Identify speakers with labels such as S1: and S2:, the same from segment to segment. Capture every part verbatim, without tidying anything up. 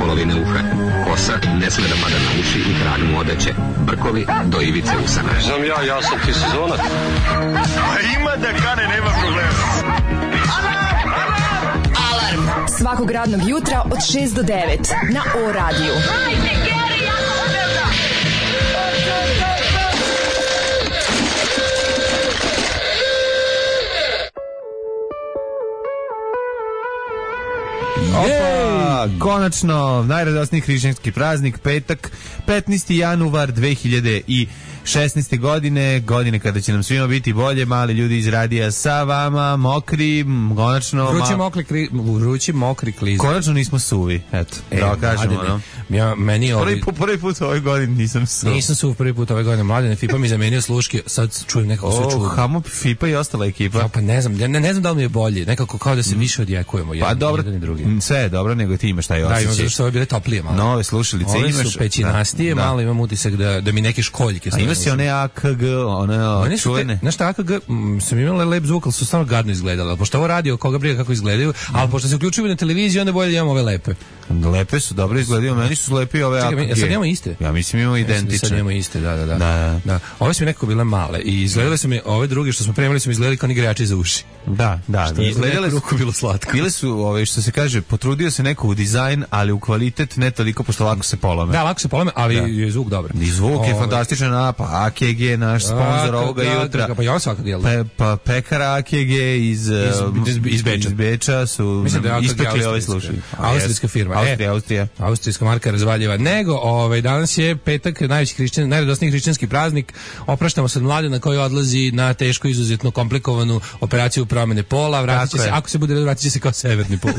S1: polovine uha. Kosa ne sme da pada na uši i trag mu odeće. Brkovi do ivice usana.
S2: Znam ja, ja sam ti sezonac.
S3: A ima da kane, nema problema.
S4: Alarm svakog radnog jutra od šest do devet na O radiju. Hajde, Geri, jako odavno.
S5: Opa, konačno, najradosniji hrišćanski praznik, petak, petnaesti januar dve hiljade šesnaeste. godine, godine kada će nam svima biti bolje, mali ljudi iz radija sa vama, mokri, konačno...
S6: Vrući, mokri, kli, vrući mokri kliz.
S5: Konačno nismo suvi, eto, e, da kažemo, no.
S6: Ja, meni ovi...
S5: prvi, put, prvi put ove godine nisam suv.
S6: Nisam suv prvi put ove godine, Mladene, Fipa mi zamenio sluške, sad čujem nekako sve čudno.
S5: O, Hamo, Fipa i ostala ekipa.
S6: Ja, pa ne znam, ne, ne znam da li mi je bolje, nekako kao da se više odjekujemo, jedan,
S5: pa dobro,
S6: jedan i drugi.
S5: Sve je dobro, nego ti imaš taj osjećaj.
S6: Da, imam što ove bile toplije malo.
S5: Nove slušalice
S6: ove
S5: imaš.
S6: Ove su pećinastije, da, malo imam utisak da, da mi neke školjke...
S5: A ima si one A K G, one čuvene.
S6: Znaš šta, A K G, m, sam imala lep zvuk, ali su stvarno gadno izgledali. Ali pošto ovo radio, koga briga kako izgledaju, ali pošto se uključuju na televiziju, onda bolje da imamo ove lepe.
S5: Lepe su, dobro izgledaju, meni su lepi ove A K G.
S6: Čekaj, sad imamo iste?
S5: Ja mislim imamo identične.
S6: Sad imamo iste, da, da, da.
S5: da.
S6: da. Ove su mi nekako bile male i izgledale su mi, ove druge što smo premali su mi izgledali kao ni igrači za uši.
S5: Da, da.
S6: Što je
S5: izgledale
S6: ruku bilo slatko.
S5: Bile su, ove, što se kaže, potrudio se neko u dizajn, ali u kvalitet ne toliko, pošto lako se polome.
S6: Da, lako se polome, ali da. Je zvuk dobar.
S5: I zvuk
S6: ove...
S5: je fantastičan, a pa A K G, naš sponsor ovoga
S6: da,
S5: jutra.
S6: Da, pa ja svakog jel?
S5: Pa, pa pekar A K G iz, iz, iz, iz, Beča. iz Beča su da ispekli ove slušali.
S6: Austrijska firma.
S5: Austrija, Austrija.
S6: Austrijska marka razvaljeva. Nego, ovaj, danas je petak, najveći hrišćan, najradosniji hrišćanski praznik. Opraštamo se od Mladena koji odlazi na teško, izuzetno komplikovanu operaciju promene pola. Vratit će se, ako se bude redu, vratit će se kao severni pol.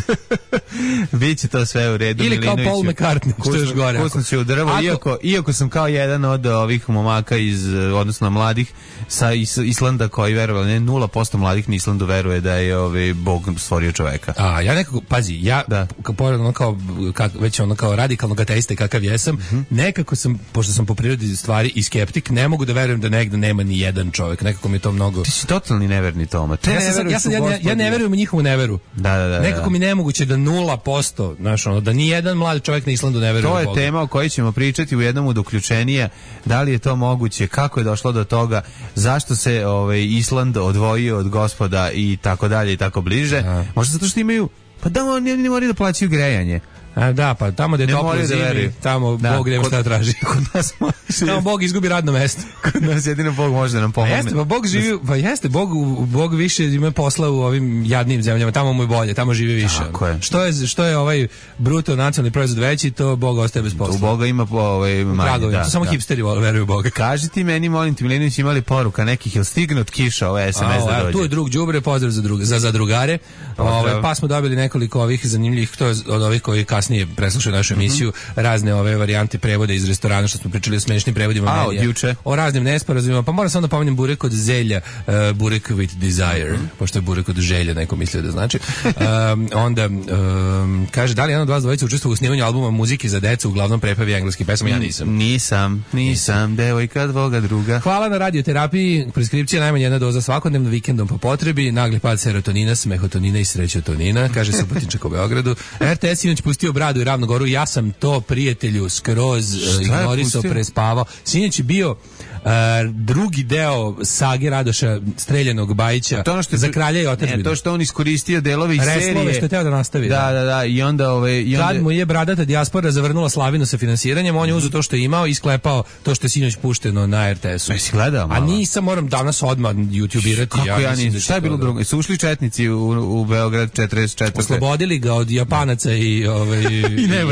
S5: Biće to sve u redu.
S6: Ili kao Paul McCartney, što je još gore.
S5: Kusno će u drvo, ako... iako, iako sam kao jedan od ovih momaka iz, odnosno mladih sa Islanda koji verovali, ne, nula posto mladih na Islandu veruje da je ovaj Bog stvorio čoveka.
S6: A, ja nekako, pazi, ja, da. Pored ono kao, kak, već ono kao radikalnog ateiste kakav jesam, mm-hmm. nekako sam, pošto sam po prirodi stvari i skeptik, ne mogu da verujem da negde nema ni jedan čovjek, nekako mi je to mnogo...
S5: Ti si totalni neverni Toma. Te
S6: ja, sam, ja, sam, ja, ja, ja ne verujem u njihovu neveru.
S5: Da, da, da.
S6: Nekako mi nemoguće da nula posto, znaš, ono, da ni jedan mlad čovjek na Islandu ne veruje u Boga.
S5: To je tema o kojoj ćemo pričati u jednom od uključenija. Da li je to moguće, kako je došlo do toga, zašto se ovaj, Island odvojio od Gospoda i tako dalje i tako bliže. Da. Možda zato što imaju, pa da oni ne moraju da plaćaju grejanje.
S6: A, da, pa tamo gde je toplo zimi, tamo da, Bog nema šta traži.
S5: Kod nas može.
S6: Tamo Bog izgubi radno mesto.
S5: Kod nas jedino Bog može da nam pomogne.
S6: Pa jeste, pa Bog živi, pa jeste, Bog, Bog više ima posla u ovim jadnim zemljama, tamo mu je bolje, tamo živi više.
S5: Tako je.
S6: Što je, što je ovaj bruto nacionalni proizvod veći, to Bog ostaje bez posla.
S5: U Boga ima ovaj manje, da.
S6: To samo
S5: da.
S6: hipsteri veruju u Boga.
S5: Kaži ti meni, molim ti, Milinović, imali poruka nekih, jel stigne od Kiša ove S M S da dođe?
S6: Tu je drug đubre, pozdrav za, drug, za, za drugare. Ove, pa smo dobili nekoliko ovih zanimljivih, to je od ovih koji kasnije preslušaju našu emisiju, mm-hmm. razne ove varijante prevoda iz restorana, što smo pričali o smešnim prevodima.
S5: A, od juče.
S6: O raznim nesporazumima, pa moram samo da pomenem burek od zelja, uh, burek with desire, mm-hmm. pošto je burek od želja, neko mislio da znači. um, onda, um, kaže, da li jedan od vas dvojica učestvovao u snimanju albuma muzike za decu, uglavnom prepevi engleski pesama? Ja nisam.
S5: Nisam, nisam, devojka dvoga druga.
S6: Hvala na radioterapiji, preskripcija najmanje jedna doza svakodnevno, vikendom po potrebi, nagli pad serotonina, smehotonina i srećotonina, kaže Subotičak u Beogradu. R T S inače pustio Bradu i Ravnu Goru, ja sam to prijatelju skroz uh, ignorisao, prespavao. Sinoć je bio Uh, drugi deo sage Radoša Streljanog Bajića to što za kralja i otadžbinu.
S5: To što on iskoristio delove iz serije.
S6: Reslove što je teo da nastavi.
S5: Da, da, da. I onda ove i onda
S6: kad mu je bradata dijaspora zavrnula slavinu sa finansiranjem, on je uzeo to što je imao i sklepao to što je sinoć pušteno na R T S-u.
S5: Jesi gledao malo?
S6: A nisam, moram danas odmah YouTubeirati.
S5: Kako ja, ja nisam. Šta je bilo drugo? Su ušli četnici u, u Beograd četrdeset četvrte.
S6: Oslobodili ga od Japanaca i ovaj i,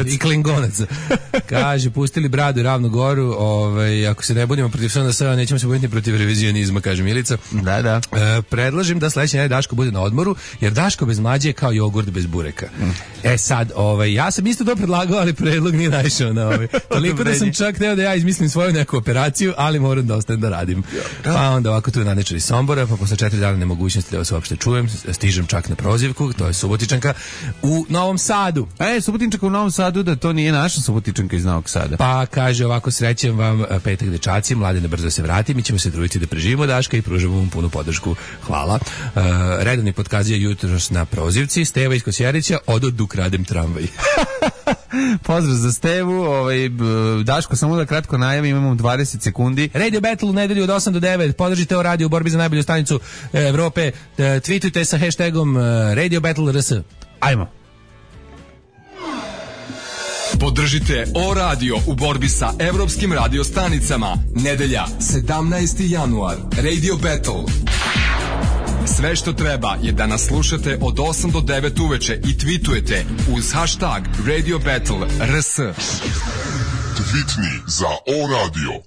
S6: i, i Klingonaca. Kaže, pustili Bradu i Ravnu Goru, ovaj ako se ne budemo protiv sada sada nećemo se boriti protiv revizionizma, kaže Milica.
S5: Da, da.
S6: E, predlažem da sledeći nedelje Daško bude na odmoru, jer Daško bez mlađe je kao jogurt bez bureka. Mm. E sad, ovaj, ja sam isto to predlagao, ali predlog nije naišao na ovaj. Toliko da sam čak teo da ja izmislim svoju neku operaciju, ali moram da ostanem da radim. Pa onda ovako tu je Nanečar iz Sombora, pa posle četiri dana nemogućnosti da vas uopšte čujem, stižem čak na prozivku, to je Subotičanka u Novom Sadu.
S5: E, Subotičanka u Novom Sadu, da to nije naša Subotičanka iz Novog Sada.
S6: Pa kaže ovako, srećem vam petak dečaci, Mladene brzo se vrati, mi ćemo se truditi da preživimo Daška i pružamo vam punu podršku. Hvala. Uh, redovni podkazija jutros na prozivci, Steva iz Kosjerića, odo dok radem tramvaj.
S5: Pozdrav za Stevu, ovaj, Daško, samo da kratko najavim, imamo dvadeset sekundi.
S6: Radio Battle u nedelju od osam do devet, podržite o radio u borbi za najbolju stanicu Evrope, tweetujte sa hashtagom Radio Battle R S.
S5: Ajmo.
S7: Podržite O Radio u borbi sa evropskim radiostanicama. Nedelja, sedamnaesti januar, Radio Battle. Sve što treba je da nas slušate od osam do devet uveče i tweetujete uz hashtag Radio Battle R S.
S8: Tweetni za O Radio.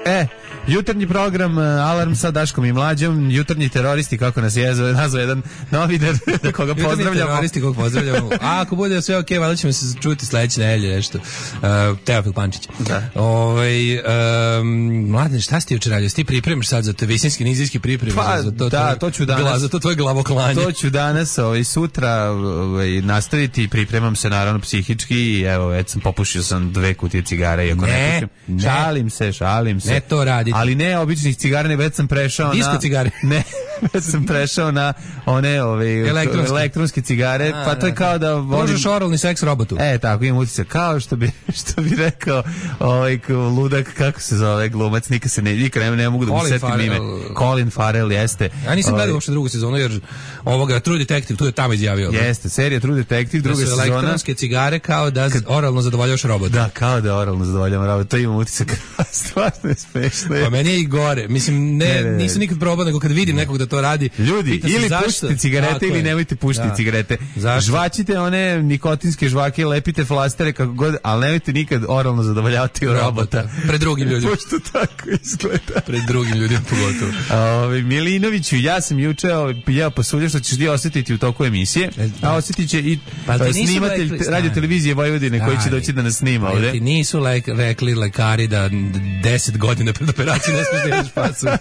S5: E, jutarnji program Alarm sa Daškom i Mlađom, jutarnji teroristi, kako nas je nazvao jedan novinar, da koga pozdravljamo. Jutarnji
S6: teroristi, koga pozdravljamo. A ako bude sve okej, okay, valjda ćemo se čuti sledeće nedelje nešto. Uh, Teofil Pančić.
S5: Da.
S6: Ovaj um, Mladen, šta si ti juče radio? Ti pripremaš sad za to visinski, nizijski priprem?
S5: Pa,
S6: za to,
S5: da,
S6: tvoj,
S5: to ću danas. Gla,
S6: za to tvoje glavoklanje.
S5: To ću danas, ovaj, sutra ovaj, nastaviti, pripremam se naravno psihički i evo, već sam popušio sam dve kutije cigara, iako ne, ne pušim. Ne. Šalim se, šalim se.
S6: Ne to raditi.
S5: Ali ne običnih cigara, ne, već sam prešao
S6: Disko
S5: na...
S6: cigare.
S5: Ne, već sam prešao na one ove, elektronske. elektronske cigare, a, pa to je kao da...
S6: Možeš oralni seks robotu.
S5: E, tako, imam utisak, kao što bi, što bi rekao ovaj ludak, kako se zove glumac, nikad se ne, nikad ne, ne mogu da mu setim ime. Colin Farrell, jeste.
S6: Ja nisam gledao uopšte drugu sezonu, jer ovoga True Detective, tu je tamo izjavio.
S5: Jeste, serija True Detective, druga sezona.
S6: Da su elektronske cigare kao da kad, oralno zadovoljavaš robota.
S5: Da, kao da oralno zadovoljavam robota, to imam utisak, stvarno je smešno.
S6: Pa meni je i gore, mislim, ne, ne, ne, ne. nisam nikad probao, nego kad vidim nekog da to radi.
S5: Ljudi, ili pušite cigarete ili nemojte pušiti da. cigarete. Zašto? Žvačite one nikotinske žvake, lepite flastere kako god, ali nemojte nikad oralno zadovoljavati robota. robota.
S6: Pred drugim ljudima.
S5: Pošto tako izgleda.
S6: Pred drugim ljudima pogotovo.
S5: Ove, Milinoviću, ja sam juče jeo pasulje, što ćeš ti osjetiti u toku emisije, a osjetit će i pa snimatelj rekli, radio televizije Vojvodine koji će doći da nas snima ovde.
S6: Ti nisu lek, rekli lekari da deset godina pred operacijom ne smiješ da jedeš pasulje.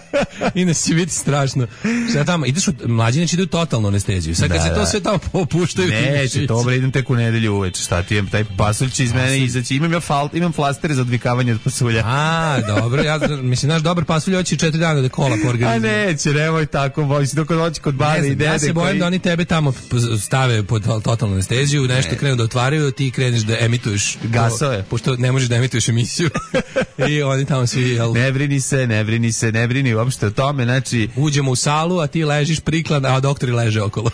S6: Inače će biti strašno. Šta tamo, ideš u mlađi, neće idu totalnu anesteziju. Sad kad da, se to da. sve tamo popuštaju...
S5: Neće, dobro, idem tek u nedelju uveče. Šta ti je, taj pasulj će iz mene izaći. Imam ja fal, imam flastere za odvikavanje od pasulja.
S6: A, dobro, ja mislim, naš dobar pasulj hoće četiri dana da kola po organizmu.
S5: A neće, nemoj tako, bojsi, dok hoće kod bare i dede.
S6: Ja se bojim koji... da oni tebe tamo stave pod totalnu anesteziju, nešto ne. krenu da otvaraju, ti kreneš da emituješ
S5: gasove,
S6: pošto ne možeš da emituješ emisiju. I oni tamo svi... Jel...
S5: Ne brini se, ne brini se, ne brini uopšte o tome, znači...
S6: Uđemo u salu, a ti ležiš priklan, a doktori leže okolo.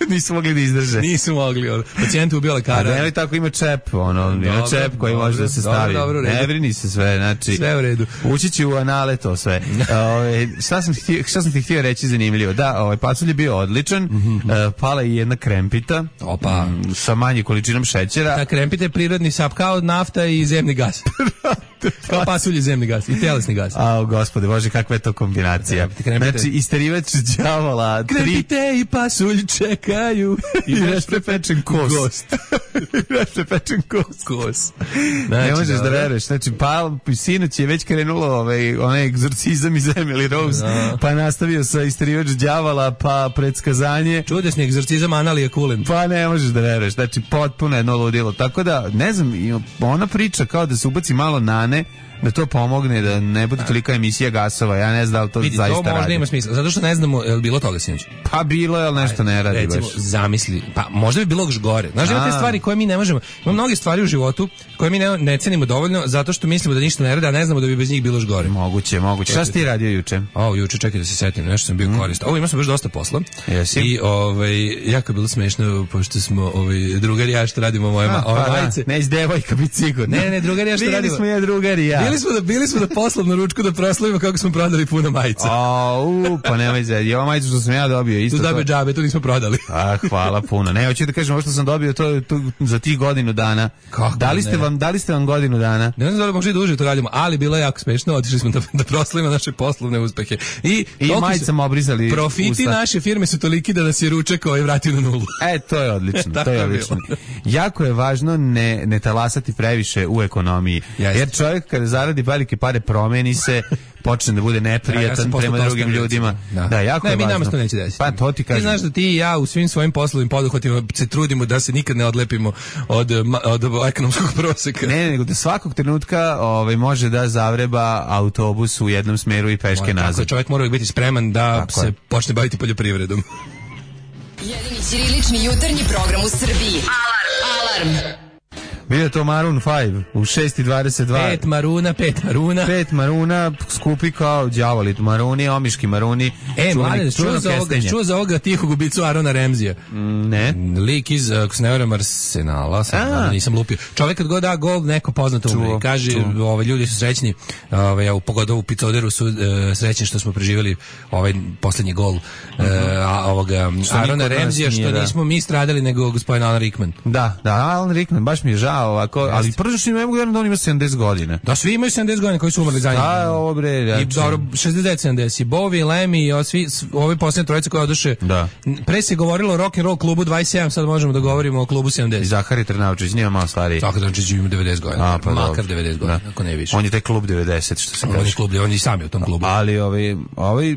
S5: Nisu mogli da izdrže.
S6: Nisu mogli, ono. Pacijent ubio lekara.
S5: A ne li tako ima čep, ono, dobro, ima čep koji dobro, može da se stavi. Dobro, dobro, ne brini se sve, znači.
S6: Sve u redu.
S5: Ući će u anale to sve. Ove, šta, sam htio, šta sam ti htio reći zanimljivo? Da, ovaj pasulj je bio odličan, mm-hmm. e, pala je jedna krempita.
S6: Opa.
S5: M, sa manjim količinom šećera.
S6: Ta krempita je prirodni sap, kao nafta i zemni gas. Kao pasulj i zemni gas i telesni gas.
S5: A, gospode, bože, kakva je to kombinacija. Znači, isterivač đavola.
S6: Krempite tri... i pasulj čekaju.
S5: I već prepečen kos. Gost. I već prepečen kos.
S6: Kos.
S5: Znači, ne možeš da veruješ. Znači, pa, sinoć je već krenulo ovaj, onaj egzorcizam iz Emily Rose, no. Pa nastavio sa isterivač đavola, pa predskazanje.
S6: Čudesni egzorcizam Analije Kulen.
S5: Pa ne možeš da veruješ. Znači, potpuno jedno ludilo. Tako da, ne znam, ona priča kao da se ubaci malo nane, da to pomogne, da ne bude tolika emisija gasova. Ja ne znam da li to
S6: Vidi,
S5: zaista radi.
S6: To možda
S5: radi.
S6: Ima smisla, zato što ne znamo je li bilo toga sinoć.
S5: Pa bilo je, ali nešto ne radi.
S6: Recimo, baš. Zamisli, pa možda bi bilo još gore. Znaš, ima te stvari koje mi ne možemo, ima mnoge stvari u životu koje mi ne, ne cenimo dovoljno zato što mislimo da ništa ne radi, a ne znamo da bi bez njih bilo još gore.
S5: Moguće, moguće. Šta si ti radio juče?
S6: O, juče, čekaj da se setim, nešto sam bio mm. koristan. Ovo, imao sam baš dosta posla.
S5: Jesi?
S6: I ovaj, jako je bilo smešno, pošto smo ovaj, drugari ja što radimo moje ma, ove majice.
S5: Ne, iz devojka biti sigurno.
S6: Ne, ne, drugari ja što radimo.
S5: Bili smo ja drugari ja.
S6: Bili smo da, bili smo da poslovnu ručku da proslavimo kako smo prodali puno majica.
S5: Au, pa nemoj zedi. Ova majica što sam ja dobio isto.
S6: Tu dobio
S5: to...
S6: džabe, to nismo prodali.
S5: A, hvala puno. Ne, hoću da kažem ovo što sam dobio to, to za tih godinu dana.
S6: Kako
S5: da li ste
S6: ne?
S5: vam, da li ste vam godinu dana?
S6: Ne znam da li možda i duže to radimo, ali bilo je jako smešno. Otišli smo da, da proslavimo naše poslovne uspehe. I,
S5: I majicama obrizali
S6: profiti
S5: usta.
S6: Naše firme su toliki da nas je ručak ovaj vratio na nulu.
S5: E, to je odlično. to je odlično. Jako je važno ne, ne talasati previše u ekonomiji. Jeste. Jer čovjek kada zaradi velike pare promeni se, počne da bude neprijatan ja, ja prema drugim ljudima. Da, da jako
S6: ne,
S5: je
S6: mi
S5: važno.
S6: Nama to neće desiti.
S5: Pa to ti kažem.
S6: Ti znaš da ti i ja u svim svojim poslovnim poduhvatima se trudimo da se nikad ne odlepimo od, od, od ekonomskog proseka.
S5: Ne, nego da svakog trenutka ovaj, može da zavreba autobus u jednom smeru i peške nazad.
S6: Tako je, čovjek mora biti spreman da tako se je. počne baviti poljoprivredom.
S4: Jedini ćirilični jutarnji program u Srbiji. Alarm! Alarm.
S5: Bio je to Maroon pet u šest i dvadeset dva.
S6: Pet maruna, pet maruna.
S5: Pet maruna, skupi kao đavoli maruni, omiški maruni.
S6: E, mladen, čuo za ovoga, čuo za ovoga tihog ubicu Arona Ramsija.
S5: Mm, ne.
S6: Lik iz, ako se ne varam, Arsenala, sam, nisam lupio. Čovjek kad god da gol, neko poznato umre. Kaže, ovaj, ljudi su srećni, ovaj, u pogodovu Picoderu su uh, srećni što smo preživjeli ovaj posljednji gol uh, a, ovoga Arona Ramsija, što
S5: da.
S6: nismo mi stradali, nego gospodin Alan Rickman.
S5: Da, da, Alan Rickman, baš mi je žao ovako, Jeste. Ali prvo što ne mogu da on ima sedamdeset godina.
S6: Da, svi imaju sedamdeset godina koji su umrli za njim.
S5: Da, ovo bre, znači.
S6: I dobro, šezdeset sedamdeset. Bowie, Lemmy i svi ovi posljednje trojice koje oduše. Da. Pre se govorilo o rock and roll klubu dvadeset sedam, sad možemo da govorimo o klubu sedamdeset.
S5: I Zahari Trnavčić, nije malo stariji.
S6: Zahari Trnavčić ima devedeset godina. A, pa makar devedeset godina, ako ne više.
S5: On je taj klub devedeset, što se kaže.
S6: On je klub, on je i sam je u tom klubu.
S5: Ali ovaj, ovaj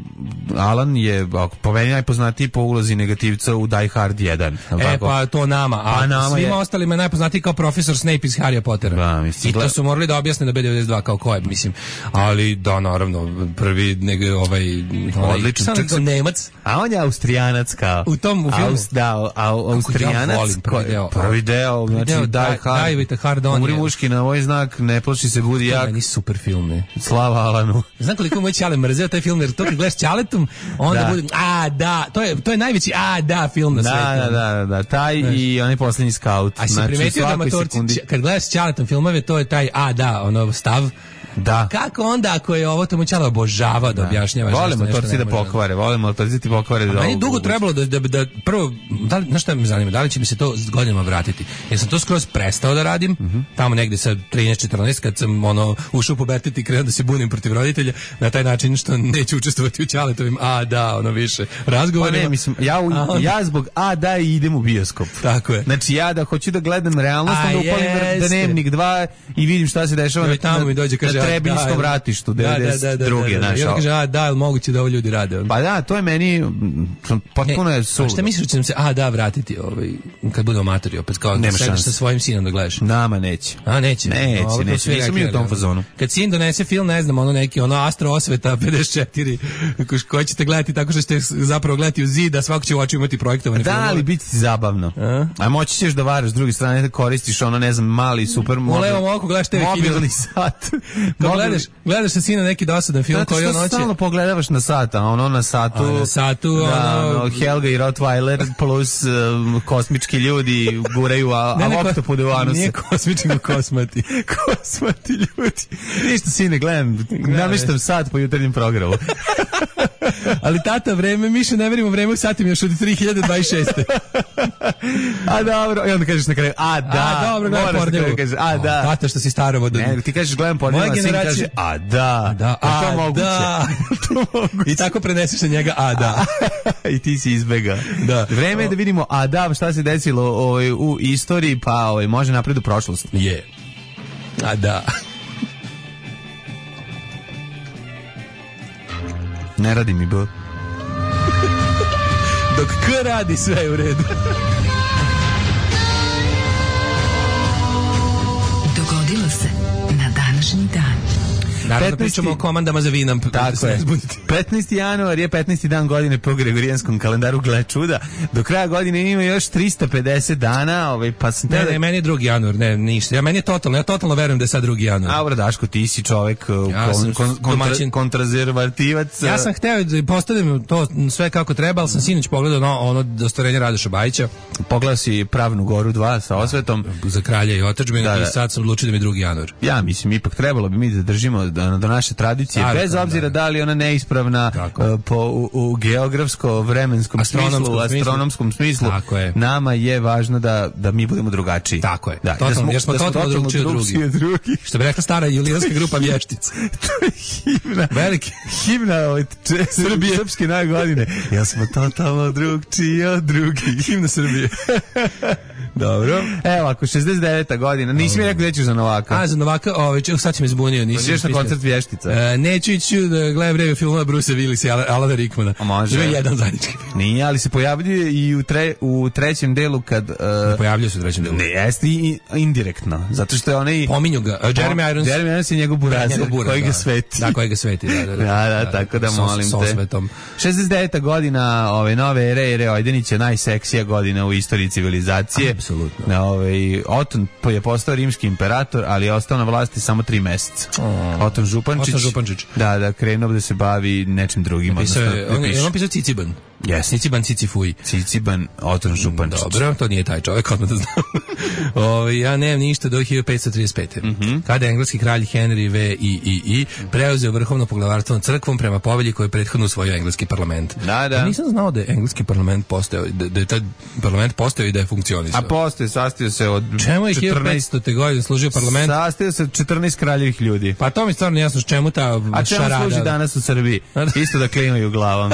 S5: Alan je po meni najpoznatiji po ulozi negativca u Die Hard jedan.
S6: E, pa to nama. A pa nama svima je... ostalima je najpoznatiji kao profesor Snape iz Harry Pottera. Da, mislim, I to su morali da objasne na B devedeset dva kao ko je, mislim. Ali da, naravno, prvi nego ovaj
S5: odličan
S6: ovaj, Nemac.
S5: A on je Austrijanac kao.
S6: U tom u filmu.
S5: Aus, da, Austrijanac.
S6: Ja prvi deo.
S5: Prvi deo, znači
S6: deo,
S5: Die Hard.
S6: Die hard on.
S5: Umri muški na ovaj znak, ne plaši se, budi jak.
S6: To je super film, ne.
S5: Slava Alanu.
S6: Znam koliko moj ćale mrzeo taj film, jer to kad gledaš ćaletom, onda da. bude, a da, to je, to je najveći, a da, film na
S5: da,
S6: svetu.
S5: Da, da, da, taj znaš. I onaj posljednji Scout.
S6: A si znači, primetio da amatorci, kad gledaš ćaletom filmove, to je taj, a da, ono, stav.
S5: Da.
S6: Kako onda ako je ovo tomu ćala obožava da objašnjava
S5: nešto volimo motorci da pokvare, volimo motorci da pokvare da.
S6: Meni dugo trebalo da, da, da prvo da li, znaš šta me zanima, da li će mi se to s godinama vratiti. Jer sam to skroz prestao da radim, mm-hmm. tamo negde sa trinaest četrnaest kad sam ono ušao u pubertet i krenuo da se bunim protiv roditelja na taj način što neću učestvovati u ćaletovim a da, ono više razgovorima.
S5: Pa ne, mislim, ja, u, onda... ja zbog a da i idem u bioskop.
S6: Tako je.
S5: Znači ja da hoću da gledam realnost, onda upalim Dnevnik dva i vidim šta se dešava na,
S6: tamo mi dođe kaže
S5: Trebinjskom ratištu devedeset druge
S6: naša. Ja kaže a da, jel moguće da ovo ljudi rade?
S5: Pa da, to je meni potpuno je suludo.
S6: A šta misliš da će nam se a da vratiti ovaj kad budemo amatori opet kao da sediš sa svojim sinom da gledaš?
S5: Nama neće.
S6: A neće.
S5: Neće, no, neće. Nisam mi u tom fazonu.
S6: Kad sin donese film, ne znam, ono neki ono Astro Osveta pedeset četiri koji ćete gledati tako što ćete zapravo gledati u zid, a svako će u oči imati projektovane filmove.
S5: Da, ali biti zabavno. A, a moći ćeš da varaš s druge strane da koristiš ono ne znam mali super
S6: u levom oku gledaš te
S5: mobilni sat.
S6: Gledaš, gledaš sa sina neki dosadan film koji on hoće.
S5: Stalno pogledavaš na sat, a ono na satu.
S6: A na satu,
S5: da,
S6: ono...
S5: no, Helga i Rottweiler plus um, kosmički ljudi guraju, a,
S6: ne,
S5: a
S6: ne,
S5: oktopude u anuse.
S6: Nije kosmički, kosmati.
S5: Kosmati ljudi. Ništa sine, gledam, namještam sat po jutarnjem programu.
S6: Ali tata, vreme, Miše, ne verimo vreme u satim još od tri hiljade dvadeset šeste.
S5: A dobro, i onda kažeš na kraju, a da.
S6: A dobro, gledam pornjevu.
S5: Kažeš, a da.
S6: Tata što si starovo.
S5: Ne, ti kažeš gledam pornjevu, a sin kaže, a da.
S6: Da,
S5: a to moguće.
S6: Da. I tako preneseš na njega, a da.
S5: I ti si izbega. Da. Vreme je da vidimo, a da, šta se desilo ovaj, u istoriji, pa ovaj, može napred u prošlost.
S6: Je. A da.
S5: Ne radi mi B.
S6: Dok K radi, sve je u redu.
S4: Dogodilo se na današnji dan.
S6: Naravno pričamo o komandama za vinam.
S5: Tako je. petnaesti januar je petnaesti dan godine po gregorijanskom kalendaru, gle čuda. Do kraja godine ima još trista pedeset dana, ovaj, pa sam...
S6: Ne, ne, meni je drugi januar, ne, ništa. Ja, meni je totalno, ja totalno verujem da je sad drugi januar.
S5: A, Daško, ti si čovek
S6: ja
S5: kon, kon, kontra, kontrazervativac.
S6: Ja sam hteo da postavim to sve kako treba, ali sam sinoć pogledao no, ono dostorenje Radoša Bajića.
S5: Pogledao si Pravnu Goru dva sa osvetom.
S6: Za kralja i otadžbinu da, da. I sad sam odlučio da mi je drugi januar.
S5: Ja mislim, ipak trebalo bi mi da držimo do, do naše tradicije, Stari, bez obzira da, da li ona neispravna uh, po, u, u geografsko-vremenskom smislu, astronomskom smislu, nama je važno da, da mi budemo drugačiji.
S6: Tako je.
S5: Da,
S6: totalno,
S5: da smo,
S6: jer smo
S5: da
S6: totalno drugčiji od drugih.
S5: Drugi.
S6: Što bi rekla stara julijanska grupa Vještica.
S5: To je himna.
S6: Veliki.
S5: Himna ovaj, če, Srbije. Srpske nove godine. Ja smo totalno drugčiji od drugih.
S6: Himna Srbije. Dobro.
S5: Evo, ako šezdeset deveta godina, nisi mi rekao da ćeš za Novaka.
S6: A, za Novaka, ovaj, sad si me zbunio.
S5: Nisi na koncert Vještica.
S6: E, neću ići da gledam vreme filmova Bruce Willisa i Alana Rickmana.
S5: A može.
S6: Ima jedan zajednički.
S5: Nije, ali se pojavljuje i u, tre, u trećem delu kad... Uh,
S6: pojavljuje se u trećem delu.
S5: Ne, jeste i indirektno. Zato što je onaj...
S6: Pominju ga. Uh, Jeremy Irons.
S5: Jeremy Irons je njegov burazer,
S6: buraz,
S5: koji
S6: da.
S5: ga sveti.
S6: Da, koji ga sveti. Da, da, da.
S5: da, da tako da molim
S6: so,
S5: te. šezdeset deveta godina ove nove ere, ere Ojdenića, najseksija godina u istoriji civilizacije.
S6: Apsolutno.
S5: Na ovaj Oton je postao rimski imperator, ali je ostao na vlasti samo tri meseca. Oh. Oton Župančić.
S6: Oton Župančić.
S5: Da, da, krenuo da se bavi nečim drugim.
S6: Napisao je, on, je on pisao Ciciban.
S5: Yes.
S6: Ciciban Cicifuj.
S5: Ciciban Oton Župančić.
S6: Dobro, to nije taj čovjek, odmah da znam. o, ja nemam ništa do hiljadu petsto trideset pete. Mm-hmm. Kada je engleski kralj Henry V I I I preuzeo vrhovno poglavarstvo nad crkvom prema povelji koju je prethodno usvojio engleski parlament.
S5: Da, da.
S6: Ja nisam znao da je engleski parlament postao, da, da je taj parlament postao i da je funkcionisao.
S5: A postoje, sastio se od
S6: čemu je hiljadu petsto godine služio parlament?
S5: Sastio se od četrnaest kraljevih ljudi.
S6: Pa to mi stvarno jasno, čemu ta šarada.
S5: A čemu
S6: šarada?
S5: Služi danas u Srbiji? Isto da klimaju glavom.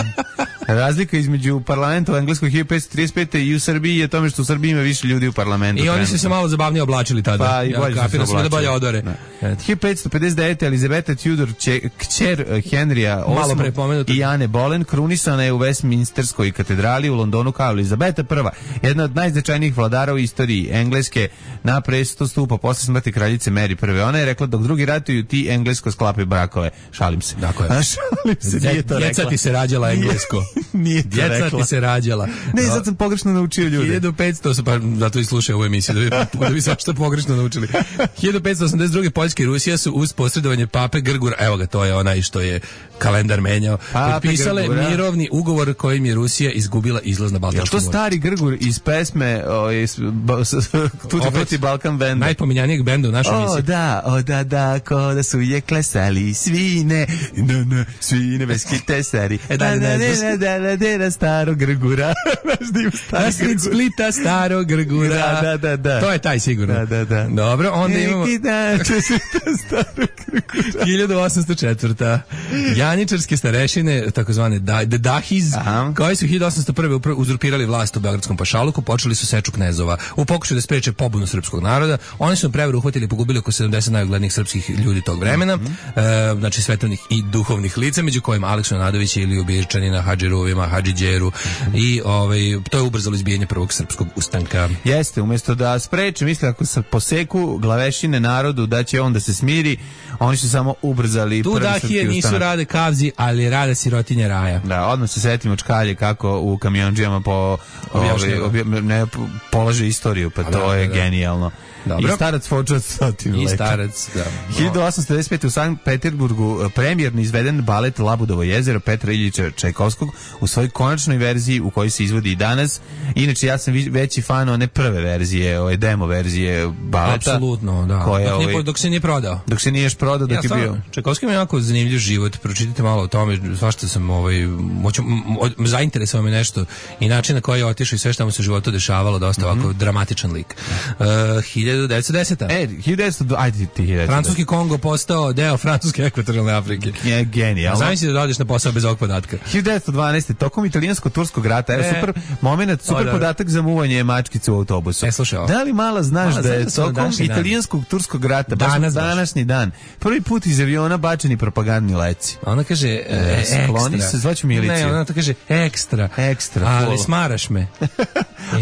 S5: Razlika između parlamenta u engleskoj hiljadu petsto trideset pete i u Srbiji je tome što u Srbiji ima više ljudi u parlamentu.
S6: I oni su se malo zabavnije oblačili tada.
S5: Pa i bolje
S6: ja,
S5: su se oblačili.
S6: Da bolje odore.
S5: hiljadu petsto pedeset devete. Elizabeta Tudor, če, kćer Henrija osmog i Ane Boleyn, krunisana je u Westminsterskoj katedrali u Londonu kao Elizabeta prva, jedna od najznačajnijih vladara u istoriji Engleske, na presto stupa posle smrti kraljice Mary prve. Ona je rekla dok drugi ratuju, ti englesko sklapaju brakove. Šalim se.
S6: Dakle.
S5: A šalim se, nije to rekla.
S6: Djeca ti se rađala englesko.
S5: Nije to
S6: Djeca
S5: rekla.
S6: ti se rađala.
S5: Ne, sad sam pogrešno naučio ljude.
S6: hiljadu petsto, pa zato i slušaj ovu emisiju, da bi, da bi svašta pogrešno naučili. hiljadu petsto osamdeset druge. Poljska i Rusija su uz posredovanje pape Grgura, evo ga, to je onaj što je kalendar menjao, potpisale Grgura. Mirovni ugovor kojim je Rusija izgubila izlaz na Baltičko more.
S5: Je to stari Grgur iz pesme o, iz, ba, s, s, Tuti Fruti Balkan benda?
S6: Najpominjanijeg benda u našoj emisiji.
S5: O da, o da, da, ko da su je klesali svine, no, no, svine bez kitesari. E da, da, da, da, da, da, da, staro Grgura.
S6: Na sred Splita staro Grgura.
S5: Da, da, da, da.
S6: To je taj sigurno.
S5: Da, da, da.
S6: Dobro, onda imamo...
S5: Neki dan će se ta staro Grgura.
S6: hiljadu osamsto četvrta. Janičarske starešine, takozvane da, The Dahiz, Aha. koji su hiljadu osamsto prve uzurpirali vlast u Beogradskom pašaluku, počeli su seču knezova. U pokušaju da spreče pobunu srpskog naroda, oni su prevaru uhvatili i pogubili oko sedamdeset najuglednijih srpskih ljudi tog vremena, mm-hmm. e, znači svetovnih i duhovnih lica, među kojima Aleksu Nadovića, Iliju Birčanina, Hadži Ruvima, Hadži Đeru, mm-hmm. i ovaj, to je ubrzalo izbijanje prvog srpskog ustanka.
S5: Jeste, umjesto da spreče, misle ako se poseku glavešine narodu da će on da se smiri, oni su samo ubrzali
S6: tu
S5: prvi srpski
S6: dahije
S5: ustanak.
S6: Nisu rade kavzi, ali rade sirotinje raja.
S5: Da, odmah se setimo čkalje kako u kamionđijama po, ovaj, obje, ne, polaže istoriju, pa A to da, je da, da. genijalno. Dobro. I starac Fočac stotinu
S6: I starac, da.
S5: hiljadu osamsto devedeset pete. u Sankt Peterburgu premijerno izveden balet Labudovo jezero Petra Iljića Čajkovskog u svojoj konačnoj verziji u kojoj se izvodi i danas. Inače, ja sam veći fan one prve verzije, ove demo verzije baleta.
S6: Apsolutno, da. Koja, dok, nije, dok se nije prodao.
S5: Dok se niješ prodao, dok ja, je bio.
S6: Čajkovski ima jako zanimljiv život, pročitajte malo o tome, svašta sam ovaj, moću, zainteresovao me nešto i način na koji je otišao i sve što mu se u životu dešavalo, dosta mm-hmm. ovako dramatičan lik. Uh, hiljadu devetsto deseta.
S5: E, hiljadu devetsto, ajde ti hiljadu devetsto.
S6: Francuski Kongo postao deo francuske ekvatorijalne Afrike.
S5: Je genijalno.
S6: Zamisli da odeš na posao bez ovog podatka.
S5: hiljadu devetsto dvanaeste. Tokom italijansko-turskog rata, evo e, super moment, super o, podatak za muvanje mačkice u autobusu.
S6: E, slušaj,
S5: da li mala znaš mala, da je tokom italijanskog turskog rata, danas današnji dan, prvi put iz aviona bačeni propagandni leci.
S6: Ona kaže e,
S5: skloni se, zvaću miliciju.
S6: Ne, ona to kaže ekstra.
S5: Ekstra.
S6: Ali smaraš me.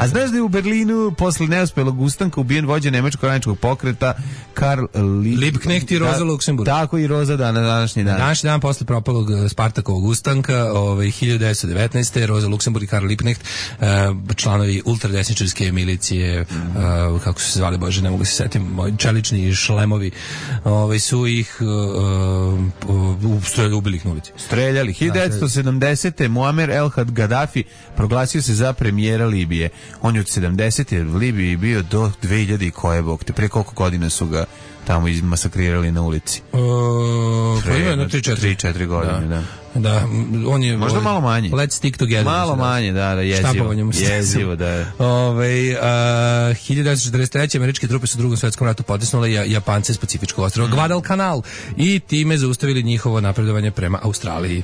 S5: A znaš da je u Berlinu posle neuspelog ustanka ubijen vođa nemačkog radničkog pokreta Karl Lieb...
S6: Liebknecht i Rosa
S5: da,
S6: Luksemburg.
S5: Tako i Rosa da, na današnji dan.
S6: Današnji dan posle propalog Spartakovog ustanka, ovaj, hiljadu devetsto devetnaeste. Rosa Luksemburg i Karl Liebknecht, uh, članovi ultradesničarske milicije, uh, kako su se zvali, bože, ne mogu se setim, moji čelični šlemovi, ovaj, su ih uh, uh, ubili ih na ulici.
S5: Streljali. hiljadu devetsto sedamdesete. Muamer El-Had Gaddafi proglasio se za premijera Libije. On je od sedamdesete u Libiji bio do dve hiljade i koje bog te. Pre koliko godina su ga tamo izmasakrirali na ulici?
S6: Uh, pa ima jedno tri
S5: četiri godine, da.
S6: da. Da, on je
S5: možda
S6: ovaj,
S5: malo manje.
S6: Let's stick together.
S5: Malo manje, da, da, jezivo. Jezivo, da.
S6: Ovaj uh, hiljadu devetsto četrdeset treće. američke trupe su u Drugom svetskom ratu potisnule Japance s Pacifičkog ostrva mm. Guadalcanal i time zaustavili njihovo napredovanje prema Australiji.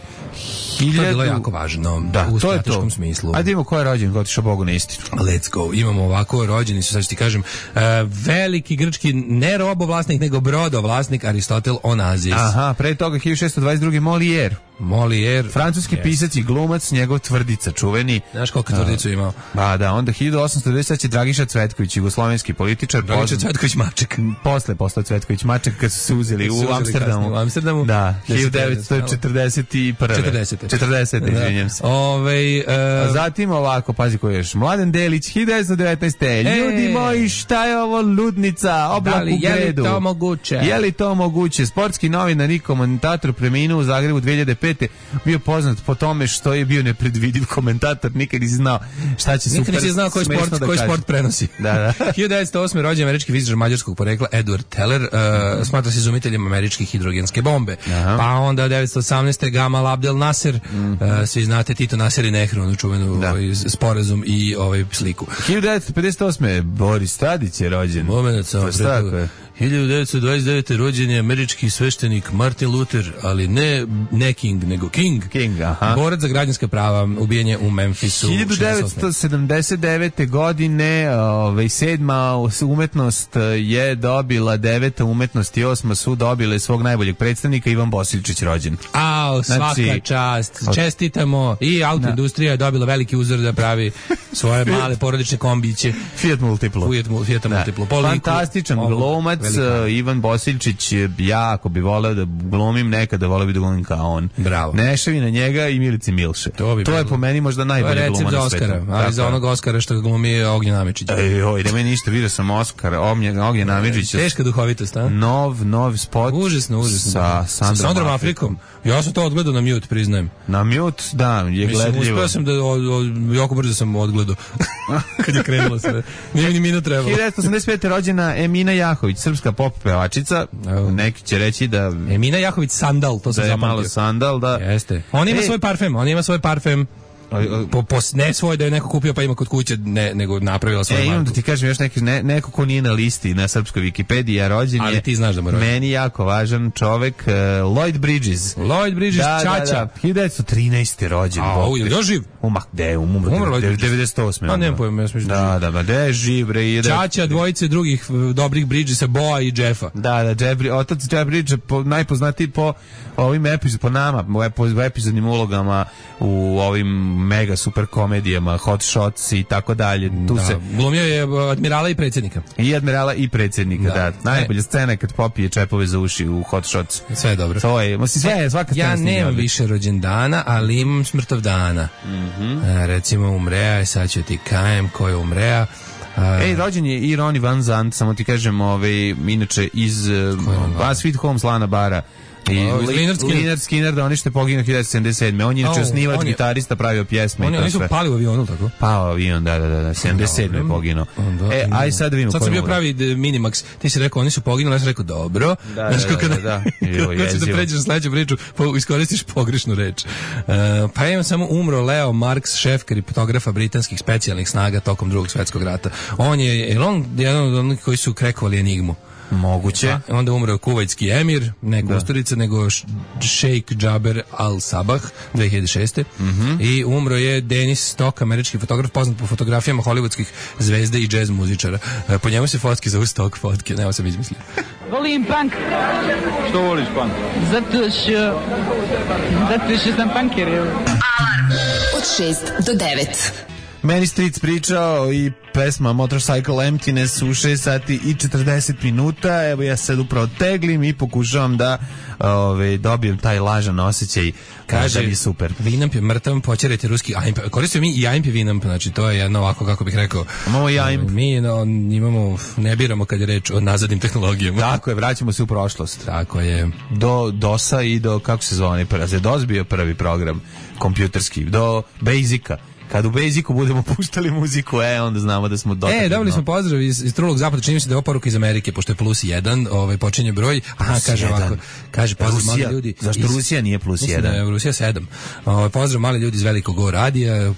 S6: Hiljadu... To je bilo jako važno,
S5: da,
S6: u
S5: to
S6: strateškom
S5: je to.
S6: smislu.
S5: Ajde imamo ko je rođen, ko otišao Bogu na istinu.
S6: Let's go. Imamo ovako rođeni su, sad ću ti kažem, uh, veliki grčki ne robovlasnik, nego brodovlasnik Aristotel Onazis.
S5: Aha, pre toga hiljadu šessto dvadeset druge. Molière.
S6: Molière.
S5: Francuski
S6: yes.
S5: pisac i glumac, njegov Tvrdica, čuveni.
S6: Znaš koliko tvrdicu imao?
S5: Ba da, onda hiljadu osamsto devedeset treće. Dragiša Cvetković, jugoslovenski političar.
S6: Dragiša Cvetković Maček.
S5: Posle, posle Cvetković Maček, kad su se uzeli u Amsterdamu.
S6: U Amsterdamu.
S5: Da, hiljadu devetsto četrdeset prve.
S6: četrdesete.
S5: četrdesete, izvinjam se.
S6: Ove, uh...
S5: A zatim ovako, pazi ko je još. Mladen Delić, hiljadu devetsto devetnaeste. E, ljudi moji, šta je ovo ludnica? Oblak u gredu.
S6: Je li to moguće?
S5: Je li to moguće? Sportski novinar i komentator preminuo u Zagrebu dve hiljade pete. Bio poznat po tome što je bio nepredvidiv komentator. Nikad nisi znao šta će super.
S6: Nikad nisi znao koji sport,
S5: da
S6: koji sport prenosi.
S5: Da, da.
S6: hiljadu devetsto osme. rođen američki fizičar mađarskog porekla Edward Teller, uh, smatra se izumiteljem američke hidrogenske bombe. Aha. Pa onda devetsto osamnaeste. Gamal Abdel Nasser, mm -hmm. uh, svi znate Tito, Nasser i Nehru, onu čuvenu ovaj, sporazum i ovaj sliku.
S5: hiljadu devetsto pedeset osme. Boris Tadić je rođen.
S6: Moment, samo pre hiljadu devetsto dvadeset devete. rođen je američki sveštenik Martin Luther, ali ne ne King, nego King.
S5: King, aha.
S6: Borac za građanska prava, ubijen je u Memphisu.
S5: hiljadu devetsto sedamdeset devete. godine, ovaj, sedma umetnost je dobila, deveta umetnost i osma su dobile svog najboljeg predstavnika, Ivan Bosiljčić rođen.
S6: Au, svaka znači, čast. Čestitamo. I autoindustrija je dobila veliki uzor da pravi svoje male porodične kombiće.
S5: Fiat Multiplo.
S6: Fiat, Fiat Multiplo.
S5: Fantastičan glumac. Ivan Bosiljčić, ja ako bi voleo da glumim nekada, voleo bi da glumim kao on.
S6: Bravo.
S5: Nešavi na njega i Milici Milše. To, bi to je po meni možda najbolji glumac na svetu.
S6: Oscara, ali za onog Oscara što ga glumi Ognjen Amidžić.
S5: Ej, oj, da meni ništa, vidio sam Oscar, Ognjen Amidžić.
S6: Teška duhovitost, a?
S5: Nov, nov spot.
S6: Užasno, užasno.
S5: Sa
S6: Sandrom, sa Sandrom Afrikom. Ja sam to odgledao na mute, priznajem.
S5: Na mute, da, je gledljivo.
S6: Mislim, uspeo sam da, od, od, jako brzo sam odgledao. Kad je krenulo sve. Nije ni minut trebalo.
S5: hiljadu devetsto osamdeset pete. rođena Emina Jahović, srpska pop pevačica. Neki će reći da...
S6: Emina Jahović Sandal, to sam
S5: da
S6: zapamtio.
S5: Da je malo Sandal, da...
S6: Jeste. On ima Ej. svoj parfem, on ima svoj parfem. Po, po, ne svoj da je neko kupio pa ima kod kuće, ne, nego napravila svoj
S5: e,
S6: marku.
S5: Imam da ti kažem još neki, ne, neko ko nije na listi na srpskoj Wikipediji, a rođen
S6: ali
S5: je
S6: ti znaš da mu rođen.
S5: Meni jako važan čovek, uh, Lloyd Bridges.
S6: Lloyd Bridges,
S5: da,
S6: Čača.
S5: Da, da, hiljadu devetsto trinaeste. rođen.
S6: A, ovo je živ?
S5: Umak, de, umro, umro devedeset osme.
S6: A, nemam pojma, ja sam
S5: da, da, da, de je živ, bre. Ide...
S6: Čača, dvojice drugih dobrih Bridgesa, Boa i Jeffa.
S5: Da, da, Jeff, otac Jeff Bridges, po, najpoznatiji po ovim epizodima, po nama, po epizodnim ulogama u ovim mega super komedijama, Hot Shots i tako dalje. Tu
S6: da,
S5: se
S6: glumio je admirala i predsjednika.
S5: I admirala i predsjednika, da. da. Najbolja e. scena je kad popije čepove za uši u Hot Shots.
S6: Sve je dobro.
S5: To je, mislim, sve je, svaka scena.
S6: Ja nemam više rođendana, ali imam smrtovdana.
S5: Mm-hmm.
S6: A, recimo umreja, sad ću ti kajem ko je umreja. Uh,
S5: Ej, rođen je i Ronnie Van Zant, samo ti kažem, ovaj, inače iz uh, Sweet Home Slana Bara. I
S6: oh,
S5: Lynyrd Skinner, Skinner da oni što je poginuo hiljadu devetsto sedamdeset sedme. On je inače osnivač, gitarista, pravio pjesme.
S6: Oni, oni su pali u avionu, tako?
S5: Pao avion, da, da, da, sedamdeset sedme je poginuo.
S6: Da,
S5: e, aj sad da vidimo.
S6: Sad sam bio pravi Minimax. Ti si rekao, oni su poginuli, ja sam rekao, dobro.
S5: Da, znaš, da, da, da, da.
S6: Kad ćeš da pređeš na sledeću priču, pa iskoristiš pogrešnu reč. Uh, pa imam samo umro Leo Marks, šef kripotografa britanskih specijalnih snaga tokom drugog svjetskog rata. On je, je on jedan od onih koji su krekovali enigmu.
S5: Moguće.
S6: A, onda umro kuvajtski emir, ne Kusturica, nego šejk Džaber al-Sabah dve hiljade šeste.
S5: Mm-hmm.
S6: I umro je Dennis Stock, američki fotograf, poznat po fotografijama hollywoodskih zvezda i džez muzičara. E, po njemu se fotke zovu Stock fotke, nema sam izmislio.
S9: Volim punk.
S3: Što voliš punk?
S9: Zato što... Zato što sam punker.
S4: Alarm od šest do devet.
S5: Meni Street pričao i pesma Motorcycle Emptiness u šest sati i četrdeset minuta. Evo ja sad upravo teglim i pokušavam da ove, dobijem taj lažan osjećaj. Kaže mi super.
S6: Vinamp je mrtav, počerajte ruski A I M P. Koristio mi i A I M P Vinamp, znači to je jedno ovako kako bih rekao.
S5: Imamo i A I M P.
S6: Mi no, imamo, ne biramo kad je reč o nazadnim tehnologijama.
S5: Tako je, vraćamo se u prošlost.
S6: Tako je.
S5: Do DOS-a i do, kako se zove, za DOS bio prvi program kompjuterski, do Basica. Kad u Basicu budemo puštali muziku, e, onda znamo da smo dotakli.
S6: E, dobili smo pozdrav iz, iz Trulog zapada, čini mi se da je ovo poruka iz Amerike, pošto je plus jedan, ovaj, počinje broj. Aha, plus kaže jedan. Ovako, kaže pozdrav Rusija, mali ljudi.
S5: Zašto iz, Rusija nije plus
S6: mislim
S5: jedan?
S6: Da je Rusija sedam. Ovaj, pozdrav mali ljudi iz Velikog Go radija.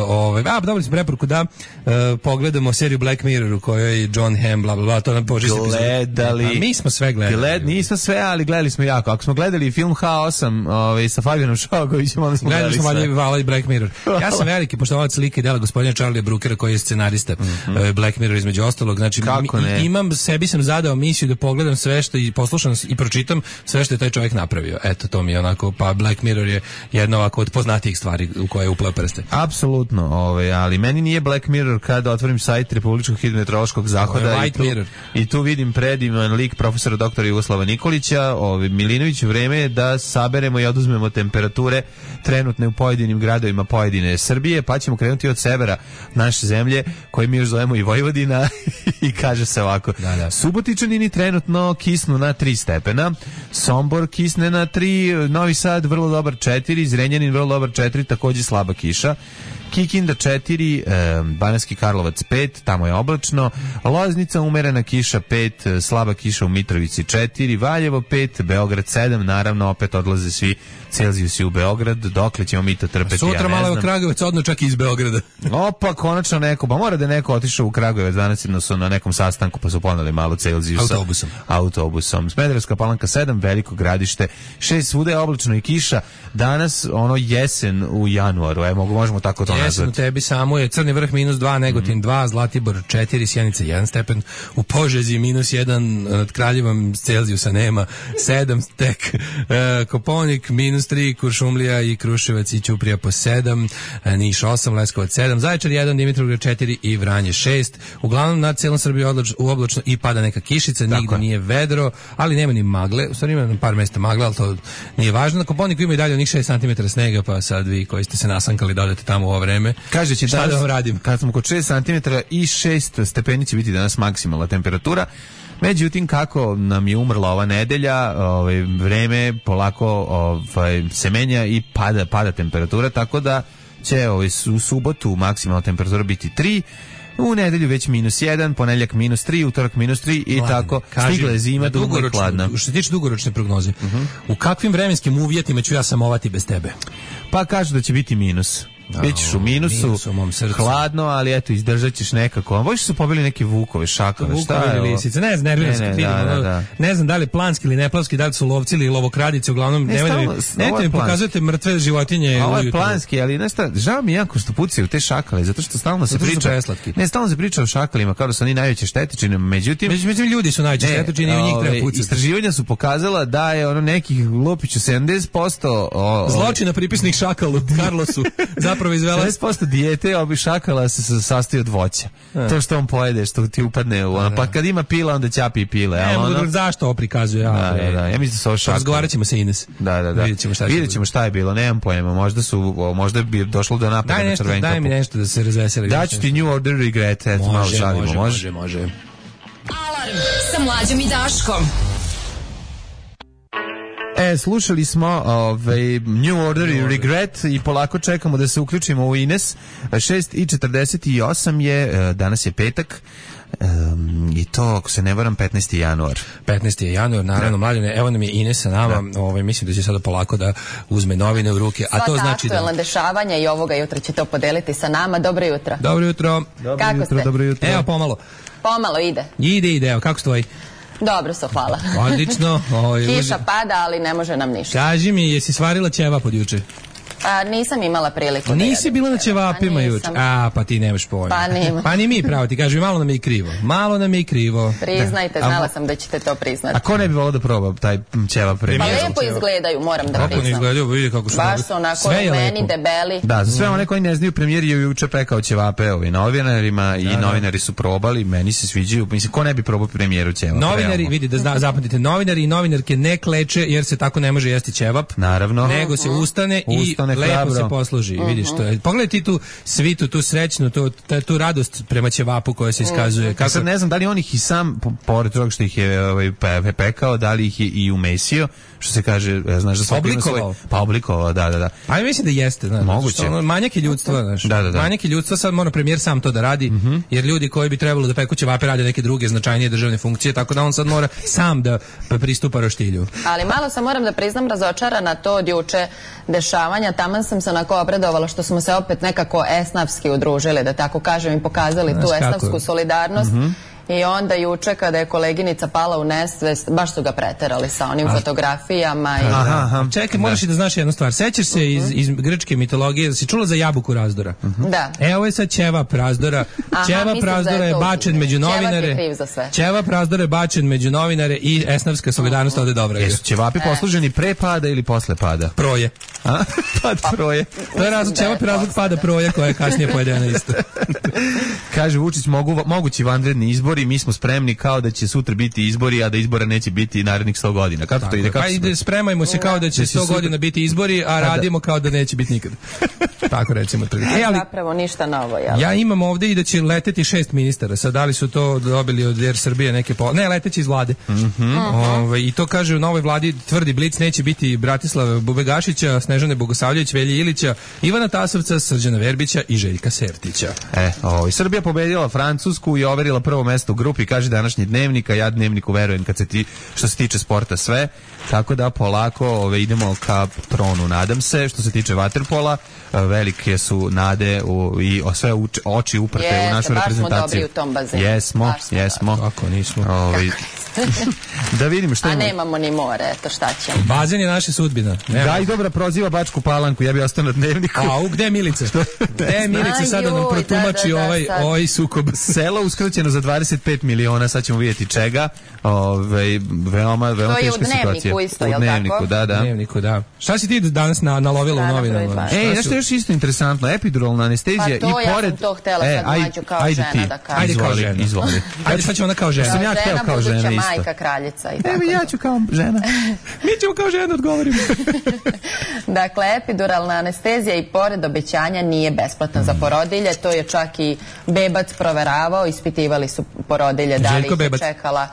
S6: Ovaj, a, dobili smo preporuku da uh, pogledamo seriju Black Mirror u kojoj je John Hamm, bla, bla, bla, to nam požiš
S5: gledali.
S6: A mi smo sve gledali.
S5: Gled, nismo sve, ali gledali smo jako. Ako smo gledali film H osam ovaj, sa Fabijanom Šogovićem, onda smo
S6: gledali
S5: gledali
S6: smo
S5: sve.
S6: Gledali smo Black Mirror. Ja sam veliki veliki poštovalac slike i dela gospodina Charlie Brookera koji je scenarista mm-hmm. Black Mirror između ostalog. Znači mi, imam sebi sam zadao misiju da pogledam sve što i poslušam i pročitam sve što je taj čovjek napravio. Eto to mi je onako, pa Black Mirror je jedna ovako od poznatijih stvari u koje je upleo prste.
S5: Apsolutno, ovaj, ali meni nije Black Mirror kada otvorim sajt Republičkog hidrometeorološkog zahoda i tu, i tu vidim predivan lik profesora doktora Jugoslava Nikolića, ovaj, Milinović, vreme je da saberemo i oduzmemo temperature trenutne u pojedinim gradovima pojedine Srbije, pa ćemo krenuti od severa naše zemlje, koje mi još zovemo i Vojvodina i kaže se ovako. Da, da. Subotičanini trenutno kisnu na tri stepena, Sombor kisne na tri, Novi Sad vrlo dobar četiri, Zrenjanin vrlo dobar četiri, takođe slaba kiša, Kikinda četiri, e, Banatski Karlovac pet, tamo je oblačno, Loznica umerena kiša pet, slaba kiša u Mitrovici četiri, Valjevo pet, Beograd sedam, naravno opet odlaze svi Celzijusi u Beograd, dokle ćemo mi to trpeti,
S6: sutra
S5: ja ne
S6: malo
S5: znam.
S6: Sutra Kragujevac odno čak i iz Beograda.
S5: Opa, konačno neko, pa mora da je neko otišao u Kragujevac, danas su na nekom sastanku pa su poneli malo Celzijusa.
S6: Autobusom.
S5: Autobusom. Smederevska Palanka sedam, Veliko Gradište šest, svuda je oblačno i kiša, danas ono jesen u januaru, evo možemo tako to nazvati.
S6: Jesen u tebi samo je Crni Vrh minus dva, Negotin mm. dva, Zlatibor četiri, Sjenica jedan stepen, u Požegi minus jedan, nad Kraljevom Celzijusa nema, sedam tek, e, Koponik minus tri, Kuršumlija i Kruševac i Ćuprija po sedam, e, Niš osam, Leskovac sedam, Zaječar jedan, Dimitrovgrad četiri i Vranje šest. Uglavnom nad celom Srbiji odlač, u oblačno i pada neka kišica, nigde nije vedro, ali nema ni magle, u stvari ima na par mesta magle, ali to nije važno. Na Koponiku ima i dalje onih šest centimetara snega, pa sad vi koji ste se nasankali da odete tamo u ovo vreme.
S5: Kaže će
S6: šta da vam radim?
S5: Kad smo kod šest centimetara i šest stepeni će biti danas maksimalna temperatura. Međutim, kako nam je umrla ova nedelja, ovaj, vreme polako ovaj, se menja i pada, pada temperatura, tako da će ovaj, u subotu maksimalna temperatura biti tri, u nedelju već minus jedan, ponedjeljak minus tri, utorak minus tri i Mladine, tako stigla je zima, dugo i hladna.
S6: Što se tiče dugoročne prognoze, uh-huh. u kakvim vremenskim uvjetima ću ja samovati bez tebe?
S5: Pa kažu da će biti minus. Bićeš u minusu,
S6: minus u mom srcu.
S5: Hladno, ali eto, izdržat ćeš nekako. Možda su pobili neke vukove, šakove, šta je
S6: ovo? Lisice, ne znam, nerviram se kad vidim. Da, da, da. Ne znam da li planski ili neplanski, da li su lovci ili lovokradice, uglavnom, ne, nemojte mi, nemojte mi pokazujete mrtve životinje.
S5: Ovo je planski, ali nešto, žao mi jako što pucaju te šakale, zato što stalno se priča. Ne, stalno se priča o šakalima, kao da su oni najveće štetočine, međutim...
S6: Međutim, ljudi su najveće štetočine i u njih treba pucati.
S5: Istraživanja su pokazala da je ono nekih lupiću sedamdeset posto
S6: zločina pripisnih šakalu Carlosu zapravo izvela
S5: dijete obi šakala se sastoji od voća. A. To što on pojede, što ti upadne u ono, pa kad ima pila, onda ćapi i pile.
S6: Ne,
S5: ono...
S6: zašto ovo prikazuje? Ja,
S5: da, da, da. Ja mislim da su ovo šakale.
S6: Razgovarat ćemo se Ines.
S5: Da, da, da.
S6: Vidjet ćemo šta,
S5: Vidjet ćemo šta je bilo, nemam pojma. Možda su, možda bi došlo do napada
S6: daj
S5: na
S6: nešto,
S5: Crvenkapu.
S6: Daj mi nešto da se razveseli.
S5: Daću ti New Order Regret, eto, malo žalimo.
S6: Može, može, može.
S4: Alarm sa Mlađom i Daškom.
S5: E, slušali smo ovaj, New Order i Regret i polako čekamo da se uključimo u Ines. šest i četrdeset osam je, danas je petak. Um, i to, ako se ne varam, petnaesti januar.
S6: petnaesti je januar, naravno, Mlađane, evo nam je Ines sa nama, ovaj, mislim da će sada polako da uzme novine u ruke, a
S10: sva
S6: to znači da...
S10: aktuelna dešavanja i ovoga jutra će to podeliti sa nama. Dobro jutro.
S6: Dobro jutro.
S5: Dobro
S10: kako
S5: jutro,
S10: ste?
S5: Dobro jutro.
S6: Evo, pomalo.
S10: Pomalo ide.
S6: Ide, ide, evo, kako stoji?
S10: Dobro su, hvala.
S6: Odlično. Ovaj,
S10: kiša pada, ali ne može nam ništa.
S6: Kaži mi, jesi svarila ćevap od juče?
S10: A, nisam imala priliku da
S6: nisi bila na ćevapima
S10: pa
S6: juče. A, pa ti nemaš pojma.
S10: Pa nima.
S6: Pa ni mi, pravo ti kažem, malo nam je i krivo. Malo nam je i krivo.
S10: Priznajte,
S5: da.
S10: znala sam da ćete to priznati.
S5: A ko ne bi volao da proba taj ćevap premijer?
S10: Pa lepo izgledaju, moram da
S6: kako
S10: priznam.
S6: Ne izgledaju, vidi kako su.
S10: Baš su onako meni debeli.
S5: Da, za sve one koji ne znaju, premijer je juče pekao ćevape ovi novinarima da, i da. Novinari su probali, meni se sviđaju. Mislim, ko ne bi probao premijeru ćevap?
S6: Novinari, vidi, da zna, zapamtite, novinari i novinarke ne kleče jer se tako ne može jesti ćevap.
S5: Naravno.
S6: Nego se ustane, ustane i lepo se posluži. Uh-huh. Vidiš to. Pogledaj ti tu svitu, tu srećnu, tu, tu radost prema ćevapu koja se iskazuje.
S5: Kako... Ja sad ne znam da li on ih i sam, pored toga što ih je ovaj, pe, pekao, da li ih je i umesio, što se kaže, znaš da svako ima svoj... Pa oblikovao, da, da, da.
S6: Pa ja mislim da jeste, znaš.
S5: Moguće.
S6: Ono, manjak je ljudstva, znaš.
S5: Da, da, da.
S6: Manjak je ljudstva, sad mora premijer sam to da radi, uh-huh. jer ljudi koji bi trebalo da peku ćevape rade neke druge značajnije državne funkcije, tako da on sad mora sam da pristupa roštilju.
S10: Ali malo sam, moram da priznam, razočarana to od juče dešavanja. Taman sam se onako obradovala što smo se opet nekako esnafski udružili, da tako kažem, i pokazali znaš tu esnafsku kako? solidarnost. Uh-huh. I onda juče kada je koleginica pala u nesvest, baš su ga preterali sa onim A. fotografijama. I...
S6: Aha, aha. Čekaj, moraš i da znaš jednu stvar. Sećaš se iz, iz grčke mitologije, da si čula za jabuku razdora?
S10: Uh-huh. Da.
S6: E, ovo je sad ćevap razdora. Ćevap razdora je, je bačen među novinare. Ćevap razdora je bačen među novinare i esnavska solidarnost ode dobro.
S5: Jesu ćevapi e. posluženi pre pada ili posle pada?
S6: Proje.
S5: A? Pad proje.
S6: To je razlog, ćevap je razlog pada proje koja je kasnije pojedena isto.
S5: Kaže Vučić, mogu, mogući vanredni izbori, mi smo spremni kao da će sutra biti izbori, a da izbora neće biti narednih sto godina. Kako to ide? Kako
S6: pa ide, spremajmo se kao da će sto godina biti izbori, a radimo kao da neće biti nikad. Tako recimo.
S10: E, ali, zapravo ništa novo, jel?
S6: Ja imam ovde i da će leteti šest ministara. Sad, da li su to dobili od Air Srbije neke po... Ne, leteći iz vlade.
S5: Mm-hmm.
S6: Ove, I to kaže u novoj vladi, tvrdi Blic, neće biti Bratislava Bubegašića, Snežane Bogosavljević, Velje Ilića, Ivana Tasovca, Srđana Verbića i Željka Sertića.
S5: E, o, i Srbija pobedila Francusku i overila prvo mesto u grupi, kaže današnji Dnevnik, a ja Dnevniku verujem kad se ti, što se tiče sporta sve, tako da polako ove, idemo ka tronu, nadam se. Što se tiče vaterpola, velike su nade u, i sve uč, oči uprte
S10: Jeste,
S5: u našu reprezentaciju.
S10: Baš smo dobri u tom bazenu.
S5: Jesmo, jesmo.
S6: Kako nismo.
S5: Ove, da vidimo što
S10: A
S5: ima.
S10: nemamo ni more, eto šta ćemo.
S6: Bazen je naša sudbina.
S5: Da, i dobra proziva Bačku Palanku, ja bi ostao na Dnevniku.
S6: A, u gde je Milica? Gde je Milica sada nam protumači da, da, da, ovaj, ovaj sukob?
S5: Selo uskraćeno za dvadeset pet miliona, sad ćemo vidjeti čega. Ove, veoma, veoma teška situacija.
S10: To je u Dnevniku isto,
S5: u
S10: jel
S5: dnevniku,
S10: tako?
S5: Da, da.
S6: U Dnevniku, da. Šta si ti danas na, nalovila u novinama?
S5: Ej, nešto još isto interesantno, epiduralna anestezija
S10: pa to,
S5: i pored...
S10: ja sam to htjela
S5: e,
S10: sad mlađu kao
S5: ajde
S10: žena
S5: ti,
S10: da kažem.
S6: Ajde kao žena.
S5: Izvoli.
S6: Ajde sad ćemo ona kao žena.
S5: Sam ja htjela kao žena isto.
S10: Majka, kraljica i tako.
S5: Evo ja ću kao žena.
S6: Mi ćemo kao žena odgovorimo.
S10: Dakle, epiduralna anestezija i pored obećanja nije besplatna za porodilje. To je čak i Bebac proveravao. Ispitivali su porodilje da li ih je čekala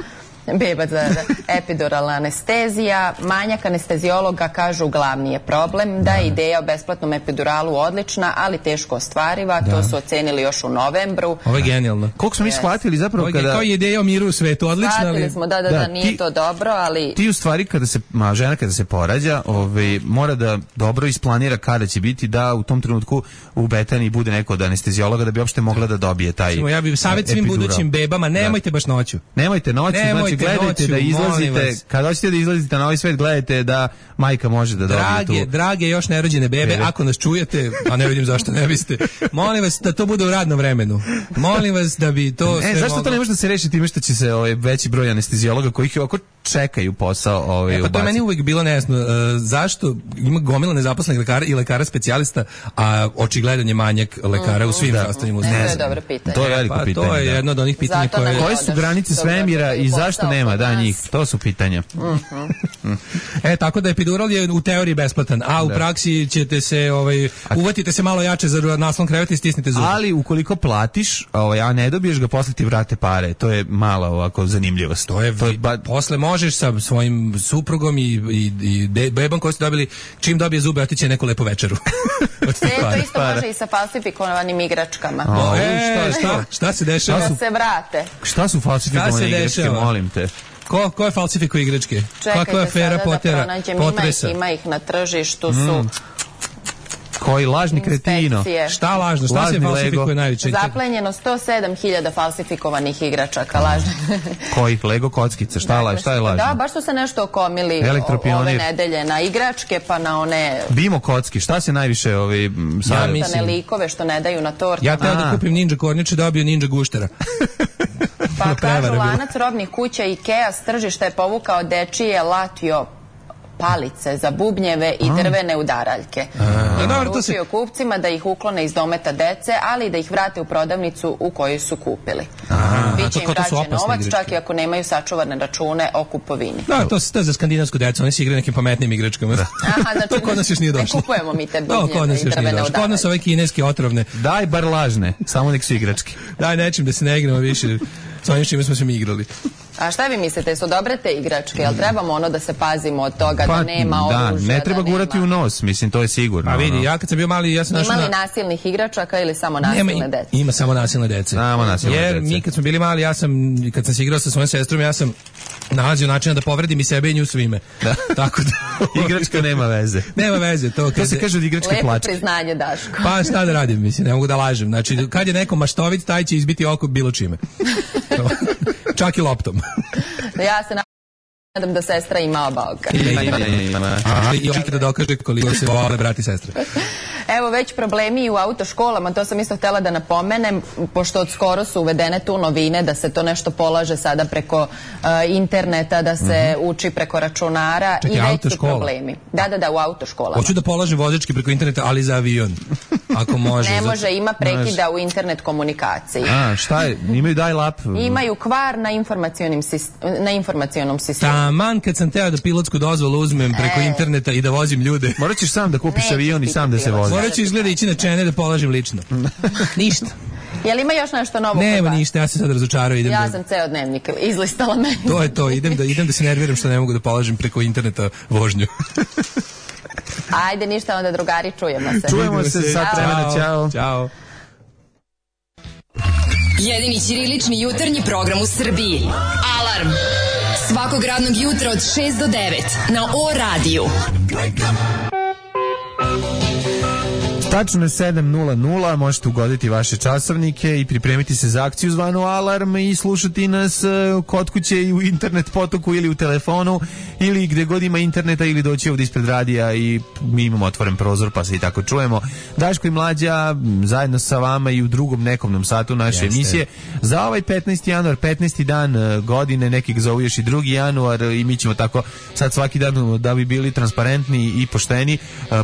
S10: bebac za epiduralna anestezija. Manjak anestezijologa, kažu, glavni je problem, da je ideja o besplatnom epiduralu odlična, ali teško ostvariva. Da. To su ocenili još u novembru.
S6: Ovo je genijalno.
S5: Koliko smo mi shvatili zapravo
S6: Ovo,
S5: kada...
S6: Kao je ideja o miru u svetu, odlična.
S10: Shvatili
S6: ali...
S10: smo, da, da, da, da nije
S5: ti,
S10: to dobro, ali...
S5: Ti u stvari kada se, ma, žena kada se porađa, ovaj, mora da dobro isplanira kada će biti, da u tom trenutku u Betaniji bude neko od anestezijologa da bi uopšte mogla da dobije taj epidural.
S6: Ja bih savjet svim budućim bebama, nemojte da. baš noću.
S5: Nemojte noću,
S6: nemojte
S5: znači gledajte
S6: noću,
S5: da izlazite, kada hoćete da izlazite na ovaj svet, gledajte da majka može da dobije
S6: drage,
S5: tu.
S6: Drage još nerođene bebe, bebe, ako nas čujete, a ne vidim zašto ne biste, molim vas da to bude u radnom vremenu. Molim vas da bi to...
S5: E, zašto moglo... to ne može da se reši time što će se ovaj, veći broj anestezijologa koji ih oko čekaju posao ovaj,
S6: e, pa to je meni uvijek bilo nejasno. Uh, zašto ima gomila nezaposlenih lekara i lekara specijalista, a očigledan je manjak lekara mm, u svim zdravstvenim
S10: mm,
S6: ustanovama?
S10: To je dobro pitanje.
S5: To je veliko
S6: pa,
S5: pitanje.
S6: To je
S5: da.
S6: jedno od onih pitanja koje...
S5: Koje su granice svemira i zašto nema da njih? To su pitanja.
S10: Mm-hmm.
S6: E, tako da epidural je u teoriji besplatan, a u da. praksi ćete se, ovaj, uvatite se malo jače za naslon kreveta i stisnite zube.
S5: Ali ukoliko platiš, ovaj, a ne dobiješ ga, posle ti vrate pare. To je mala ovako zanimljivost.
S6: To je, to je ba... posle možeš sa svojim suprugom i, i, i bebom koji ste dobili, čim dobije zube, otiće neku lepu večeru.
S10: E, to isto može i sa falsifikovanim igračkama.
S6: O, e, šta, šta, šta se dešava?
S10: Da se vrate.
S5: Šta su falsifikovane igračke, molim te?
S6: Ko, ko je falsifikuje igračke?
S10: Čekajte
S6: Kako je afera
S10: sada
S6: potera,
S10: da pronađem,
S6: potresa?
S10: Ima ih, ima ih na tržištu, su...
S5: Mm. Koji lažni kretino?
S6: Šta lažno? Šta lažni se falsifikuje najviše?
S10: Zaplenjeno sto sedam hiljada falsifikovanih igračaka, lažno.
S5: Kojih? Lego kockica? Šta, dakle, šta je lažno?
S10: Da, baš su se nešto okomili ove nedelje na igračke, pa na one...
S5: Bimo kocki, šta se najviše ovi...
S10: Ja mislim... likove što ne daju na tortama.
S6: Ja teo da kupim ninja kornjače, dobio ninja guštera.
S10: Pa kažu, lanac robnih kuća Ikea s tržišta je povukao dečije Latio palice za bubnjeve i drvene udaraljke. Poručio kupcima da ih uklone iz dometa dece, ali i da ih vrate u prodavnicu u kojoj su kupili. Biće im vraćen novac, čak i ako nemaju sačuvane račune o kupovini.
S6: Da, to je za skandinavsku decu, oni se igraju nekim pametnim igračkama.
S10: Aha, znači,
S6: to kod nas još nije došlo.
S10: Ne kupujemo mi te bubnjeve i drvene udaraljke.
S6: Kod nas ove kineske otrovne.
S5: Daj bar lažne, samo nek su igračke.
S6: Daj nečim da se ne igramo više. S onim čime smo se mi igrali.
S10: A šta vi mislite, su dobre te igračke? Jel trebamo ono da se pazimo od toga pa, da nema oružja?
S5: Da, ne treba
S10: da
S5: gurati
S10: nema...
S5: u nos, mislim, to je sigurno.
S6: A vidi, ja kad sam bio mali, ja sam našao...
S10: Ima li nasilnih igračaka ili samo nasilne
S6: nema,
S10: dece?
S6: Ima samo nasilne dece.
S5: Samo nasilne
S6: Jer
S5: dece.
S6: mi kad smo bili mali, ja sam, kad sam se igrao sa svojom sestrom, ja sam nalazio načina da povredim i sebe i nju svime.
S5: Da.
S6: Tako da...
S5: Igračka nema veze.
S6: Nema veze. To,
S5: to se kaže od igračke
S10: lepo
S5: plačke.
S10: Lepo priznanje, Daško.
S6: Pa šta da radim, mislim, ne mogu da lažem. Znači, kad je neko maštovit, taj će izbiti oko bilo čime. Čak i loptom.
S10: Ja se nadam da sestra ima oba oka.
S5: Ima, ima, ima.
S6: Aha, i očekaj da dokaže koliko se vole brati i sestre.
S10: Evo već problemi i u autoškolama, to sam isto htjela da napomenem, pošto od skoro su uvedene tu novine da se to nešto polaže sada preko uh, interneta, da se mm-hmm. uči preko računara.
S6: Čekaj,
S10: i već
S6: autoškola?
S10: su problemi. Da, da, da, u autoškolama.
S6: Hoću da polažem vozački preko interneta, ali za avion. Ako može.
S10: Ne
S6: zato...
S10: može, ima prekida u internet komunikaciji.
S5: A, šta je? Imaju dial-up?
S10: Imaju kvar na, informacionim sist- na informacionom sistemu.
S6: Taman kad sam teo da pilotsku dozvolu uzmem preko e. interneta i da vozim ljude.
S5: Morat ćeš sam da kupiš avion i sam da se vozi.
S6: Morat ću izgleda ići na čene da polažem lično. Ništa.
S10: Je li ima još nešto novo?
S6: Nema ništa, ja se sad razočarao. Idem
S10: ja
S6: da...
S10: sam ceo dnevnik izlistala meni.
S6: To je to, idem da, idem da se nerviram što ne mogu da polažem preko interneta vožnju.
S10: Ajde, ništa, onda drugari, čujemo se.
S5: Čujemo se, sad vremena, ćao.
S6: Ćao.
S4: Jedini ćirilični jutarnji program u Srbiji. Alarm! Svakog radnog jutra od šest do devet na O radiju.
S5: Tačno je sedam nula nula, možete ugoditi vaše časovnike i pripremiti se za akciju zvanu Alarm i slušati nas kod kuće i u internet potoku ili u telefonu ili gde god ima interneta ili doći ovdje ispred radija i mi imamo otvoren prozor pa se i tako čujemo. Daško i Mlađa zajedno sa vama i u drugom nekomnom satu naše Jeste. emisije. Za ovaj petnaesti januar, petnaesti dan godine, neki ga zovu još i drugi januar i mi ćemo tako sad svaki dan da bi bili transparentni i pošteni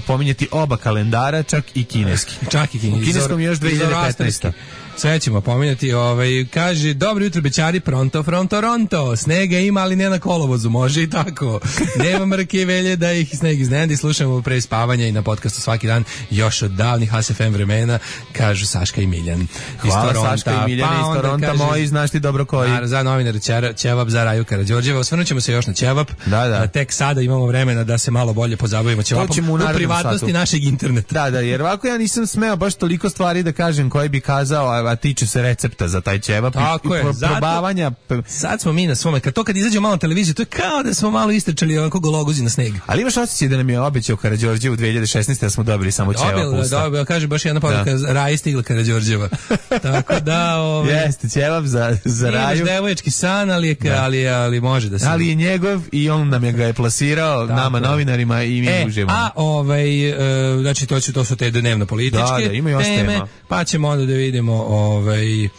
S5: pominjati oba kalendara, čak i kineski.
S6: Čak i kineski.
S5: U kineskom još dve hiljade petnaeste.
S6: Sve ćemo pominjati, ovaj, kaže, dobro jutro bećari, pronto, fronto, ronto, snega ima, ali ne na kolovozu, može i tako. Nema mrke i velje da ih sneg iznenadi, slušamo pre spavanja i na podcastu svaki dan, još od davnih H S F M vremena, kažu Saška i Miljan.
S5: Hvala Saška i Miljan, pa iz Toronta moji, znaš ti dobro koji.
S6: A, za novinar Ćevap, za Raju Karađorđeva, osvrnut ćemo se još na Ćevap,
S5: da, da.
S6: A tek sada imamo vremena da se malo bolje pozabavimo Ćevapom u privatnosti satu. Našeg interneta.
S5: Da, da, jer ovako ja nisam smeo baš toliko stvari da kažem koje bi kazao, a tiče se recepta za taj ćevap
S6: Tako
S5: i,
S6: je,
S5: i probavanja.
S6: Sad smo mi na svome, kad to kad izađe malo na televiziju, to je kao da smo malo istrčali ovako gologuzi na sneg.
S5: Ali imaš osjećaj da nam je obećao Karađorđev u dve hiljade šesnaeste da smo dobili samo ćevap usta.
S6: Dobio, kaže baš jedna poruka, Raji stigla Karađorđeva. Tako da, ovaj
S5: jeste ćevap za za Raju.
S6: Imaš devoječki san, ali je, ali, ali može da se.
S5: Ali je njegov i on nam je ga je plasirao tako, nama novinarima i mi
S6: e,
S5: uživamo.
S6: A ovaj uh, znači to će to su te dnevno političke
S5: da, da, ima još
S6: teme,
S5: tema.
S6: Pa ćemo onda da vidimo ovaj uh,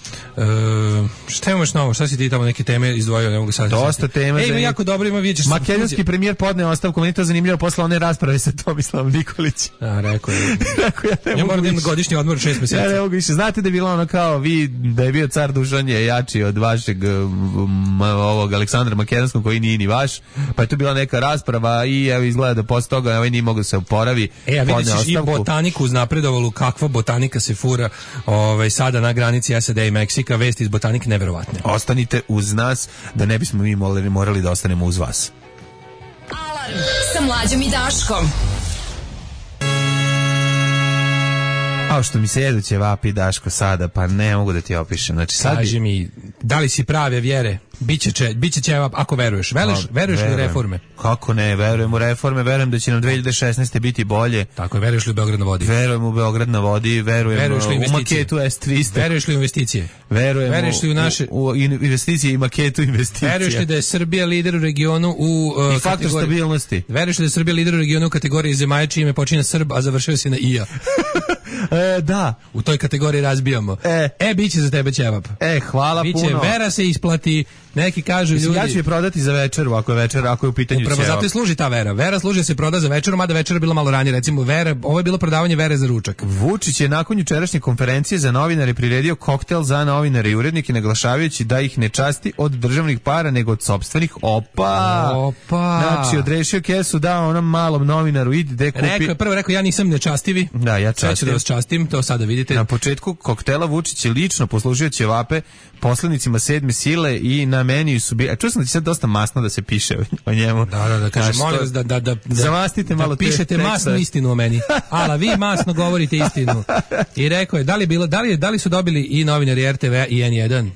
S6: šta imaš novo, šta si ti tamo neke teme izdvojio, ne mogu sad.
S5: Dosta tema.
S6: Ej, ima jako dobro, ima vidješ.
S5: Makedonski premijer podneo ostavku, meni to zanimljivo posle one rasprave sa Tomislavom Nikolićem.
S6: A, rekao je.
S5: Rekao ja ne
S6: ja
S5: mogu
S6: moram godišnji odmor šest mjeseci.
S5: Ja ne mogu više. Znate da je bilo ono kao vi, da je bio car Dušan je jači od vašeg um, ovog Aleksandra Makedonskog koji nije ni vaš, pa je tu bila neka rasprava i evo izgleda da posle toga ovaj nije mogao se oporavi.
S6: E, a vidiš i botaniku uznapredovalu, kakva botanika se fura ovaj, sada na granici S A D i Meksika, vesti iz botanike neverovatne.
S5: Ostanite uz nas da ne bismo mi morali, morali da ostanemo uz vas.
S4: Alarm sa Mlađom i Daškom.
S5: A što mi se jedu ćevapi, Daško, sada, pa ne mogu da ti opišem. Znači, sad
S6: kaži mi, da li si prave vjere? Biće će, biće ćevap ako veruješ. Veliš, no, veruješ li reforme?
S5: Kako ne, verujem u reforme, verujem da će nam dve hiljade šesnaeste biti bolje.
S6: Tako je, veruješ li u Beograd na vodi?
S5: Verujem u Beograd na vodi, verujem u maketu S trista.
S6: Veruješ li u investicije?
S5: Verujem
S6: veruješ li u, naše...
S5: u, u investicije i maketu investicija.
S6: Veruješ li da je Srbija lider u regionu u uh,
S5: i faktor
S6: kategoriji...
S5: stabilnosti?
S6: Veruješ li da je Srbija lider u regionu u kategoriji zemalja čime počinje Srb, a završio si na I A?
S5: E, da.
S6: U toj kategoriji razbijamo.
S5: E,
S6: e biće za tebe ćevap.
S5: E, hvala
S6: biće,
S5: puno.
S6: Vera se isplati, neki kažu
S5: Mislim,
S6: ljudi.
S5: Ja ću je prodati za večeru, ako je večer, ako je u pitanju ćevap.
S6: Upravo zato i služi ta Vera. Vera služi da se proda za večeru, mada večera bila malo ranije. Recimo, Vera, ovo je bilo prodavanje Vere za ručak.
S5: Vučić je nakon jučerašnje konferencije za novinare priredio koktel za novinare i urednike, naglašavajući da ih ne časti od državnih para, nego od sopstvenih. Opa!
S6: Opa!
S5: Znači, odrešio kesu, dao onom malom novinaru, idi de kupi.
S6: Rekao je, prvo rekao, ja nisam nečastivi.
S5: Da, ja častim.
S6: Sve ću da vas častim, to sada vidite.
S5: Na početku koktela Vučić je lično poslužio ćevape poslanicima sedme sile i na meniju su bili... A čuo sam da će sad dosta masno da se piše o njemu.
S6: Da, da, da, kaže, molim vas da, da, da,
S5: zamastite
S6: da,
S5: malo
S6: da pišete
S5: te,
S6: masnu istinu o meni. Ala, vi masno govorite istinu. I rekao je, da li, bilo, da, li, da li su dobili i novinari R T V-a i N jedan?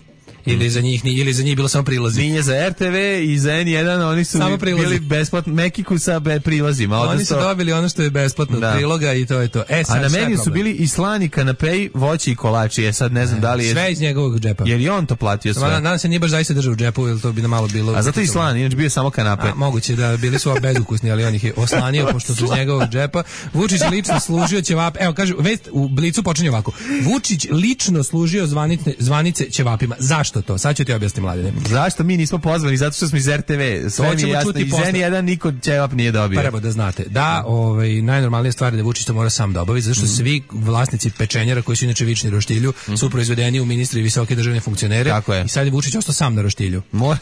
S6: ili za njih ili za njih bilo samo prilazi.
S5: Nije za R T V i za N jedan, oni su bili besplatno Mekiku sa prilazima.
S6: Oni odnosno, su dobili ono što je besplatno od priloga i to je to. E, sad,
S5: a na meniju su bili i slani kanapeji, voće i kolači. Je sad ne znam
S6: e,
S5: da li je
S6: sve iz njegovog džepa.
S5: Jer i on to platio sve.
S6: Nadam se nije baš zaista držao u džepu, jer to bi nam malo bilo.
S5: A zato i slan, inače bio samo kanape.
S6: A, moguće da bili su bezukusni, ali on ih je oslanio pošto su iz njegovog džepa. Vučić lično služio ćevap. Evo kaže, vest u Blicu počinje ovako. Vučić lično služio zvanice, zvanice ćevapima. Zašto to? Sad ću ti objasniti, Mladene.
S5: Zašto mi nismo pozvani? Zato što smo iz R T V. Sve mi je jasno. Iz N jedan niko ćevap nije dobio.
S6: Prvo da znate, da, ovaj, najnormalnija stvar je da Vučić to mora sam da obavi, zato što mm. svi vlasnici pečenjara koji su inače vični roštilju mm. su proizvedeni u ministri i visoke državne funkcionere.
S5: Tako je.
S6: I sad je Vučić ostao sam na roštilju.
S5: Mora.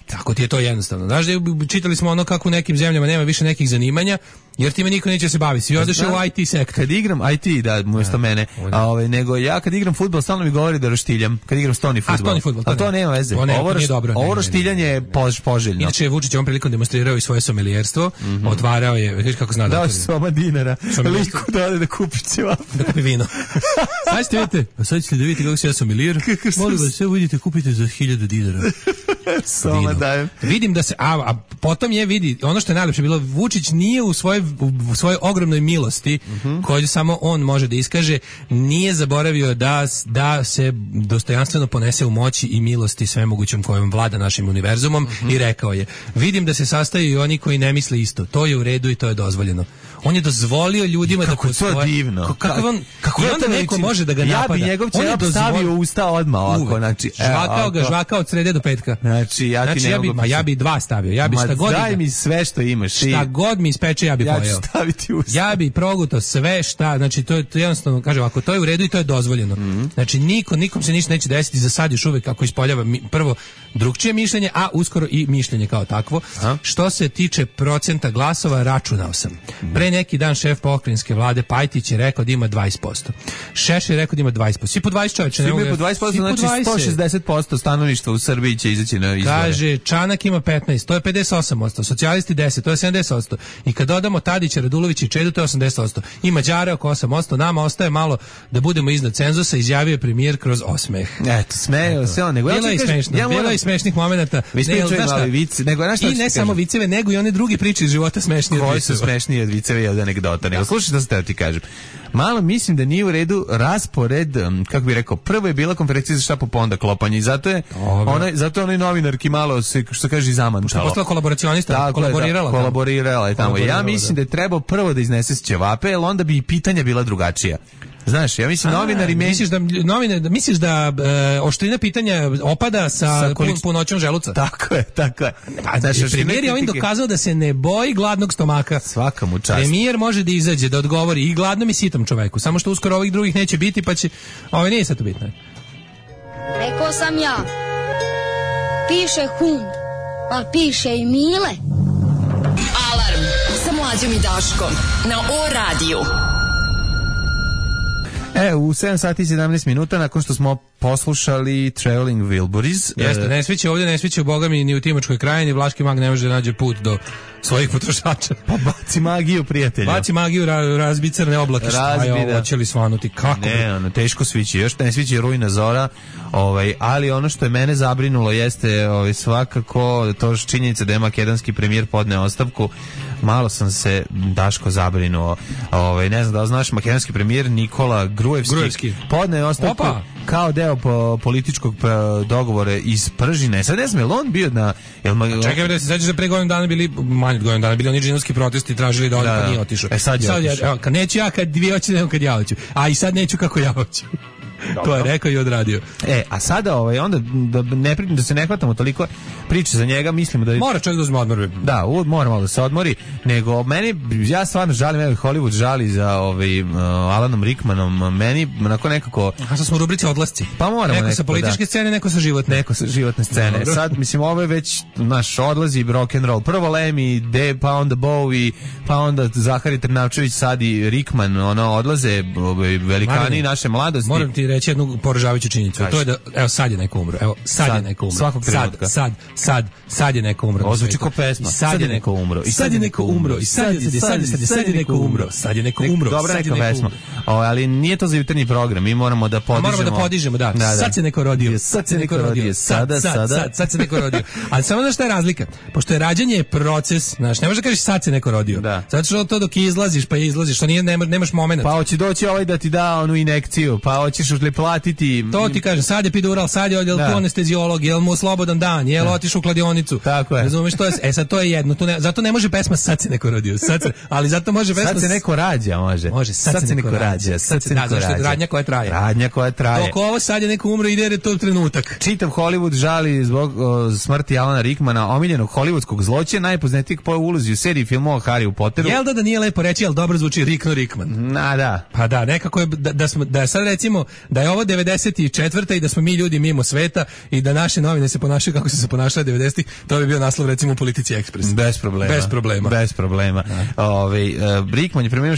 S6: Tako ti je to jednostavno. Znaš da čitali smo ono kako u nekim zemljama nema više nekih zanimanja, jer time niko neće se baviti. Svi odeš u I T sektor.
S5: Kad igram I T, da, umjesto mene, a ovaj nego ja kad igram fudbal stalno mi govori da roštiljam. Kad igram stoni fudbal.
S6: A, fudbal, to,
S5: a to nema veze.
S6: To ne,
S5: ovo
S6: nije dobro.
S5: Ovo roštiljanje je pož, poželjno.
S6: Inače je Vučić ovom prilikom demonstrirao i svoje somelijerstvo, mm-hmm. otvarao je, vidiš kako zna da.
S5: Dao si soma dinara. Liku da ode da kupi ćevap.
S6: Da kupi vino. Sad ćete vidite, a sad ćete da vidite kako se ja somelijer. Molim vas, sve vidite, kupite za hiljadu dinara.
S5: Soma dajem.
S6: Vidim da se, a, a potom je vidi, ono što je najlepše bilo, Vučić nije u svojoj u svojoj ogromnoj milosti, mm-hmm. koju samo on može da iskaže, nije zaboravio da, da se dostojanstveno ponese u moći i milosti svemogućom kojom vlada našim univerzumom, mm-hmm. i rekao je, vidim da se sastaju i oni koji ne misle isto, to je u redu i to je dozvoljeno. On je dozvolio ljudima
S5: kako
S6: da
S5: to divno.
S6: Kako on kako i onda neko može da ga napada.
S5: Ja bi njegov ćevap stavio u usta odmah ovako, znači
S6: žvakao ga, žvakao od srede do petka.
S5: Znači ja ti
S6: znači,
S5: ne
S6: ja bi, ma ja bi dva stavio. Ja bi šta god.
S5: Daj mi sve što imaš.
S6: Šta god mi ispeče ja bi
S5: ja
S6: pojeo.
S5: Ja ću staviti u usta.
S6: Ja bi progutao sve šta, znači to je to jednostavno kaže ovako, to je u redu i to je dozvoljeno. Mm-hmm. Znači niko nikom se ništa neće desiti, za sad još uvek kako ispoljava mi, prvo drugčije mišljenje, a uskoro i mišljenje kao takvo. A? Što se tiče procenta glasova, računao sam. Pre neki dan šef pokrajinske vlade Pajtić je rekao da ima dvadeset posto. Šešelj je rekao da ima dvadeset posto. Svi po dvadeset čovječe.
S5: Svi po dvadeset posto, znači sto šezdeset posto stanovništva u Srbiji će izaći na izbore.
S6: Kaže, Čanak ima petnaest, to je pedeset osam posto. Socijalisti deset, to je sedamdeset posto. I kad dodamo Tadića, Radulovića i Čedu, to je osamdeset posto. I Mađare oko osam posto. Nama ostaje malo da budemo iznad cenzusa, izjavio je premijer kroz osmeh.
S5: Eto, smeju se on. Nego
S6: bilo ja je smešno, ja bilo je smešnih momenata.
S5: Vi ste čuli vice, nego znaš šta
S6: i ne samo viceve, nego i one druge priče iz života smešnije.
S5: Koji su smešniji od viceva i od anegdota. Nego slušaj šta se te ti kažem. Malo mislim da nije u redu raspored, kako bih rekao, prvo je bila konferencija za štapu, pa onda klopanje i zato je onaj, zato je onaj novinarki malo se, što kaže, zamantalo.
S6: Što je postala kolaboracionista, da, kolaborirala.
S5: Da, kolaborirala je tamo. Ja mislim da je trebao prvo da iznese ćevape, jer onda bi i pitanja bila drugačija. Znaš, ja mislim, a, novinari...
S6: Misliš da, novine, misliš da e, oštrina pitanja opada sa, sa količ... punoćom želuca?
S5: Tako je, tako je.
S6: Pa, znaš, premijer je ovim dokazao da se ne boji gladnog stomaka.
S5: Svaka mu čast.
S6: Premijer može da izađe, da odgovori i gladnom i sitom čoveku. Samo što uskoro ovih drugih neće biti, pa će... Ovo nije sad to bitno.
S11: Rekao sam ja. Piše hund, ali piše i Mile.
S4: Alarm sa Mlađom i Daškom na O radiju.
S5: E, u sedam sati i sedamnaest minuta nakon što smo poslušali Traveling Wilburys.
S6: Jeste, ne sviće ovdje, ne sviće u Bogami ni u Timočkoj krajini, Vlaški mag ne može da nađe put do svojih potrošača.
S5: Pa baci magiju, prijatelju.
S6: Baci magiju, ra, razbi crne oblake. Razbi, šta je ovo, će li svanuti? Kako?
S5: Ne, ono, teško svići, još ne svići rujna zora, ovaj, ali ono što je mene zabrinulo jeste ovaj, svakako to činjenica da je makedonski premijer podneo ostavku. Malo sam se, Daško, zabrinuo. Ovaj, ne znam da li znaš, makedonski premijer Nikola Gruevski,
S6: Gruevski.
S5: podneo ostavku. Opa. Kao deo po političkog dogovora iz Pržine. Sad ne znam, je li on bio na... Jel ma...
S6: Čekaj, da se sećaš da pre godinu dana bili, manje od godinu dana, bili oni džinovski protesti, tražili da on da, pa nije otišao.
S5: E sad je sad
S6: otišao. Ja, kad neću ja, kad vi hoćete, nego kad ja hoću. A i sad neću kako ja hoću. To je rekao i odradio.
S5: E, a sada ovaj, onda da, ne, da se ne hvatamo toliko priče za njega, mislimo da...
S6: Mora čovjek da uzme odmor.
S5: Da, mora malo da se odmori, nego meni, ja stvarno žalim, evo Hollywood žali za ovaj, uh, Alanom Rickmanom, meni onako nekako...
S6: A što smo u rubrici odlasci?
S5: Pa moramo
S6: neko
S5: nekako,
S6: sa političke
S5: da.
S6: scene, neko sa životne.
S5: Neko sa životne scene. Dobro. Sad, mislim, ovo je već naš odlazi rock and roll. Prvo Lemmy, De, pa onda Bowie, pa onda Zahari Trnavčević, sad i Rickman, ono, odlaze ovaj, velikani Marine, naše mladosti.
S6: Moram ti reći reći jednu poražavajuću činjenicu. To je da, evo sad je neko umro. Evo sad, sad je neko umro.
S5: Svakog trenutka.
S6: Sad, sad, sad, sad je neko umro.
S5: Ovo zvuči kao pesma.
S6: Sad je neko umro. I sad je neko umro. I sad je, sad je, sad je, sad je neko umro. Sad je neko umro.
S5: Dobra neka pesma. Ali nije to za jutarnji program. Mi moramo da podižemo.
S6: Moramo da podižemo, da. Sad se neko rodio. Sad se neko rodio. Sada, sada. Sad se neko rodio. Ali samo znaš šta je razlika? Pošto je rađanje proces, znaš, ne možeš da kažeš sad se neko rodio. Zato što to dok izlaziš, pa izlaziš, što nije, nemaš, nemaš momenat.
S5: Pa hoće doći ovaj da ti da onu injekciju, pa hoćeš li platiti.
S6: To ti kažem, sad je epidural, sad je odjel tu anesteziolog, jel mu slobodan dan, jel otišao u kladionicu.
S5: Tako je.
S6: Razumeš, to je, e sad to je jedno, tu ne, zato ne može pesma sad se neko rodio, sad se, ali zato može pesma
S5: sad se neko rađa, može.
S6: Može, sad, sad se neko rađa, sad se neko rađa. Radnja koja traje.
S5: Radnja koja traje.
S6: Dok ovo sad je neko umro ide jer je to trenutak.
S5: Čitav Hollywood žali zbog o, smrti Alana Rickmana, omiljenog hollywoodskog zločina, najpoznatijeg po ulozi u seriji filmova Harry Potteru.
S6: Jel da da nije lepo reći, al dobro zvuči Rickno Rickman.
S5: Na da.
S6: Pa da, nekako je da, da smo da sad recimo da je ovo devedeset četvrta i da smo mi ljudi mimo sveta i da naše novine se ponašaju kako su se ponašale devedesetih, to bi bio naslov recimo u Politici Ekspres.
S5: Bez problema.
S6: Bez problema.
S5: Bez problema. Ovaj uh, Rickman je preminuo u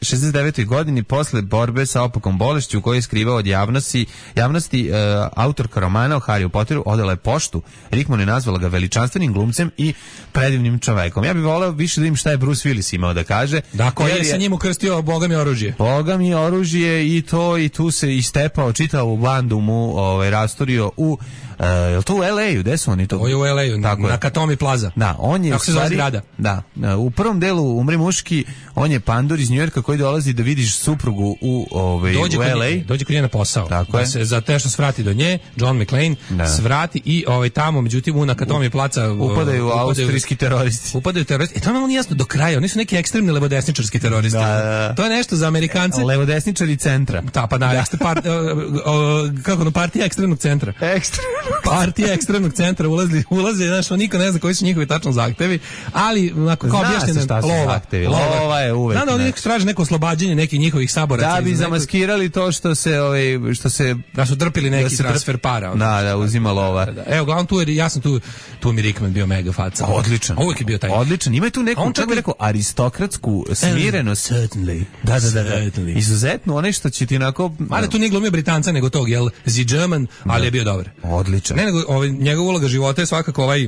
S5: šezdeset devetoj godini posle borbe sa opakom bolešću koju je skrivao od javnosti. Javnosti uh, autorka romana o Harry Potteru odala je poštu. Rickman je nazvala ga veličanstvenim glumcem i predivnim čovekom. Ja bih voleo više da im šta je Bruce Willis imao da kaže.
S6: Da, koji je sa njim ukrstio Boga mi oružje.
S5: Boga mi oružje i to i tu se istepao čitavu bandu mu ovaj, rastorio u Uh, je li to u L A-u? Gde su oni to?
S6: Ovo je u L A-u, na, na Katomi Plaza.
S5: Da, on je
S6: kako
S5: u stvari, da, u prvom delu Umri muški, on je pandur iz Njujorka koji dolazi da vidiš suprugu u, ovaj,
S6: dođe
S5: u L A.
S6: Nje, dođe kod nje na posao.
S5: Tako
S6: da se za te što svrati do nje, John McClane da. svrati i ovaj, tamo, međutim, u na Katomi Plaza
S5: upadaju uh, austrijski teroristi.
S6: Upadaju teroristi. E to nam nije jasno do kraja, oni su neki ekstremni levodesničarski teroristi. Da, da. To je nešto za Amerikance.
S5: Levodesničari centra.
S6: Da, pa da, jeste part, uh, uh, kako no, partija ekstremnog centra.
S5: Ekstremnog
S6: partija ekstremnog centra ulazi, ulazi, znaš, niko ne zna koji su njihovi tačno zahtevi, ali onako kao objašnjeno
S5: lova. Lova, lova je uvek.
S6: Znam da oni traže neko oslobađanje nekih njihovih saboraca.
S5: Da bi zamaskirali to što se, ovaj, što se
S6: da su drpili neki transfer para.
S5: Da, da, uzima lova.
S6: Da, da. Evo, glavno tu je, ja sam tu, tu mi Rickman bio mega faca.
S5: Odličan.
S6: Uvijek je bio taj.
S5: Odličan. Ima tu neku, on čak bi rekao, aristokratsku smirenost.
S6: Certainly.
S5: Da, da, da, da. Izuzetno, onaj što će ti onako...
S6: Ali tu nije glumio Britanca, nego tog, jel, The German, ali je bio dobar.
S5: Odličan.
S6: Ne, nego, ovaj, njegova uloga života je svakako ovaj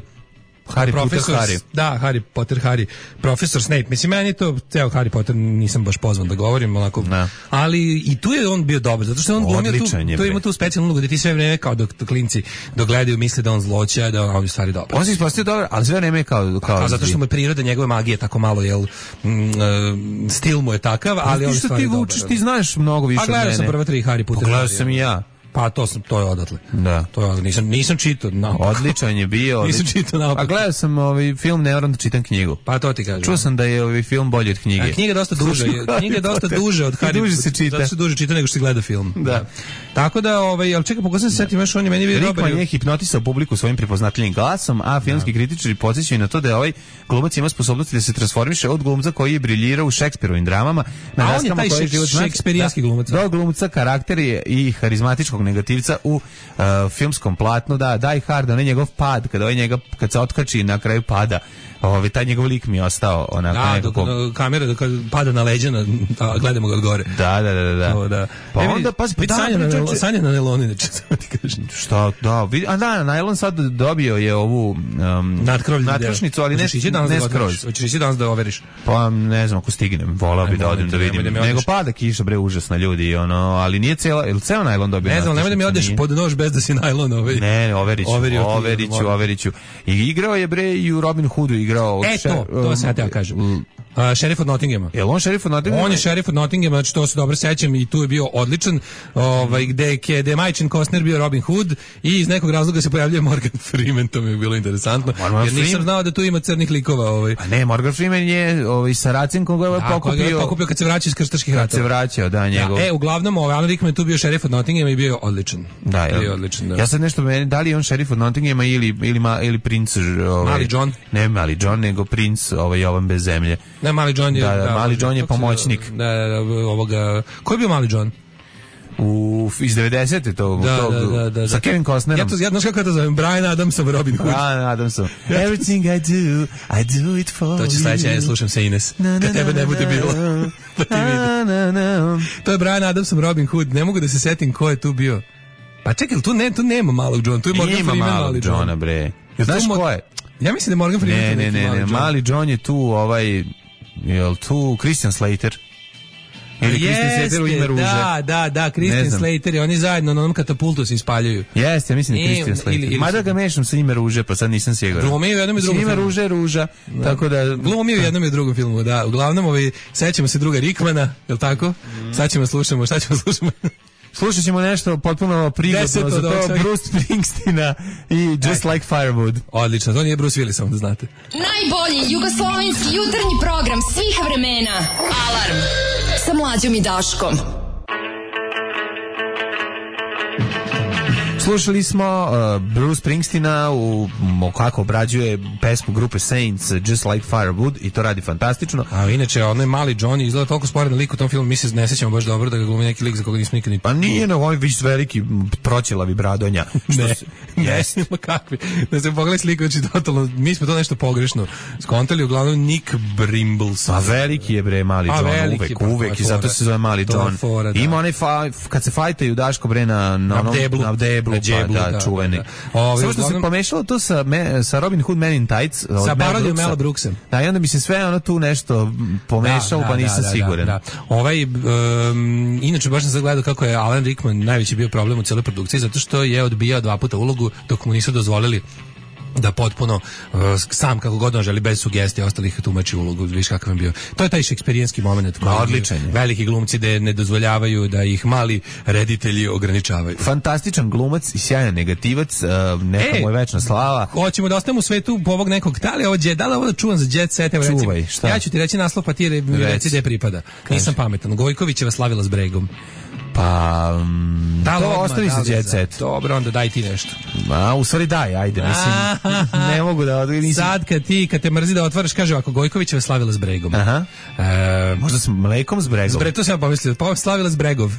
S5: Harry Potter Harry.
S6: Da, Harry Potter Harry. Profesor Snape. Mislim, meni to, ceo Harry Potter nisam baš pozvan da govorim, onako.
S5: Ne.
S6: Ali i tu je on bio dobar, zato što on glumio tu, tu ima tu specijalnu ulogu, da ti sve vreme kao dok klinci dogledaju misle da on zloća, da on je stvari dobar.
S5: On se ispostavio dobar, ali sve vreme kao... kao
S6: pa, zato što mu je priroda njegove magije tako malo, jel, mm, stil mu je takav, ali on je stvari dobar.
S5: Ti vučeš, ti znaš mnogo više od mene.
S6: A gledao sam prva tri Harry Potter.
S5: Gledao sam i ja.
S6: Pa to sam, to je odatle.
S5: Da.
S6: To je, nisam nisam čitao naopako.
S5: Odličan je bio.
S6: Nisam čitao naopako.
S5: A gledao sam ovaj film, ne moram da čitam knjigu.
S6: Pa to ti kažem.
S5: Čuo sam da je ovaj film bolji od knjige.
S6: A knjiga je dosta duže, knjiga je dosta duže od Harry.
S5: Duže se čita.
S6: Zato se duže čita nego što se gleda film.
S5: Da. da.
S6: Tako da, ovaj, al čekaj, pokušam se setiti, još on je meni bio dobar.
S5: Rickman je hipnotisao publiku svojim prepoznatljivim glasom, a filmski da. kritičari podsjećaju na to da je ovaj glumac ima sposobnosti da se transformiše od glumca koji je briljirao u Šekspirovim dramama na daskama koji život
S6: šekspirijanski glumac.
S5: Do glumca karakteri i harizmatičkog negativca u Uh, filmskom platnu, da, Die Hard, on je njegov pad, kada ovaj njega, kad se otkači na kraju pada, ovaj, taj njegov lik mi je ostao onako
S6: da,
S5: nekako...
S6: Da, kamera da kad pada na leđa, na, da, gledamo ga od gore.
S5: Da, da, da, da.
S6: O, da.
S5: Pa
S6: e,
S5: onda, pa,
S6: da, Sanja na, priča, Sanja na neloni, neče, samo ti kažem.
S5: Šta, da, vidi, a da, najlon sad dobio je ovu um, nadkrošnicu, ali ne, ne skroz.
S6: Hoćeš ići danas da overiš?
S5: Pa ne znam ako stignem, volao bi da odim da vidim. Nego pada kiša, bre, užasna ljudi, ono, ali nije cela, ili ceo najlon dobio?
S6: Ne znam, nemoj da mi odeš pod nož bez da si najlon ovaj.
S5: Ne, overiću, overiću, overiću. I igrao je, bre, i u Robin Hoodu igrao.
S6: E, to, to sam ja teo kažem. Uh, šerif od Nottinghama.
S5: Je on šerif od Nottinghama?
S6: On je šerif od Nottinghama, znači to se dobro sećam i tu je bio odličan. Ovaj gde je gde Majčin Costner bio Robin Hood i iz nekog razloga se pojavljuje Morgan Freeman, to mi je bilo interesantno. Morgan jer nisam Freeman? znao da tu ima crnih likova, ovaj.
S5: A ne, Morgan Freeman je ovaj Saracen koga je pokupio.
S6: Pokupio kad se vraća iz krstaških ratova.
S5: Kad se vraćao, da, njegov.
S6: Da, e, uglavnom ovaj Alan Rickman tu bio šerif od Nottinghama i bio odličan.
S5: Da, bio odličan. Da. Ja sad nešto meni, da li je on šerif od Nottinghama ili ili ma, ili princ ovaj
S6: Mali John?
S5: Ne, Mali John, nego princ ovaj Jovan bez zemlje.
S6: Ne, Mali John je
S5: da, da, da Mali John je pomoćnik.
S6: Da, da, ovoga. Ko je bio Mali John?
S5: u iz devedesete to
S6: da,
S5: tog,
S6: da, da, da,
S5: sa Kevin Costnerom.
S6: Ja to ja znaš kako to zovem, Brian Adamsom Robin Hood.
S5: Brian Adamsom. Everything I do, I do it for you.
S6: To će sledeće, ja slušam se Ines. Kad tebe ne bude bilo. Pa ti vidi. To je Brian Adamsom Robin Hood. Ne mogu da se setim ko je tu bio. Pa čekaj, tu ne, tu nema malog Johna, tu je Morgan Freeman mali John.
S5: Johna, bre. Znaš ko je?
S6: Ja mislim da je Morgan Freeman.
S5: Ne, ne, ne, ne, mali John je tu, ovaj, jel tu Christian Slater? Ili Christian Slater u ime ruže.
S6: Da, da, da, Christian Slater i oni zajedno na onom katapultu se ispaljuju.
S5: Jeste, ja mislim da je Christian Slater. Mada ga mešam sa ime ruže, pa sad nisam siguran.
S6: Glumio u jednom i drugom filmu.
S5: Ime ruže je ruža, tako da...
S6: Glumio u jednom i drugom filmu, da. Uglavnom, ovaj, sećamo se druga Rickmana, je li tako? Sad ćemo slušamo, šta ćemo slušamo?
S5: Slušat ćemo nešto potpuno prigodno za to, Bruce Springsteena i Just Like Firewood.
S6: Odlično, to nije Bruce Willis, samo da znate.
S4: Najbolji jugoslovenski jutarnji program svih vremena. Alarm sa Mlađom i Daškom.
S5: Slušali smo uh, Bruce Springsteena u kako obrađuje pesmu grupe Saints Just Like Firewood i to radi fantastično.
S6: A inače onaj mali Johnny izgleda toliko sporedan lik u tom filmu, mi se ne sećamo baš dobro da ga glumi neki lik za koga nismo nikad ni...
S5: Pa nije, no, on je viš veliki proćelavi bradonja.
S6: Ne, yes. Ne, kakvi. Da se pogledaj sliku, znači totalno, mi smo to nešto pogrešno skontali, uglavnom Nick Brimbles.
S5: A veliki je bre mali John, veliki, uvek, pa, uvek i zato se zove mali John. Fora, da. Ima onaj fa, kad se fajtaju Daško bre na, na,
S6: na deblu,
S5: na deblu,
S6: džeblu,
S5: pa, da, čuveni. Samo što uglavnom... se pomešalo to sa, me, sa Robin Hood Men in Tights.
S6: Sa parodijom Mela Brooksa.
S5: Da, i onda bi se sve ono tu nešto pomešalo, da, pa nisam
S6: da,
S5: siguran.
S6: Da, da. Ovaj, um, inače, baš sam sad gledao kako je Alan Rickman najveći bio problem u cijeloj produkciji, zato što je odbijao dva puta ulogu dok mu nisu dozvolili da potpuno uh, sam kako god on želi bez sugestija ostalih tumači ulogu, viš kakav je bio. To je taj šeksperijanski moment koji
S5: odličan je.
S6: Veliki glumci da ne dozvoljavaju da ih mali reditelji ograničavaju.
S5: Fantastičan glumac i sjajan negativac, uh, neka e, mu je večna slava.
S6: Hoćemo da ostanemo u svetu po ovog nekog, da li ovo, da li ovo da čuvam za Jet Set? Evo,
S5: Čuvaj,
S6: recimo,
S5: šta?
S6: Ja ću ti reći naslov, pa ti reci gde pripada. Kaži. Nisam pametan. Gojkovićeva slavila s Bregom.
S5: Pa um,
S6: da,
S5: to ostavi se Jet Set.
S6: Dobro, onda daj ti nešto.
S5: Ma, u stvari daj, ajde, mislim. Ne mogu da odgovorim.
S6: Sad kad ti, kad te mrzi da otvaraš, kaže ovako, Gojkovićeva slavila s Bregom.
S5: Aha. E, možda s mlekom s Bregom.
S6: Bre, to sam ja pomislio, pa slavila s Bregov.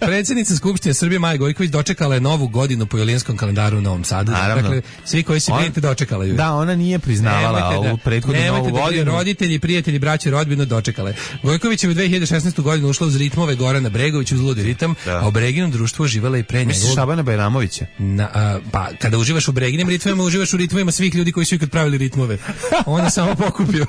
S6: Predsjednica Skupštine Srbije Maja Gojković dočekala je novu godinu po julijanskom kalendaru u Novom Sadu.
S5: Naravno.
S6: Dakle, svi koji se brinite dočekala ju.
S5: Da, ona nije priznavala ovu prethodnu novu
S6: da,
S5: godinu.
S6: Roditelji, prijatelji, braće, rodbinu dočekale. Gojković je u dve hiljade šesnaeste. godinu ušla uz ritmove Gorana Bregovića uz ludi ritam, da. A u Breginom društvu uživala i pre njega.
S5: Misliš Šabana Bajramovića?
S6: Na, a, pa, kada uživaš u Breginim ritmovima, uživaš u ritmovima svih ljudi koji su ikad pravili ritmove. On je samo pokupio.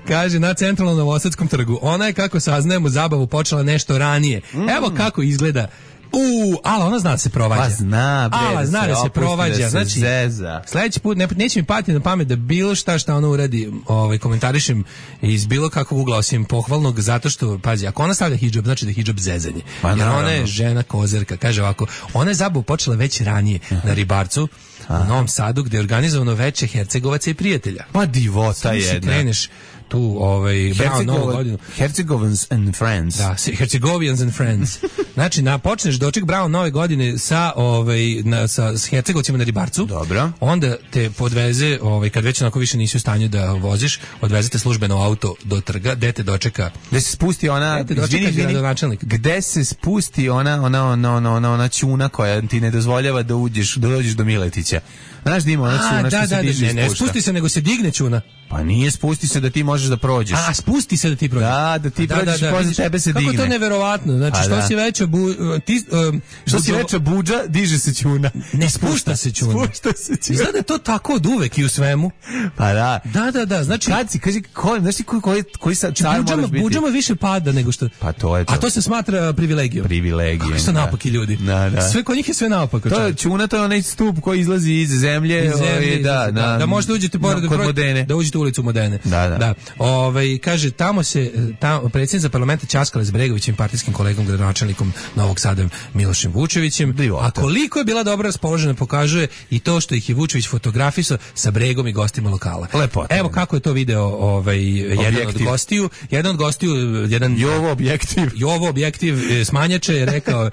S6: Kaže, na centralnom Novosadskom trgu. Ona je, kako saznajemo, zabavu počela nešto ranije. Mm. Evo kako izgleda. U, ala ona zna da se provađa.
S5: Pa zna, bre,
S6: ala zna da se provađa. Da se znači, zeza. Sledeći put ne, neće mi pati na pamet da bilo šta šta ona uradi, ovaj, komentarišem iz bilo kakvog ugla osim pohvalnog, zato što, pazi, ako ona stavlja hidžab, znači da je hidžab zezanje. Pa, jer ona je žena kozerka. Kaže ovako, ona je zabavu počela već ranije uh-huh. na Ribarcu, Aha. u Novom Sadu, gde je organizovano veće Hercegovaca i prijatelja.
S5: Pa divota jedna.
S6: Kreneš tu, ovaj, bravo, novu godinu.
S5: Hercegovans and Friends.
S6: Da, Hercegovians and Friends. Znači, na, počneš doček bravo nove godine sa, ovaj, na, sa s Hercegovcima na Ribarcu.
S5: Dobro.
S6: Onda te podveze, ovaj, kad već onako više nisi u stanju da voziš, odvezete službeno auto do trga, gde te dočeka.
S5: Gde se spusti ona,
S6: izvini, izvini,
S5: gde se spusti ona, ona, ona, ona, ona, ona čuna koja ti ne dozvoljava da uđeš, da dođeš do Miletića. Znaš da ima ona čuna što
S6: da,
S5: se
S6: da,
S5: diže
S6: da, ne, ne spusti se, nego se digne čuna.
S5: Pa nije spusti se da ti možeš da prođeš.
S6: A, spusti se da ti prođeš.
S5: Da, da ti da, prođeš da, da, posle tebe se
S6: kako
S5: digne.
S6: Kako to neverovatno. Znači, što da. si veća bu, ti, um,
S5: što buđo... si veća buđa, diže se čuna.
S6: Ne, spušta se čuna.
S5: Spušta se čuna.
S6: Izgleda je to tako od uvek i u svemu.
S5: Pa da.
S6: Da, da, da. Znači,
S5: kad si, kaži, ko, znaš ti koji, koji, koji sa car
S6: buđama,
S5: moraš biti?
S6: Buđama više pada nego što...
S5: Pa to je to.
S6: A to se smatra privilegijom.
S5: Privilegijom.
S6: Kako su napaki ljudi.
S5: Da, da.
S6: Sve kod njih je sve naopako.
S5: To je čuna, to je onaj stup koji izlazi iz zemlje.
S6: Iz zemlje,
S5: da,
S6: da, da, da možete uđete pored
S5: kod Modene.
S6: Da uđete u ulicu Modene.
S5: Da, da.
S6: Da. Ovaj kaže tamo se tamo predsjednica parlamenta ćaskala s Bregovićem, partijskim kolegom, gradonačelnikom Novog Sada Milošem Vučevićem. A koliko je bila dobro raspoložena pokazuje i to što ih je Vučević fotografisao sa Bregom i gostima lokala.
S5: Lepota.
S6: Evo kako je to video ovaj jedan od gostiju, jedan od gostiju, jedan
S5: Jovo objektiv.
S6: Jovo objektiv smanjače je rekao uh,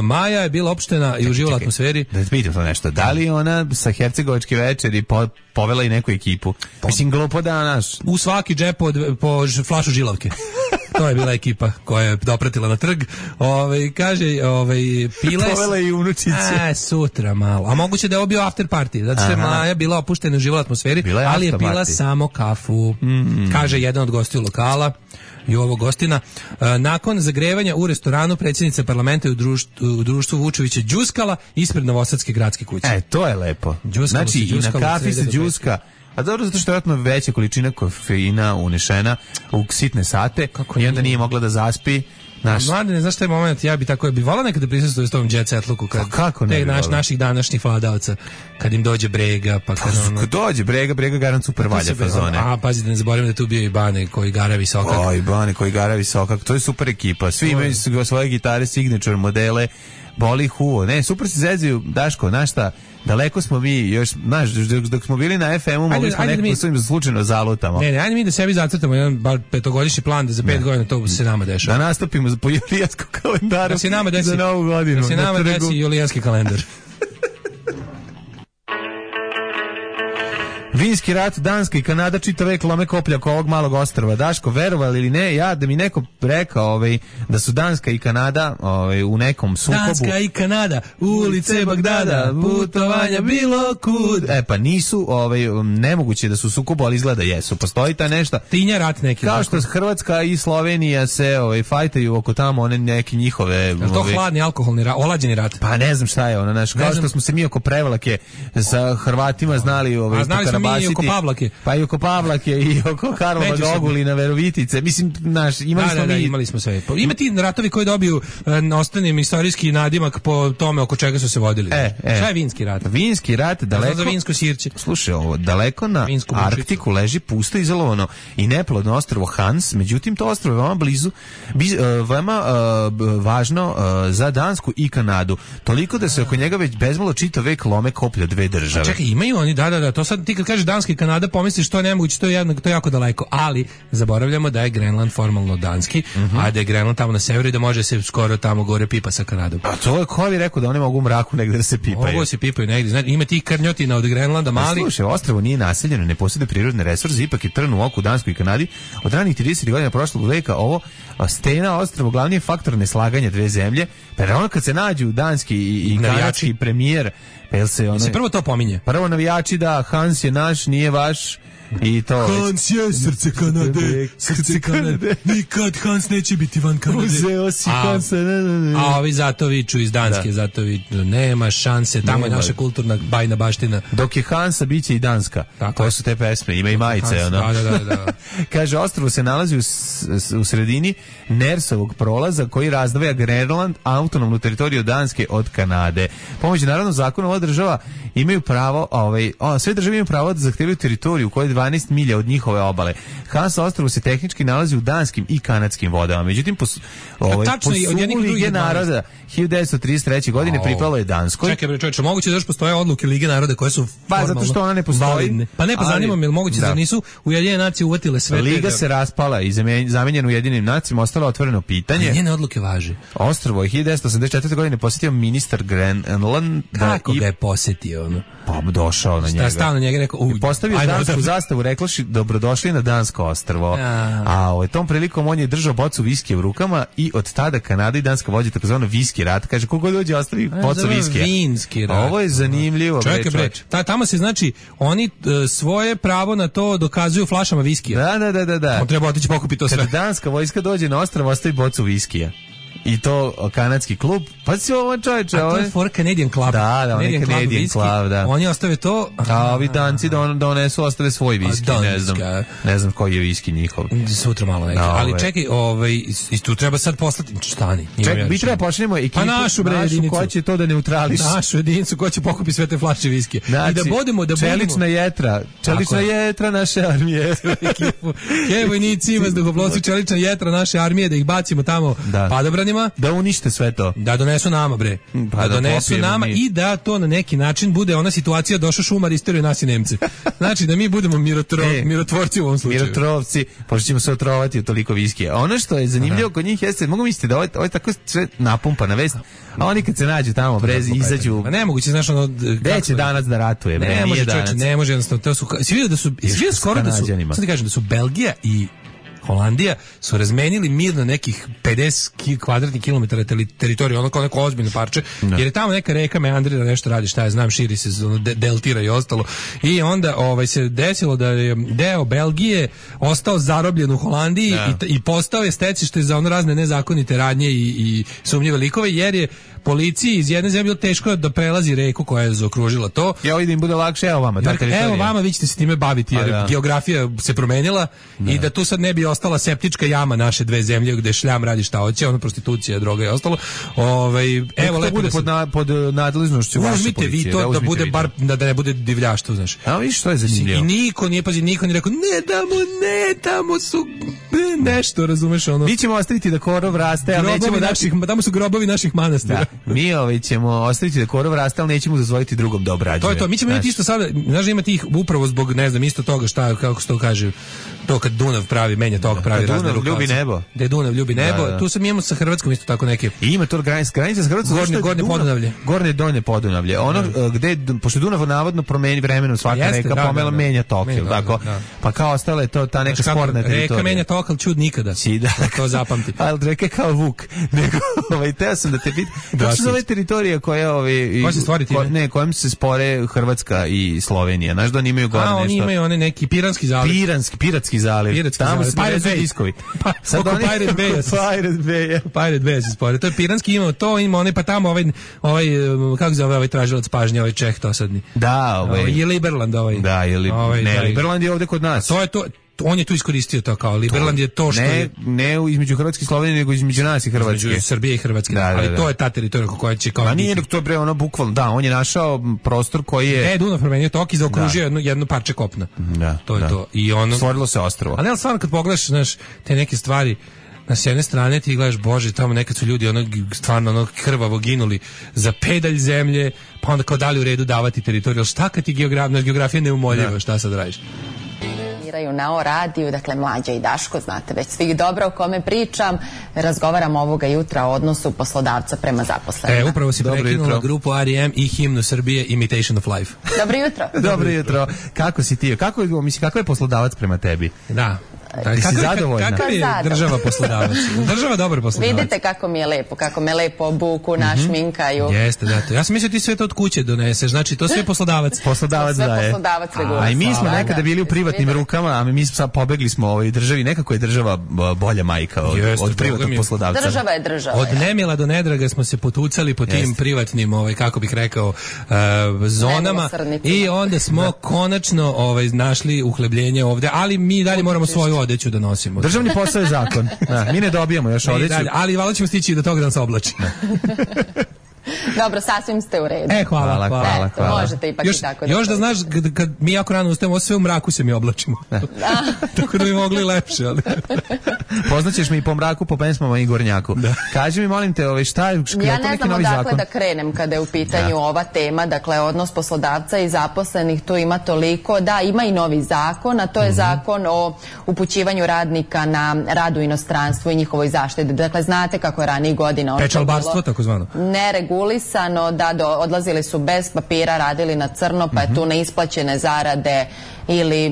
S6: Maja je bila opštena i uživala u atmosferi.
S5: Da te pitam to nešto. Da li ona sa hercegovačke večeri po, povela i neku ekipu? Po, Mislim glupo da naš
S6: u svaki džep po, po flašu žilavke. To je bila ekipa koja je dopratila na trg. Ovaj kaže, ovaj pile
S5: povela i unučiće.
S6: A, sutra malo. A moguće da je ovo bio after party. Zato što je Maja bila opuštena u živoj atmosferi, je ali je pila party. Samo kafu. Mm. Kaže jedan od gostiju lokala. Jovo Gostina. E, nakon zagrevanja u restoranu predsjednica parlamenta u društvu, u društvu Vučevića đuskala ispred Novosadske gradske kuće.
S5: E, to je lepo.
S6: Đuskalo
S5: znači, i na kafi se đuska. A dobro, zato što je vjerojatno veća količina kofeina unešena u sitne sate. Kako i onda nije mogla da zaspi. Naš...
S6: Mlade, ne znaš taj moment, ja bi tako bi volao nekada prisustuje s tom jet setluku kad
S5: kako ne
S6: te naš, naših današnjih vladavaca, kad im dođe Brega, pa kad
S5: ono... Kad dođe Brega, Brega garant super valja fazone.
S6: A, pazite, ne zaboravim da tu bio i Bane koji gara visokak.
S5: Oj, Bane koji gara visokak, to je super ekipa. Svi imaju svoje gitare, signature modele, boli huo. Ne, super se zezaju, Daško, znaš šta, daleko smo mi, još, znaš, dok smo bili na ef emu, mogli smo nekako mi... svojim slučajno zalutamo.
S6: Ne, ne, ajde mi da sebi zacrtamo jedan bar petogodišnji plan da za pet ne. godina to se nama dešava.
S5: Da nastupimo po julijanskom kalendaru
S6: da se nama desi,
S5: za novu godinu.
S6: Da se nama na desi julijanski kalendar.
S5: Vinski rat, Danska i Kanada čita vek lome koplja oko ovog malog ostrva. Daško, verovali ili ne, ja da mi neko rekao ovaj, da su Danska i Kanada ovaj, u nekom sukobu.
S6: Danska i Kanada, ulice Bagdada, putovanja bilo kud.
S5: E pa nisu, ovaj, nemoguće da su u sukobu, ali izgleda jesu. Postoji ta nešto.
S6: Tinja rat neki.
S5: Kao što Hrvatska i Slovenija se ovaj, fajtaju oko tamo one neke njihove...
S6: Je to
S5: ovaj,
S6: hladni alkoholni rat, olađeni rat?
S5: Pa ne znam šta je ono, naš, kao što smo se mi oko Prevlake sa Hrvatima znali... Ovaj,
S6: a znali smo mi i oko Pavlake.
S5: Pa i oko Pavlake i oko Karlova Ogulina, Verovitice. Mislim, naš, imali
S6: da,
S5: smo
S6: da, da,
S5: mi...
S6: imali smo sve. Ima ti ratovi koji dobiju e, ostanim istorijski nadimak po tome oko čega su se vodili.
S5: E, e.
S6: Šta je vinski rat?
S5: Vinski rat daleko...
S6: za vinsko sirće.
S5: Slušaj, ovo, daleko na Arktiku leži pusto izolovano i neplodno ostrvo Hans, međutim to ostrvo je veoma blizu, biz, uh, veoma uh, važno uh, za Dansku i Kanadu. Toliko da se oko njega već bezmalo čitav vek lome koplja dve države.
S6: A čekaj, imaju oni, da, da, da, to sad ti kad kažeš Danska i Kanada pomisliš to je nemoguće, to je, jedno, to je jako daleko, ali zaboravljamo da je Grenland formalno danski, mm-hmm. a da je Grenland tamo na severu i da može se skoro tamo gore pipa sa Kanadom.
S5: A to je ko bi rekao da oni mogu u mraku negde da se pipaju.
S6: Mogu se pipaju negde, znači ima ti krnjotina od Grenlanda mali.
S5: A slušaj, ostrvo nije naseljeno, ne posjeduje prirodne resurse, ipak je trn u oku Danskoj i Kanadi. Od ranih tridesetih godina prošlog veka ovo stena ostrvo glavni je faktor neslaganja dve zemlje, pa ono kad se nađu danski i, i kanadski premijer, pa jel se ono...
S6: Se prvo to pominje.
S5: Prvo navijači da Hans je naš, nije vaš. I to
S6: Hans je srce Kanade, srce Kanade. Nikad Hans neće biti van Kanade.
S5: Uzeo si Hansa.
S6: A ovi zato viču iz Danske, da. Zato viču, nema šanse, tamo nema. Je naša kulturna bajna baština.
S5: Dok je Hansa, bit će i Danska. Tako to su te pesme, ima i majice.
S6: Hans,
S5: ono.
S6: Da, da, da, da.
S5: Kaže, ostrvo se nalazi u, u sredini Nersovog prolaza koji razdvaja Grenland, autonomnu teritoriju Danske od Kanade. Pomoću naravno zakona ova država imaju pravo, ovaj, o, sve države imaju pravo da zahtevaju teritoriju koja je dvanaest milja od njihove obale. Hansa ostrvo se tehnički nalazi u danskim i kanadskim vodama. Međutim, po, ovaj, po sumu Lige naroda hiljadu devetsto trideset treće godine oh. pripalo je Danskoj.
S6: Čekaj, bre, čovječe, moguće da još postoje odluke Lige naroda koje su
S5: pa zato što ona ne postoji.
S6: Validne. Pa ne, pa zanima me, moguće da nisu Ujedinjene nacije uvatile sve.
S5: Liga te, se raspala i zamenjena Ujedinjenim nacijama, ostalo otvoreno pitanje.
S6: Ali njene odluke važe.
S5: Ostrvo je hiljadu devetsto osamdeset četvrte godine posjetio ministar Grenland.
S6: Kako ga je posjetio ono?
S5: Pa došao na njega.
S6: Stao na njega i rekao, uj,
S5: postavio dansku zastavu, rekloši dobrodošli na dansko ostrvo. A, a ovaj, tom prilikom on je držao bocu viskija u rukama i od tada Kanada i Danska vodi takozvano viski rat. Kaže, kogo dođe ostavi bocu viskija.
S6: Vinski rat.
S5: Ovo je zanimljivo.
S6: Čekaj, bre, ta, tamo se znači, oni uh, svoje pravo na to dokazuju flašama viskija.
S5: Da, da, da, da. da.
S6: On treba otići pokupiti to sve.
S5: Kada danska vojska dođe na ostrvo, ostavi bocu viskija. I to kanadski klub. Pa si ovo čovječe.
S6: A to je for Canadian Club.
S5: Da, da, on je Canadian Club, da.
S6: Oni ostave to.
S5: A ovi Danci donesu, ostave svoj viski. Ne znam, ne znam koji je viski njihov.
S6: Sutra malo neki. Ali čekaj, ovaj, i tu treba sad poslati, stani.
S5: Čekaj, mi treba pošaljemo ekipu.
S6: Pa našu bre jedinicu.
S5: Ko će to da neutrališ?
S6: Našu jedinicu, ko će pokupiti sve te flaše viski.
S5: Znači,
S6: i da bodemo, da budemo.
S5: Čelična jetra. Čelična jetra naše armije.
S6: Ke vojnici, vazduhoplovci, čelična jetra naše armije, da ih bacimo tamo padobranima.
S5: Da unište sve to.
S6: Da donesu nama, bre. Pa da, da donesu nama mi. I da to na neki način bude ona situacija došao šumar isteruje nas i Nemce. Znači da mi budemo mirotro, e, mirotvorci u ovom slučaju.
S5: Mirotrovci, pošto ćemo se otrovati od toliko viskija. Ono što je zanimljivo kod njih jeste, mogu misliti da ovo je, ovo je tako sve napumpana vest, a oni kad se nađu tamo, bre, izađu...
S6: Pa nemoguće, znaš, ono...
S5: Gde će danas da ratuje, bre,
S6: ne
S5: nije
S6: može,
S5: danas.
S6: Čoče, ne može, jednostavno, to su... Si vidio da su... Si vidio skoro da su... Sad ti kažem, da su Belgija i Holandija, su razmenili mirno nekih pedeset kvadratnih kilometara teritorije, ono kao neko ozbiljno parče, no. jer je tamo neka reka meandrira, nešto radi, šta je, znam, širi se, de, deltira i ostalo. I onda ovaj, se desilo da je deo Belgije ostao zarobljen u Holandiji no. i, i postao je stecište za ono razne nezakonite radnje i, i sumnjive likove, jer je policiji iz jedne zemlje bilo teško da prelazi reku koja je zaokružila to.
S5: Ja vidim bude lakše, evo vama ta teritorija.
S6: Evo vama, vi ćete se time baviti, jer da. geografija se promenila da. i da tu sad ne bi ostala septička jama naše dve zemlje gde šljam radi šta hoće, ono prostitucija, droga i ostalo. Ovaj evo lepo
S5: bude
S6: da se,
S5: pod, na, pod nadležnošću vaše policije.
S6: Vi to da, da bude bar da, da ne bude divljaštvo, znaš.
S5: A vidiš što je zanimljivo.
S6: I niko nije pazi, niko nije rekao ne damo, ne tamo su nešto, razumeš ono.
S5: Mi ćemo ostaviti da korov raste, ali nećemo
S6: naših, tamo su grobovi naših manastira.
S5: Da. Mi ovaj ćemo ostaviti da korov raste, ali nećemo dozvoliti drugom da obrađuje.
S6: To je to. Mi ćemo imati isto sada, znaš, ima tih upravo zbog, ne znam, isto toga šta, kako se to kaže, to kad Dunav pravi, menja tog, pravi razne rukavce.
S5: Dunav ljubi nebo.
S6: Da je Dunav ljubi nebo. Da, da. Tu sam imamo sa Hrvatskom isto tako neke.
S5: I ima to granica, granica sa Hrvatskom.
S6: Gornje, gornje Podunavlje.
S5: Gornje donje Podunavlje. Ono da. gde, pošto Dunav navodno promeni vremenom svaka Jeste, reka, da, pomela da, da. menja tok, menja, tako? Da, da. Pa kao ostalo je to ta neka sporna teritorija.
S6: Reka menja tok, ali čud nikada. Si, da. To zapamti.
S5: Ali reke kao vuk. Nego, ovaj, teo sam da te pitam. Kako se zove teritorija koja, ovaj,
S6: koja se stvori time?
S5: Ne, kojom se spore Hrvatska i Slovenija. Znaš da oni imaju gore nešto.
S6: A, oni imaju one neki Piranski zaliv.
S5: Piranski, Piratski zaliv.
S6: Piratski
S5: Tamo
S6: zaliv.
S5: se Pirate diskovi.
S6: Pa, sad oni Pirate Bay.
S5: Pirate Bay.
S6: Pirate Bay se spore. To je Piranski imao to, ima one, pa tamo ovaj, ovaj kako zove ovaj tražilac pažnje, ovaj Čeh dosadni.
S5: Da, ovaj.
S6: ovaj je Liberland ovaj.
S5: Da, je li,
S6: ovaj,
S5: ne,
S6: da,
S5: Liberland je ovde kod nas.
S6: To je to. On je tu iskoristio to kao Liberland je to što
S5: ne,
S6: je
S5: ne između Hrvatske i Slovenije, nego između nas i Hrvatske,
S6: između Srbije i Hrvatske, da, da, ali da. to je ta teritorija koja će kao.
S5: Ma nije, to je bre ono bukvalno, da, on je našao prostor koji je.
S6: E, Dunav promenio tok i zaokružio jedno jedno parče kopna.
S5: Da,
S6: to je
S5: da.
S6: to. I ono
S5: stvorilo se ostrvo.
S6: Ali stvarno kad pogledaš, znaš, te neke stvari, na s jedne strane ti gledaš, bože, tamo nekad su ljudi ono stvarno ono krvavo ginuli za pedalj zemlje, pa onda kao da li u redu davati teritoriju. Šta kad ti geografija, geografija neumoljiva, šta sad radiš?
S10: Na O radiju, dakle Mlađa i Daško, znate već svih dobro o kome pričam, razgovaram ovoga jutra o odnosu poslodavca prema zaposlenima.
S6: E, upravo si prekinula grupu R E M i himnu Srbije Imitation of Life.
S10: Dobro jutro.
S5: Dobro jutro. Kako si ti? Kako, misli, kako je poslodavac prema tebi?
S6: Da.
S5: Da, si zadovoljna?
S6: Kakav je država poslodavac? Država dobar poslodavac.
S10: Vidite kako mi je lepo, kako me lepo obuku, našminkaju.
S6: Mm-hmm. Jeste, da. To. Ja sam mislio ti sve to od kuće doneseš, znači to sve poslodavac.
S5: Poslodavac
S10: sve
S5: daje.
S10: Poslodavac regulisan.
S5: A i mi smo nekada bili u privatnim rukama, a mi sad pobegli smo ovoj državi. Nekako je država bolja majka od, Jeste, od privatnog poslodavca.
S10: Država je država.
S6: Od nemila do nedraga smo se potucali po tim Jeste. privatnim, ovaj, kako bih rekao, uh, zonama i onda smo konačno ovaj, našli uhlebljenje ovde, ali mi dalje moramo svoju odeću da nosimo.
S5: Državni posao je zakon. Da, mi ne dobijamo još odeću.
S6: Ali valjda ćemo stići do toga da nas oblači.
S10: Dobro, sasvim ste u redu.
S6: E, hvala, hvala.
S5: hvala, hvala,
S10: Eto,
S5: hvala.
S10: možete ipak
S6: još,
S10: i tako da.
S6: Još da znaš, kad, kad mi jako rano ustajemo, sve u mraku se mi oblačimo. Tako da bi mogli lepše. Ali.
S5: Poznaćeš me i po mraku, po pesmama i gornjaku. Da. Kaži mi, molim te, ovaj, šta je, je
S10: ja
S5: to
S10: ne
S5: neki
S10: znam
S5: novi
S10: odakle
S5: zakon?
S10: Da krenem kada je u pitanju da. ova tema, dakle odnos poslodavca i zaposlenih, tu ima toliko, da, ima i novi zakon, a to je mm-hmm. zakon o upućivanju radnika na rad u inostranstvu i njihovoj zaštiti. Dakle, znate kako je ranijih godina
S6: pečalbarstvo, tako zvano.
S10: Neregulisano, da do, odlazili su bez papira, radili na crno, pa je tu neisplaćene zarade ili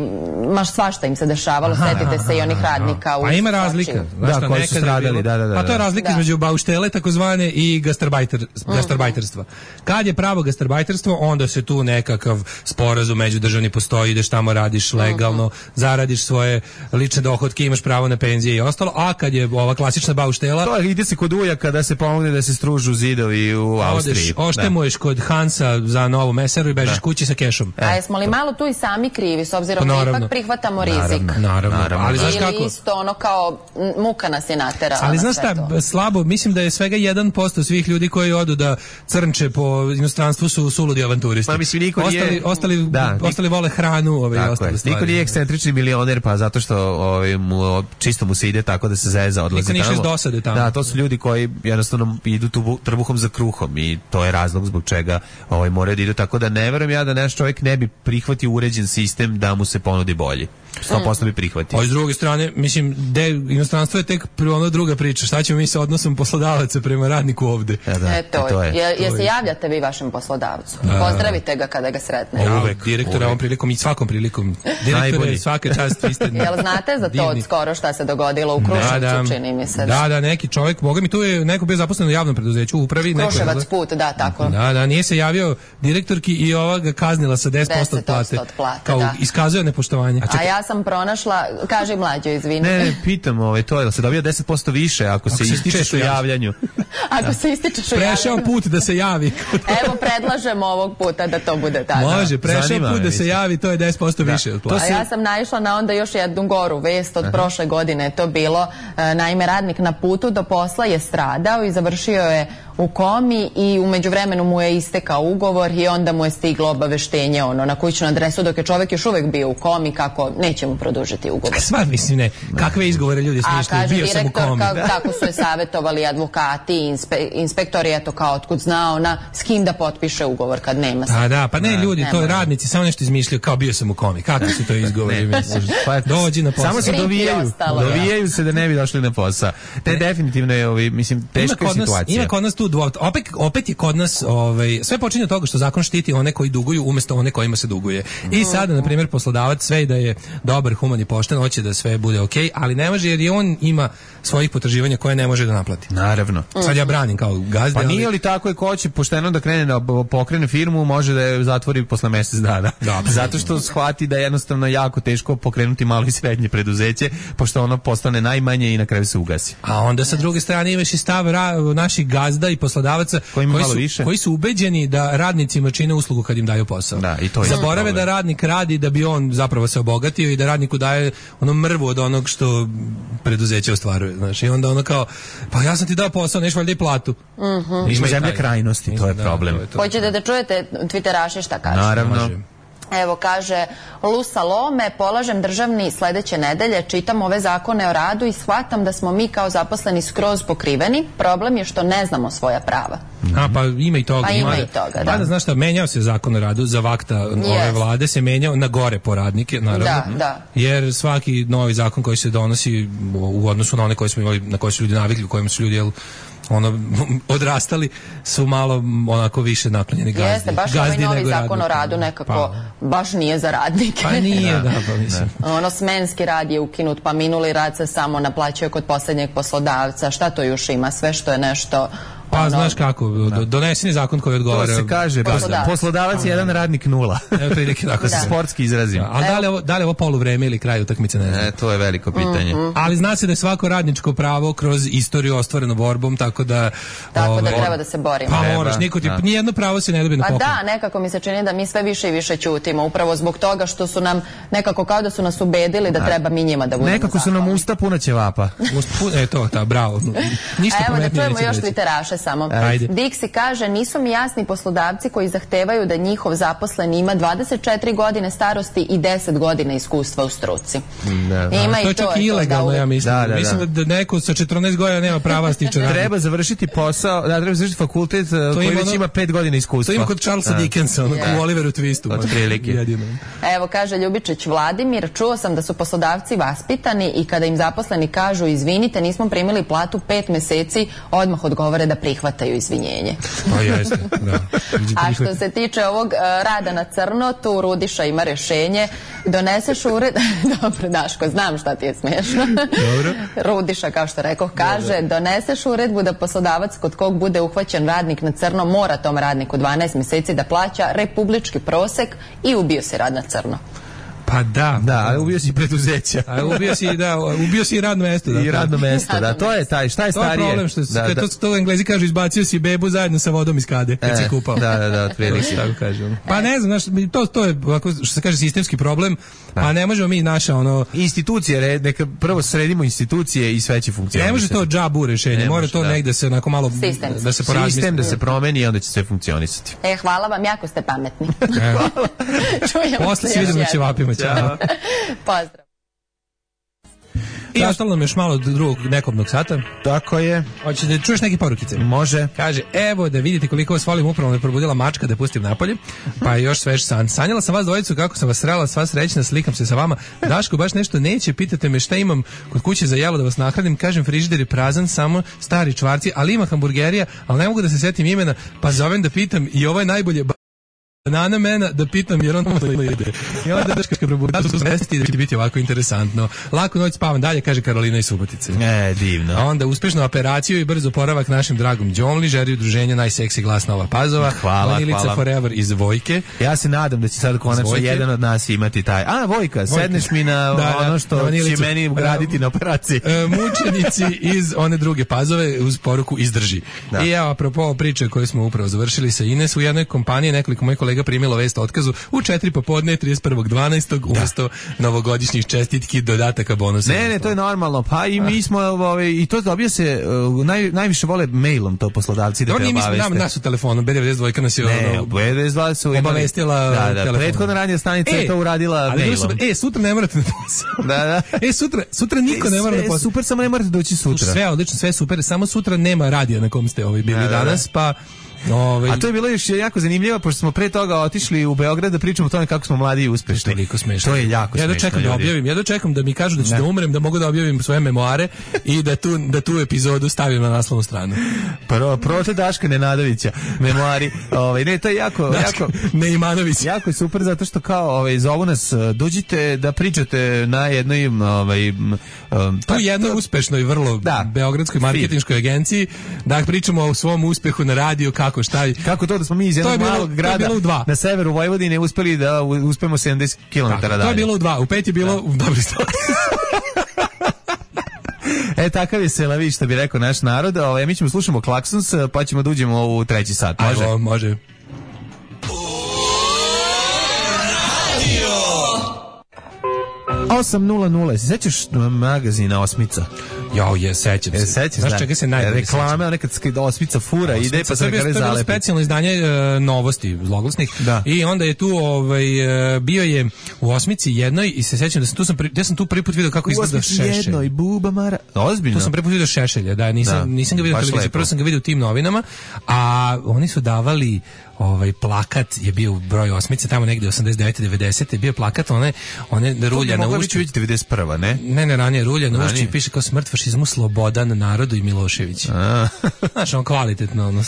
S10: maš svašta im se dešavalo, aha, setite aha, se i onih radnika u
S6: a ima razlika,
S5: da, koji su stradali, da, da, da.
S6: Pa to je razlika da. između bauštele takozvane i gastarbajter, gastarbajterstva. Kad je pravo gastarbajterstvo, onda se tu nekakav sporazum međudržavni postoji, ideš tamo, radiš legalno, uh-huh. zaradiš svoje lične dohotke, imaš pravo na penzije i ostalo, a kad je ova klasična bauštela,
S5: to ide se kod ujaka da se pomogne da se stružu zidovi u Austriji.
S6: Oštemuješ kod Hansa za novu meseru i bežiš da. kući sa kešom.
S10: A jesmo li malo tu i sami krivi, s obzirom da ipak prihvatamo rizik?
S6: Naravno, naravno. naravno. Ali znaš kako?
S10: Ili isto ono kao muka nas je naterala.
S6: Ali znaš šta,
S10: to.
S6: slabo, mislim da je svega jedan posto svih ljudi koji odu da crnče po inostranstvu su suludi avanturisti.
S5: Pa mislim, niko
S6: ostali,
S5: nije...
S6: Ostali,
S5: da,
S6: ostali vole hranu, ove i ostale stvari.
S5: Niko nije ekscentrični milioner, pa zato što ovaj, mu, čisto mu se ide tako da se zeza, odlazi
S6: niko
S5: tamo.
S6: Niko dosade tamo.
S5: Da, to su ljudi koji jednostavno idu tu trbuhom za kruhom i to je razlog zbog čega ovaj, moraju da idu. Tako da ne verujem ja da naš čovjek ne bi prihvatio uređen sistem da mu se ponudi bolji. sto posto bi prihvatio.
S6: A s druge strane, mislim, de, inostranstvo je tek ono druga priča. Šta ćemo mi sa odnosom poslodavaca prema radniku ovde?
S5: E, da,
S10: e, to, to je. Je, je se javljate vi vašem poslodavcu? Pozdravite ga kada ga sretne.
S6: Ja, uvek. Direktora ovom prilikom i svakom prilikom. Direktore, svaka čast, vi ste
S10: jel znate za to od skoro šta se dogodilo u Kruševcu, da, da, čini mi se?
S6: Da, da, neki čovjek, boga mi tu je neko bio zaposlen u javnom preduzeću, u upravi.
S10: Kruševac
S6: neko,
S10: put, da, tako.
S6: Da, da, nije se javio direktorki i ova ga kaznila sa deset posto od plate.
S10: plate
S6: kao
S10: da.
S6: Iskazuje nepoštovanje.
S10: A, a ja sam pronašla, kaže Mlađo, izvini.
S5: Ne, ne, pitam, ovaj, to je da se dobija deset posto više ako, ako se ističeš u javljanju.
S10: Ako se ističeš u javljanju.
S6: Prešao put da se javi.
S10: Evo, predlažem ovog puta da to bude tako.
S6: Može, prešao put da se javi, to je deset posto da. više od plate.
S10: A ja sam naišla na onda još jednu goru vest od Aha. prošle godine. Je to bilo, naime, radnik na putu do posla je stradao i završio je u komi i u međuvremenu mu je istekao ugovor i onda mu je stiglo obaveštenje ono, na kućnu adresu dok je čovjek još uvek bio u komi kako neće mu produžiti ugovor.
S6: Sva mislim ne, kakve izgovore ljudi smišljaju, bio sam u komi.
S10: A kaže direktor kako su je savjetovali advokati i inspe, inspektori, eto kao otkud zna ona s kim da potpiše ugovor kad nema se.
S6: A da, pa ne ljudi, to je radnici samo nešto izmišljaju kao bio sam u komi, kakvi su to izgovori misliš? Dođi na posao.
S5: Samo se dovijaju, dovijaju se da ne bi došli na posao. Te definitivno je, ovi, mislim, teška situacija.
S6: Ima kod nas tu dvo, opet, opet je kod nas ovaj, sve počinje od toga što zakon štiti one koji duguju umjesto one kojima se duguje. I sada, na primjer, poslodavac sve da je dobar, human i pošten, hoće da sve bude okej, okay, ali ne može jer i on ima svojih potraživanja koje ne može da naplati.
S5: Naravno.
S6: Sad ja branim kao gazda.
S5: Pa nije li tako je ko hoće pošteno da krene da pokrene firmu, može da je zatvori posle mjesec dana. Da, zato što shvati da je jednostavno jako teško pokrenuti malo i srednje preduzeće, pošto ono postane najmanje i na kraju se ugasi.
S6: A onda sa druge strane imaš i stav ra- naših gazda i poslodavaca koji, koji, su, više. koji su ubeđeni da radnicima čine uslugu kad im daju posao.
S5: Da, i to je
S6: zaborave da radnik radi da bi on zapravo se obogatio i da radniku daje ono mrvu od onog što preduzeće ostvaruje. Znači, i onda ono kao, pa ja sam ti dao posao, neš valjda i platu.
S10: Mm-hmm.
S5: Mi smo zemlja krajnosti, to je da, problem. To je to.
S10: Hoćete da čujete Twitteraši šta kažu?
S5: Naravno.
S10: Evo, kaže Lusa Lome, polažem državni sledeće nedelje, čitam ove zakone o radu i shvatam da smo mi kao zaposleni skroz pokriveni. Problem je što ne znamo svoja prava.
S6: A, pa ima i toga.
S10: Pa ima i toga, da.
S6: Pa da, znaš šta, menjao se zakon o radu za vakta yes. ove vlade, se menjao na gore po radnike, naravno.
S10: Da, da.
S6: Jer svaki novi zakon koji se donosi u odnosu na one koje smo imali, na koje su ljudi navikli, u kojima su ljudi, jel, ono, odrastali, su malo onako više naklonjeni gazdi.
S10: Jeste, baš ovaj novi zakon o radu nekako pa. baš nije za radnike.
S6: Pa nije, da, pa mislim.
S10: Ono, smenski rad je ukinut, pa minuli rad se samo naplaćuje kod posljednjeg poslodavca. Šta to još ima? Sve što je nešto...
S6: Pa ono, znaš kako, doneseni zakon koji odgovara.
S5: To se kaže, poslodavac, poslodavac jedan, radnik nula.
S6: Evo prilike tako se
S5: sportski izrazim.
S6: A da li ovo, da li ovo poluvreme ili kraj utakmice, ne znam.
S5: E, to je veliko pitanje.
S10: Mm-hmm.
S6: Ali zna se da je svako radničko pravo kroz istoriju ostvareno borbom, tako da...
S10: Tako ove, da treba da se borimo.
S6: Pa moraš, niko ti, da. Nijedno pravo se ne dobije na poklon.
S10: Pa da, nekako mi se čini da mi sve više i više ćutimo, upravo zbog toga što su nam, nekako kao da su nas ubedili da, da. treba mi njima da budemo
S5: nekako su nam usta puna ćevapa.
S6: E to, ta, bravo. Ništa
S10: evo da čujemo još Twitteraše samo.
S6: Ajde.
S10: Dixi kaže, nisu mi jasni poslodavci koji zahtevaju da njihov zaposleni ima dvadeset četiri godine starosti i deset godina iskustva u struci.
S5: Da, da.
S10: Ima
S6: to je
S10: i to
S6: čak i ilegalno, ja mislim. Da, da, da. Mislim da neko sa četrnaest godina nema prava stiče radi.
S5: Treba završiti posao, da, treba završiti fakultet koji već ono, ima pet godina iskustva.
S6: To ima kod Charlesa Dickensa, ono, yeah. u Oliveru Twistu.
S5: Od prilike.
S10: Evo, kaže Ljubičić Vladimir, čuo sam da su poslodavci vaspitani i kada im zaposleni kažu izvinite, nismo primili platu pet meseci, odmah odgovore da prihvataju izvinjenje.
S6: Pa jeste, da.
S10: A što se tiče ovog uh, rada na crno, tu Rudiša ima rješenje. Doneseš ured... Dobro, Daško, znam šta ti je smiješno.
S6: Dobro.
S10: Rudiša, kao što rekao, kaže, dobro. Doneseš uredbu da poslodavac kod kog bude uhvaćen radnik na crno mora tom radniku dvanaest mjeseci da plaća republički prosek i ubio se rad na crno.
S6: Pa da,
S5: da, ali ubio si preduzeća.
S6: A ubio si, da, ubio si i radno mesto. Da,
S5: I radno mesto, da, to je taj, šta je starije?
S6: To je problem, što
S5: da,
S6: kad
S5: da.
S6: To, to Englezi kažu, izbacio si bebu zajedno sa vodom iz kade, kad
S5: e,
S6: si kupao.
S5: Da, da, da, otprilike.
S6: Tako kažem. Pa ne znam, znaš, to, to je, što se kaže, sistemski problem, da. A ne možemo mi naša, ono...
S5: Institucije, neka prvo sredimo institucije i sve će funkcionisati.
S6: Ne može to džabu rešenje, mora to da. negde se onako malo,
S10: sistemski.
S6: Da se porazmisli.
S5: Sistem da se promeni i onda će sve funkcionisati.
S10: E, hvala vam, jako ste pametni.
S6: Posle se vidimo na ćevapima, ćao.
S10: Pozdrav.
S6: I ostalo nam još malo do drugog nekobnog sata.
S5: Tako je.
S6: Hoćeš da čuješ neke porukice?
S5: Može.
S6: Kaže, evo da vidite koliko vas volim, upravo me probudila mačka da pustim napolje, pa je još svež san. Sanjala sam vas dvojicu kako sam vas srela, sva srećna, slikam se sa vama. Daško baš nešto neće, pitate me šta imam kod kuće za jelo da vas nahranim, kažem frižider je prazan, samo stari čvarci, ali ima hamburgerija, ali ne mogu da se setim imena, pa zovem da pitam i ovo je najbolje banana mena da pitam jer on tamo ide. I onda Daška probuda su svesti da će biti ovako interesantno. Lako noć spavam dalje, kaže Karolina iz Subotice.
S5: E, divno.
S6: A onda uspešnu operaciju i brzo oporavak našem dragom Đomli, žeri udruženja najseksi glas Nova Pazova.
S5: Hvala,
S6: Vanilica
S5: hvala.
S6: Forever iz Vojke.
S5: Ja se nadam da će sad konačno jedan od nas imati taj. A, Vojka, Vojka. Sedneš mi na da, ono što će meni ugraditi na operaciji.
S6: E, mučenici iz one druge Pazove uz poruku izdrži. Da. I evo, apropo priče koje smo upravo završili sa Ines, u jednoj kompaniji nekoliko mojih kolega primilo vest o otkazu u četiri popodne trideset prvog dvanaestog umesto novogodišnjih čestitki, dodataka, bonusa.
S5: Ne, ne, to je normalno. Pa i mi smo ovaj i to dobija se uh, naj, najviše vole mailom to poslodavci da te obaveste.
S6: Nam nas u telefonu B devedeset dva nas je
S5: ne, ono, B devedeset dva su
S6: obavestila
S5: da, da,
S6: telefonom.
S5: Prethodna radija stanica e, je to uradila mailom.
S6: Su, e, sutra ne morate na posao.
S5: Da, da.
S6: E, sutra, sutra niko e, ne mora na posao.
S5: Super, samo ne morate doći sutra.
S6: Sve odlično, sve super, samo sutra nema radija na kom ste ovaj bili da, danas, da, da. pa Ove...
S5: A to je bilo još jako zanimljivo, pošto smo pre toga otišli u Beograd da pričamo o tome kako smo mladi i uspešni.
S6: Toliko smešno.
S5: To je jako
S6: ja
S5: smešno.
S6: Ja dočekam da objavim, ja dočekam da mi kažu da ću ne. da umrem, da mogu da objavim svoje memoare i da tu, da tu epizodu stavim na naslovnu stranu.
S5: Prvo, prote Daška Nenadovića, memoari. Ovaj ne, to je jako,
S6: Daška,
S5: jako
S6: Neimanović.
S5: Jako je super zato što kao ovaj zovu nas, dođite da pričate na jednoj ovaj um,
S6: tu jednoj uspešnoj vrlo da, beogradskoj marketinškoj agenciji, da pričamo o svom uspehu na radiju, kako šta
S5: kako to da smo mi iz jednog malog grada na severu Vojvodine uspeli da uspemo sedamdeset kilometara dalje.
S6: To je bilo u dva, u pet je bilo da. u dobri sto.
S5: E, takav je Selavi, što bi rekao naš narod. Ovaj, mi ćemo slušamo Klaksons, pa ćemo da uđemo u treći sat. Može?
S6: Ajmo, može.
S5: osam nula nula. Se sećaš magazina Osmica?
S6: Jo, je, sećam se.
S5: E, sećaš,
S6: znaš čega se najbolje
S5: reklame, ona kad Osmica fura, Osmica, ide pa se
S6: nekada zalepi. To je bilo specijalno izdanje uh, novosti zloglasnih.
S5: Da.
S6: I onda je tu ovaj, uh, bio je u Osmici jednoj i se sećam da sam tu, sam, ja sam tu prvi put vidio kako izgleda Šešelj. U Osmici jednoj,
S5: Buba Mara. Ozbiljno?
S6: Tu sam prvi put vidio Šešelja, da, nisam, da. nisam ga vidio na televiziji, prvo sam ga vidio u tim novinama, a oni su davali ovaj plakat je bio u broju Osmice, tamo negde osamdeset devete devedesete bio plakat one one rulja na ušću
S5: devedeset prva, ne?
S6: Ne, ne, ranije rulja na ušću i piše kao smrt fašizmu, slobodan narodu i Milošević. Znaš, on kvalitetno ono,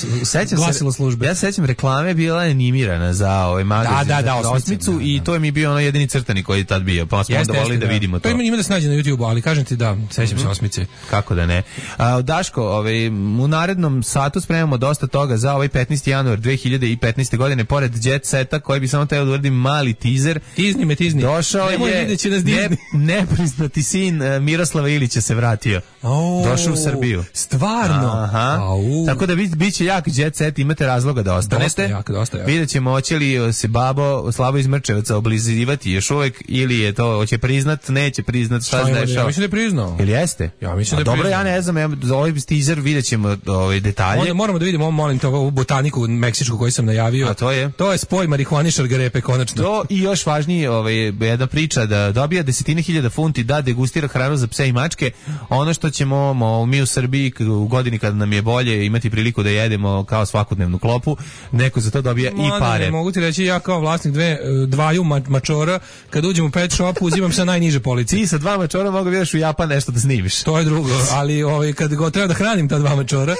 S6: glasilo službe.
S5: Ja se sećam reklame bila animirana za ovaj magazin.
S6: Da, da, da,
S5: Osmicu i to je mi bio ono jedini crtani koji je tad bio. Pa smo onda voleli da vidimo to.
S6: To ima da se nađe na YouTubeu, ali kažem ti da, sećam se Osmice.
S5: Kako da ne? A Daško, ovaj u narednom satu spremamo dosta toga za ovaj petnaesti januar dve hiljade petnaeste godine, pored Jet Seta, koji bi samo teo da uradim mali teaser.
S6: Tizni me, tizni.
S5: Došao je ne, nepriznati sin uh, Miroslava Ilića se vratio.
S6: Oh,
S5: došao u Srbiju.
S6: Stvarno?
S5: Aha.
S6: Au.
S5: Tako da bit, bit će jak Jet Set, imate razloga da ostanete.
S6: Dosta jak, dosta jak.
S5: Vidjet ćemo hoće li se babo Slavo iz Mrčevaca oblizivati još uvek ili je to, hoće priznat, neće priznat, šta se dešava.
S6: Ja mislim da je priznao.
S5: Ili jeste?
S6: Ja mislim da je
S5: dobro,
S6: priznao.
S5: ja ne znam, ja, za ovaj teaser vidjet ćemo ovaj detalje.
S6: Onda moramo da vidimo, molim to, ovu botaniku meksičku koju sam najavio.
S5: A to je?
S6: To je spoj marihuane i šargarepe, konačno.
S5: To i još važnije, ovaj, jedna priča da dobija desetine hiljada funti da degustira hranu za pse i mačke. Ono što ćemo mo, mi u Srbiji u godini kada nam je bolje imati priliku da jedemo kao svakodnevnu klopu, neko za to dobija
S6: Mada,
S5: i pare.
S6: Ne, mogu ti reći, ja kao vlasnik dve, dvaju ma, mačora, kad uđem u pet shop, uzimam sa najniže police.
S5: Ti sa dva mačora mogu vidiš u Japan nešto da snimiš.
S6: To je drugo, ali ovaj, kad go treba da hranim ta dva mačora,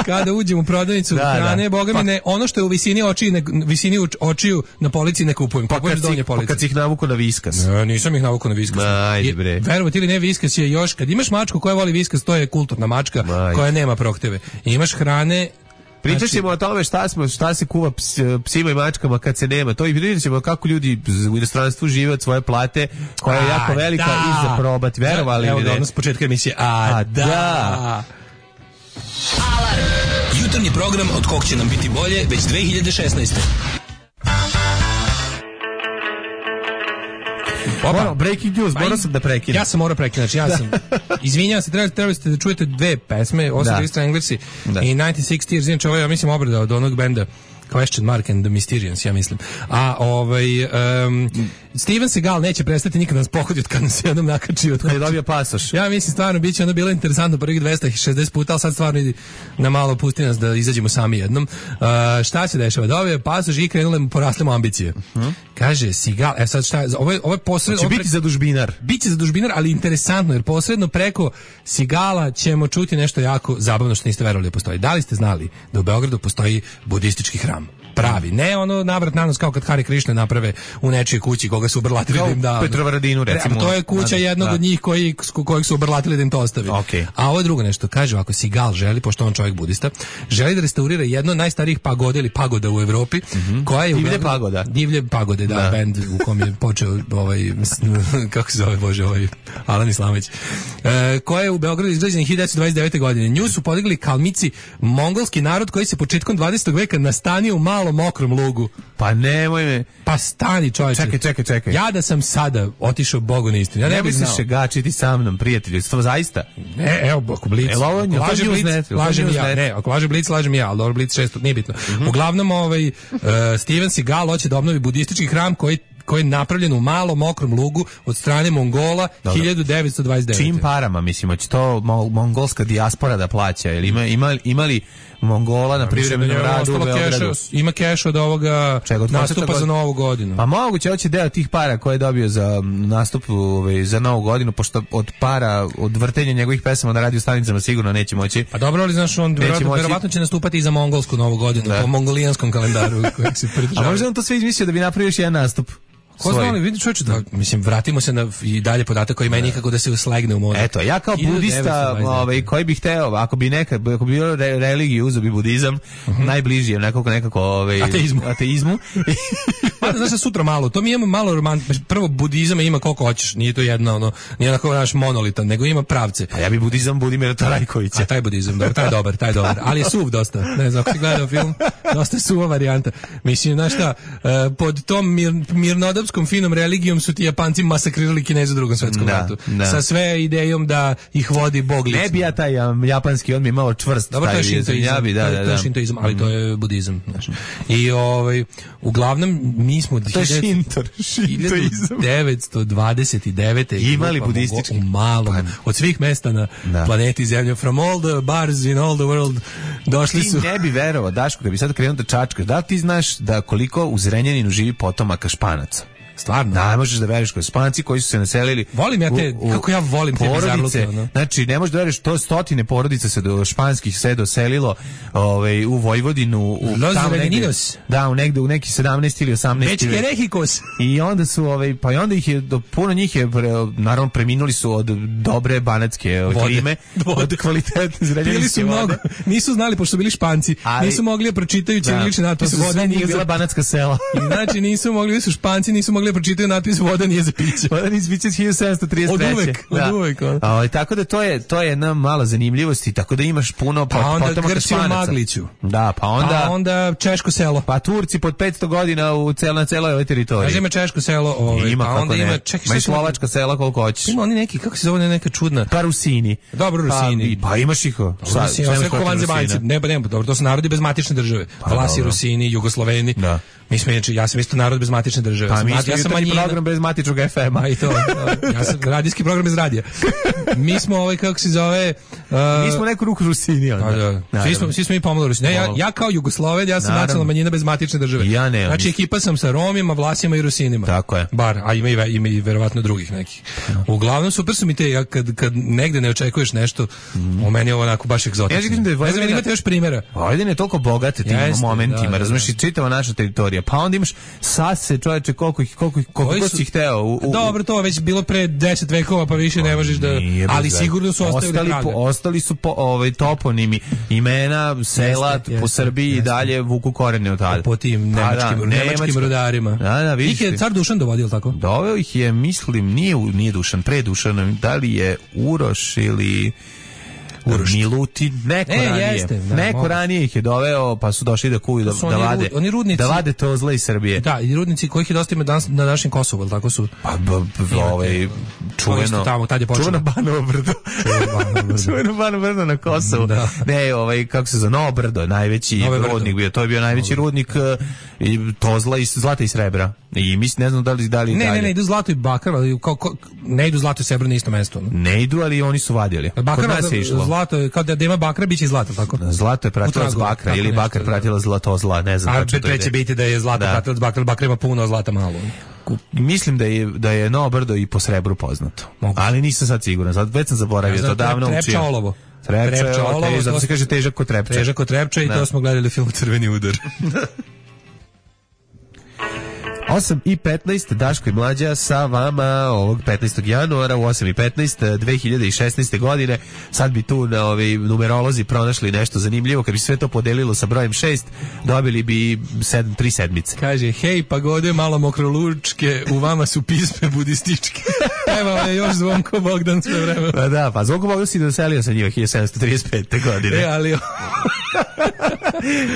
S6: kada uđem u prodavnicu da, hrane, da. Boga mi pa, ne, ono što je u visini očiju, ne, visini očiju na polici ne kupujem.
S5: Pa kad, si, pa kad si ih navuku na Viskas.
S6: Ne, nisam ih navuku na Viskas.
S5: Ajde bre.
S6: Verovati ili ne, Viskas je još, kad imaš mačku koja voli Viskas, to je kulturna mačka Aj. koja nema prohteve. I imaš hrane.
S5: Pričat ćemo o tome šta, smo, šta se kuva ps, psima i mačkama kad se nema. To i vidjet ćemo kako ljudi u inostranstvu žive od svoje plate, koja je jako velika da. I za probati. Verovali
S6: Evo
S5: ili ne?
S6: Evo da, s početka emisije. A, A da. da.
S12: Alarm. Jutarnji program od kog će nam biti bolje već dve hiljade šesnaeste.
S5: Opa, breaking news, morao sam da prekinem.
S6: Ja sam morao prekinuti, znači ja sam, izvinjam se, trebali, trebali ste da čujete dve pesme, Osam Stranglers i devetnaest šezdeset, znači ovo je, ja mislim, obrada od onog benda Question Mark and the Mysterians, ja mislim. A ovaj um, Steven Seagal neće prestati nikad nas pohoditi kad nas jednom nakači od
S5: kad je dobio pasoš.
S6: Ja mislim stvarno biće ono bilo interesantno prvih dvesta šezdeset puta, al sad stvarno idi na malo pusti nas da izađemo sami jednom. Uh, šta se dešava? Dobio je pasoš i krenule mu porasle mu ambicije. Uh-huh. Kaže Seagal, e sad šta je, ovo je, ovo je posredno...
S5: Će biti za dužbinar.
S6: Biće za dužbinar, ali interesantno, jer posredno preko Seagala ćemo čuti nešto jako zabavno što niste verovali da postoji. Da li ste znali da u Beogradu postoji budistički hram? Pravi, ne ono navrat nanos kao kad Hare Krishna naprave u nečijoj kući koga su obrlatili da im da.
S5: Petrovaradinu recimo.
S6: To je kuća jednog da. od njih koji kojeg su obrlatili da im to ostavi.
S5: Okay.
S6: A ovo je drugo nešto, kaže ako Seagal želi, pošto on čovjek budista, želi da restaurira jedno od najstarijih pagoda ili pagoda u Evropi, mm-hmm. koja je
S5: divlje pagoda.
S6: Divlje pagode, da, da. bend u kom je počeo ovaj kako se zove bože ovaj Alan Islamić. E, koja je u Beogradu izgrađena hiljadu devetsto dvadeset devete. godine. Nju su podigli Kalmici, mongolski narod koji se početkom dvadesetog veka nastanio u malom mokrom lugu.
S5: Pa nemoj me.
S6: Pa stani čovječe.
S5: Čekaj, čekaj, čekaj.
S6: Ja da sam sada otišao Bogu na istinu. Ja ne, ne bih
S5: se šegačiti sa mnom, prijatelju. Stvo zaista.
S6: Ne, evo, ako Blic.
S5: E, ovo, ako laže Blic,
S6: net, lažem ja. Net. Ne, ako laže Blic, lažem ja, ali dobro Blic šesto, nije bitno. Mm-hmm. Uglavnom, ovaj, uh, Steven Seagal hoće da obnovi budistički hram koji koji je napravljen u malom mokrom lugu od strane Mongola hiljadu devetsto dvadeset devete.
S5: Čim parama, mislim, će to mongolska dijaspora da plaća? Ili ima, ima, imali Mongola na privremenom radu u Beogradu?
S6: Ima keš od ovoga Čega, od nastupa za Novu godinu.
S5: Pa moguće, hoće deo tih para koje je dobio za nastup ovaj, za Novu godinu, pošto od para, od vrtenja njegovih pesama na radio stanicama sigurno neće moći.
S6: Pa dobro, ali znaš, on verovatno, verovatno će nastupati i za mongolsku Novu godinu, da. Po mongolijanskom kalendaru kojeg se pridržava.
S5: A možda on to sve izmislio da bi napravio još jedan nastup?
S6: Ko zna li, vidi čovječe, da, mislim, vratimo se na i dalje podatak koji ima nikako da se uslegne u mozak.
S5: Eto, ja kao budista, ovaj, koji bih hteo, ako bi neka, ako bi bilo re, religiju, uzeo bi budizam, uh-huh. najbliži je nekako, nekako, ovaj,
S6: ateizmu.
S5: ateizmu.
S6: Pa, znaš, sutra malo, to mi imamo malo romantično, prvo budizam ima koliko hoćeš, nije to jedna, ono, nije onako naš monolitan, nego ima pravce.
S5: A ja bi budizam Budimira Tarajkovića.
S6: A taj budizam, dobro, taj je dobar, taj je dobar, ali je suv dosta, ne znam, ako si gledao film, dosta je suva varijanta. Mislim, znaš šta, pod tom mir, mirnodopskom finom religijom su ti Japanci masakrirali Kineze u drugom svetskom
S5: da,
S6: ratu.
S5: Da.
S6: Sa sve idejom da ih vodi Bog lično.
S5: Ne bi ja taj um, japanski, on mi je malo čvrst.
S6: Dobro, to je šintoizam, ja bi, da, da, da. To je šintoizam, ali mm. to je budizam. Znaš. I ovaj, uglavnom, mi smo...
S5: To je šintor, šintoizam.
S6: devetsto dvadeset devete.
S5: Imali budistički.
S6: U malom, pa, od svih mesta na da. planeti Zemlje, from all the bars in all the world, došli
S5: ti
S6: su...
S5: Ti ne bi verovao, Daško, kad bi sad krenuo da čačkaš, da ti znaš da koliko u Zrenjaninu živi potomaka Španaca?
S6: Stvarno?
S5: Da, možeš da veriš koji Španci koji su se naselili.
S6: Volim ja te, u, u kako ja volim te bizarluke. No?
S5: Znači, ne možeš da veriš, to stotine porodica se do španskih se doselilo ovaj, u Vojvodinu. U,
S6: Los
S5: tamo negde, da, u, negde, u neki sedamnaesti ili osamnaesti
S6: već Kerehikos.
S5: I onda su, ovaj, pa i onda ih je, do, puno njih je, naravno, preminuli su od dobre banatske klime, vode. Od kvalitetne zrenjaninske vode. Mnogo,
S6: nisu znali, pošto su bili Španci, ali, nisu mogli da pročitaju ćirilične natpise.
S5: Voda nije bila banatska sela.
S6: I znači, nisu mogli, su Španci, nisu mogli pročitaju natpis voda nije za piće.
S5: Voda nije za piće hiljadu sedamsto trideset treće.
S6: Od uvek,
S5: da.
S6: od uvek.
S5: A, tako da to je, to je jedna mala zanimljivost i tako da imaš puno
S6: pa onda Grci u Magliću.
S5: Da, pa onda...
S6: Pa onda Češko selo.
S5: Pa Turci pod petsto godina u cel, na celoj ovoj teritoriji.
S6: Kaže ima Češko selo, ovaj,
S5: ima,
S6: pa onda
S5: ne.
S6: ima... Čekaj,
S5: ima i Slovačka sela koliko hoćeš.
S6: Ima oni neki, kako se zove neka čudna...
S5: Pa Rusini.
S6: Dobro, Rusini.
S5: Pa, pa imaš ih.
S6: Sa, sve ko vanzemaljci. Ne, ne, dobro, to su narodi bez matične države. Pa, Vlasi, Rusini, Jugosloveni. Da. Mi smo, ja sam isto narod bez matične države.
S5: Pa mi
S6: ja
S5: sam program bez matičnog ef ema.
S6: I to. Ja sam radijski program bez radija. Mi smo ovaj kako se zove, uh,
S5: mi smo neku ruku Rusini onda.
S6: Da, da. Svi smo svi smo mi pomalo Rusini. Ne, ja ja kao Jugosloven, ja sam naravno. Nacionalna manjina bez matične države.
S5: Ja ne.
S6: Znači ekipa sam sa Romima, Vlasima i Rusinima.
S5: Tako je.
S6: Bar, a ima i ima i verovatno drugih nekih. No. Uglavnom super su mi te ja kad kad negde ne očekuješ nešto, mm. u meni je ovo onako baš egzotično. Ja
S5: vidim da je
S6: ne znam, imate još primjera.
S5: Vojvodina je toliko bogata tim Jeste, momentima, da, da, razumeš, i čitava naša teritorija. Pa onda imaš sase, čoveče, koliko ih koliko koliko si hteo. U, u,
S6: Dobro, to već bilo pre deset vekova, pa više ne možeš da, ali sigurno su ostavili
S5: ostali
S6: traga.
S5: Po, ostali su po, ovaj toponimi, imena sela jeste, po jeste, Srbiji jeste. I dalje vuku korene od tada.
S6: Po tim nemačkim, da, nemačkim rudarima.
S5: Da, da, vidiš.
S6: Ih je car Dušan dovodio, tako?
S5: Doveo ih je, mislim, nije nije Dušan, pre Dušan, da li je Uroš ili
S6: Uroš.
S5: Milutin, neko
S6: E,
S5: ranije.
S6: jeste, da,
S5: neko
S6: mogu.
S5: ranije ih je doveo, pa su došli da kuju, da,
S6: su
S5: da
S6: oni
S5: vade,
S6: ru- oni rudnici-
S5: da vade to zla iz Srbije.
S6: Da, i rudnici kojih je dosta ima danas na našem Kosovu, ali tako su.
S5: Pa, b, b, ovaj, čuveno,
S6: tamo, tad je počelo.
S5: čuveno Banovo brdo. čuveno Banovo brdo na Kosovu.
S6: Da.
S5: Ne, ovaj, kako se zove, Novo brdo, najveći
S6: Nove brdo.
S5: rudnik bio, to je bio najveći rudnik uh, i to zla i zlata i srebra. I mislim, ne znam da li, da li
S6: Ne,
S5: dalje.
S6: ne, ne, idu zlato i bakar, ali kao, kao, ne idu zlato i srebro na isto mesto. No.
S5: Ne idu, ali oni su vadili.
S6: Bakar,
S5: Kod nas je išlo.
S6: zlato je, kao da da ima bakra, bit će i zlato, tako?
S5: Zlato je pratilo
S6: U
S5: s
S6: tragovima,
S5: bakra
S6: tako
S5: ili
S6: nešto,
S5: bakar
S6: da.
S5: pratilo zlato zla, ne znam
S6: A
S5: tačno to
S6: pre će
S5: ide.
S6: biti da je zlato
S5: Da.
S6: pratilo s bakra, bakra ima puno, a zlata malo.
S5: Mislim da je da je Novo brdo i po srebru poznato.
S6: Moguće.
S5: Ali nisam sad siguran. Sad već sam zaboravio,
S6: Ja znam,
S5: to davno
S6: trepča
S5: učio.
S6: olovo.
S5: Trepča,
S6: Trepča
S5: olovo,
S6: olovo,
S5: zato
S6: to-
S5: se kaže težak kod trepča.
S6: Težak kod trepča i
S5: Da.
S6: to smo gledali u filmu Crveni udar.
S5: osam i petnaest, Daško i Mlađa sa vama ovog petnaestog januara u osam i petnaest dve hiljade šesnaeste godine. Sad bi tu na ovi numerolozi pronašli nešto zanimljivo. Kad bi sve to podelilo sa brojem šest, dobili bi sedam, tri sedmice.
S6: Kaže, hej, pagode, malo mokrolučke, u vama su pisme budističke. Evo je još Zvonko Bogdan sve vreme.
S5: Pa da, pa Zvonko Bogdan si doselio sa njima hiljadu sedamsto trideset pete godine.
S6: E, ali...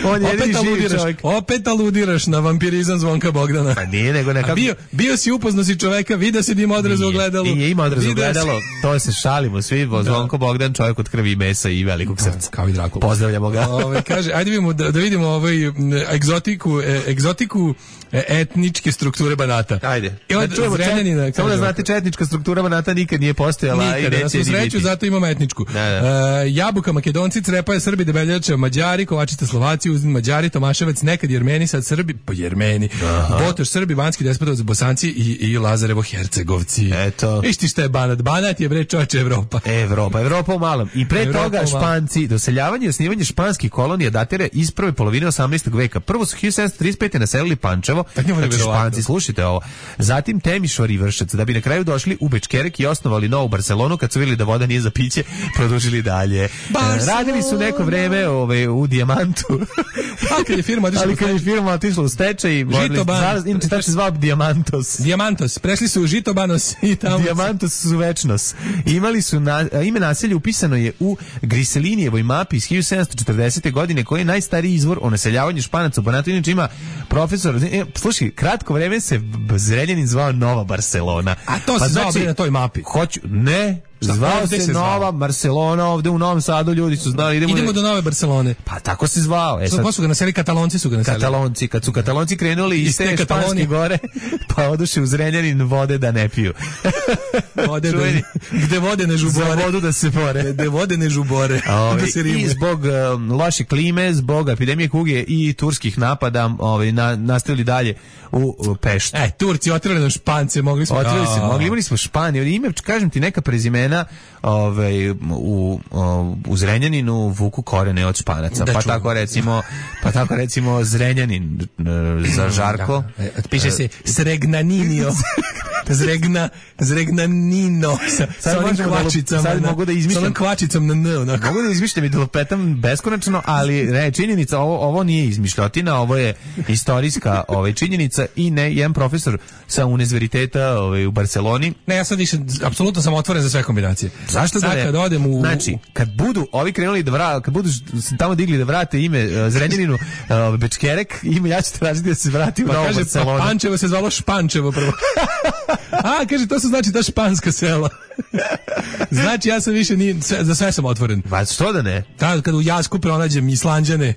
S5: On je
S6: opet
S5: jedini živi
S6: aludiraš,
S5: čovjek.
S6: opet aludiraš na vampirizam Zvonka Bogdana.
S5: Pa nije, nego nekako...
S6: A bio, bio si upoznao si čoveka, vidio si da ima odraz u ogledalu.
S5: Nije, ima odraz u
S6: Video si-
S5: ogledalu, to se šalimo svi, Zvonko Bogdan, čovjek od krvi i mesa i velikog srca.
S6: Kao i Drakula.
S5: Pozdravljamo ga.
S6: Ove, kaže, ajde vidimo da, da vidimo ovaj m, egzotiku, e, egzotiku e, etničke strukture Banata.
S5: Ajde.
S6: I od
S5: Da čujemo
S6: Zrenjanina,
S5: čet- Samo da
S6: kaže
S5: znate, četnička struktura Banata nikad nije postojala i
S6: Nikada, da
S5: neće
S6: smo
S5: ni
S6: sreću,
S5: biti.
S6: zato imamo etničku.
S5: Da, da.
S6: E, jabuka, Makedonci, Crepaje, Srbi, Debeljača, Mađari, Kovačita, Slovaci, Uzdin, Mađari, Tomaševac, nekad Jermeni, sad Srbi, pa Jermeni, Botoš, Srbi, Banski Despotovac, Bosanci i, i Lazarevo Hercegovci.
S5: Eto.
S6: Viš ti šta je Banat? Banat je bre čoče Evropa.
S5: Evropa, Evropa u malom. I pre
S6: Evropa
S5: toga
S6: u malom.
S5: Španci, doseljavanje i osnivanje španskih kolonija datira iz prve polovine osamnaestog veka. Prvo su hiljadu sedamsto trideset pete naselili Pančevo,
S6: njemu je
S5: znači
S6: verovatno.
S5: Španci, slušajte ovo. Zatim Temišvar i Vršac, da bi na kraju došli u Bečkerek i osnovali novu Barcelonu, kad su vidjeli da voda nije za piće, produžili dalje.
S6: Barcelona.
S5: Radili su neko vreme ovaj, u Dijamantu.
S6: A kad je firma otišla
S5: Ali
S6: u
S5: kad je firma otišla u stečaj, morali-
S6: Ban.
S5: za- inače tako se zvao Dijamantos.
S6: Diamantos, prešli su u Žitobanos i tamo.
S5: Diamantos su večnos. Imali su na, ime naselja upisano je u Griselinijevoj mapi iz hiljadu sedamsto četrdesete godine, koji je najstariji izvor o naseljavanju Španaca u Banatu. Inače ima profesor, e, slušaj, kratko vreme se B- Zrenjanin zvao Nova Barcelona.
S6: A to se zvao bre na toj mapi.
S5: Hoću, ne,
S6: Šta,
S5: zvao
S6: ovde
S5: se,
S6: se zvao?
S5: Nova Barcelona, ovde u Novom Sadu ljudi su znali. Idemo,
S6: Idemo do Nove Barcelone.
S5: Pa tako se zvao. E,
S6: Sad,
S5: sad,
S6: ko su ga naselili? Katalonci su ga naselili.
S5: Katalonci, kad su Katalonci krenuli iz
S6: Iz te
S5: te Španske
S6: Katalonije.
S5: gore, pa oduše u Zrenjanin vode da ne piju.
S6: Vode da,
S5: Čuveni.
S6: gde vode ne
S5: Za
S6: žubore.
S5: vodu da se bore.
S6: Gde vode ne žubore.
S5: Ove,
S6: Da se
S5: I
S6: rimuje.
S5: zbog um, loše klime, zbog epidemije kuge i turskih napada, ovaj na, nastavili dalje u, u Peštu.
S6: E, Turci otvorili nam Špance, mogli smo.
S5: Otvorili se,
S6: A.
S5: mogli, imali smo Španiju, ime, kažem ti, neka prezimena ovaj, u, u Zrenjaninu vuku korene od Španaca.
S6: Da
S5: pa
S6: čujem.
S5: tako recimo, pa tako recimo Zrenjanin e, za Žarko.
S6: Da. E, piše se Sregnaninio. Zregna, Zregnanino. Sa, sa onim
S5: možemo da lup-
S6: kvačicama.
S5: sad
S6: na-
S5: mogu da
S6: Sa
S5: izmišljam-
S6: onom kvačicom na N. Onako.
S5: Mogu da izmišljam i da lupetam beskonačno, ali ne, činjenica, ovo, ovo nije izmišljotina, ovo je istorijska ovaj, činjenica i ne, jedan profesor sa univerziteta ovaj, u Barceloni.
S6: Ne, ja sad više, apsolutno sam otvoren za sve kombinacije.
S5: Zašto da
S6: Sad
S5: ne?
S6: kad odem u...
S5: Znači, kad budu ovi krenuli da vrate, kad budu se tamo digli da vrate ime uh, Zrenjaninu, uh, Bečkerek, ime ja ću tražiti da se vrati u
S6: Pa
S5: Novu
S6: kaže, pa
S5: Barcelonu.
S6: Pančevo se zvalo Špančevo prvo. A, kaže, to su znači ta španska sela. Znači, ja sam više, nije, sve, za sve sam otvoren.
S5: Pa što da ne?
S6: Ta, kad u Jasku pronađem Islanđane,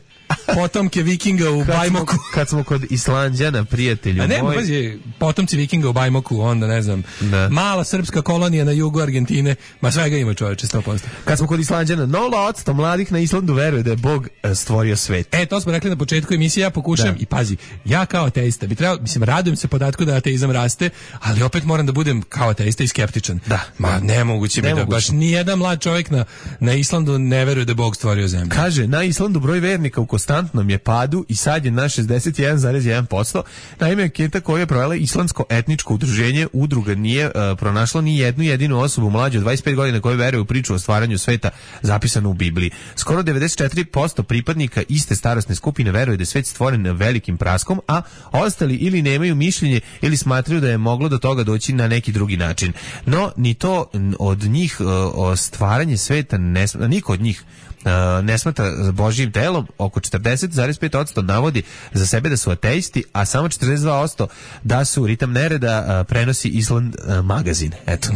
S6: potomke vikinga u
S5: Kad smo,
S6: Bajmoku.
S5: kad smo kod Islanđana, prijatelju
S6: A ne,
S5: moj.
S6: pazi, potomci vikinga u Bajmoku, onda ne znam,
S5: Da.
S6: mala srpska kolonija na jugu Argentine, ma svega ima čoveče, sto posto.
S5: Kad smo kod Islanđana, nula odsto mladih na Islandu veruje da je Bog e, stvorio svet.
S6: E, to smo rekli na početku emisije, ja pokušam
S5: Da.
S6: i pazi, ja kao ateista bi trebao, mislim, radujem se podatku da ateizam raste, ali opet moram da budem kao ateista i skeptičan.
S5: Da.
S6: Ma, nemoguće mi da
S5: Nemoguće.
S6: baš nijedan mlad čovjek na, na Islandu ne veruje da je Bog stvorio zemlju.
S5: Kaže, na Islandu broj vernika u konstantnom je padu i sad je na šezdeset jedan zarez jedan posto. Naime, anketa koju je provela Islamsko etničko udruženje udruga nije uh, pronašla ni jednu jedinu osobu mlađu od dvadeset pet godina koji veruje u priču o stvaranju sveta zapisanu u Bibliji. Skoro devedeset četiri posto pripadnika iste starosne skupine veruje da je svet stvoren velikim praskom, a ostali ili nemaju mišljenje ili smatraju da je moglo do toga doći na neki drugi način. No, ni to od njih o stvaranje sveta, ne, niko od njih Uh, ne smatra Božjim telom. Oko četrdeset zarez pet posto navodi za sebe da su ateisti, a samo četrdeset dva posto da su Ritam nereda uh, prenosi Island uh, magazin. Eto.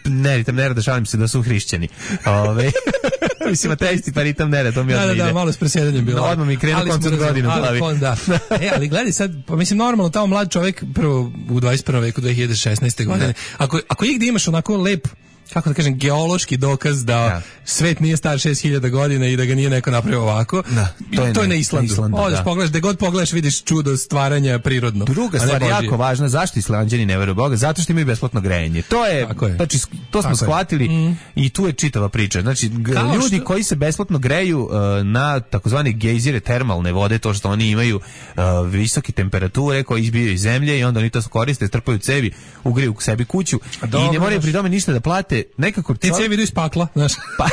S5: Ne, Ritam nereda, šalim se da su hrišćani. Ove, mislim, ateisti pa Ritam nereda, to mi
S6: da,
S5: odmah
S6: da,
S5: ide.
S6: Da, malo s presjedanjem bilo.
S5: No, odmah mi krenu koncert godinu u glavi.
S6: Da. E, ali gledaj sad, pa mislim, normalno, tamo mlad čovjek prvo u dvadeset prvom veku dve hiljade šesnaeste godine, ako, ako igdje imaš onako lep, kako da kažem, geološki dokaz da ja. svet nije star šest hiljada godina i da ga nije neko napravio ovako. Da, to, je, to je na Islandu. Islandu Odeš, da. pogledaš, gde god pogledaš vidiš čudo stvaranja prirodno.
S5: Druga stvar je jako važna, zašto Islanđani ne veruju Boga? Zato što imaju besplatno grejanje. To je, je. Znači, to smo Tako shvatili mm. i tu je čitava priča. Znači, Kao ljudi što... koji se besplatno greju uh, na takozvane gejzire termalne vode, to što oni imaju uh, visoke temperature koje izbijaju iz zemlje i onda oni to koriste, trpaju cevi, ugreju u sebi kuću Dobro, i ne moraju pri tome ništa da plate. Nekako
S6: te cevi idu iz pakla, znaš. Pa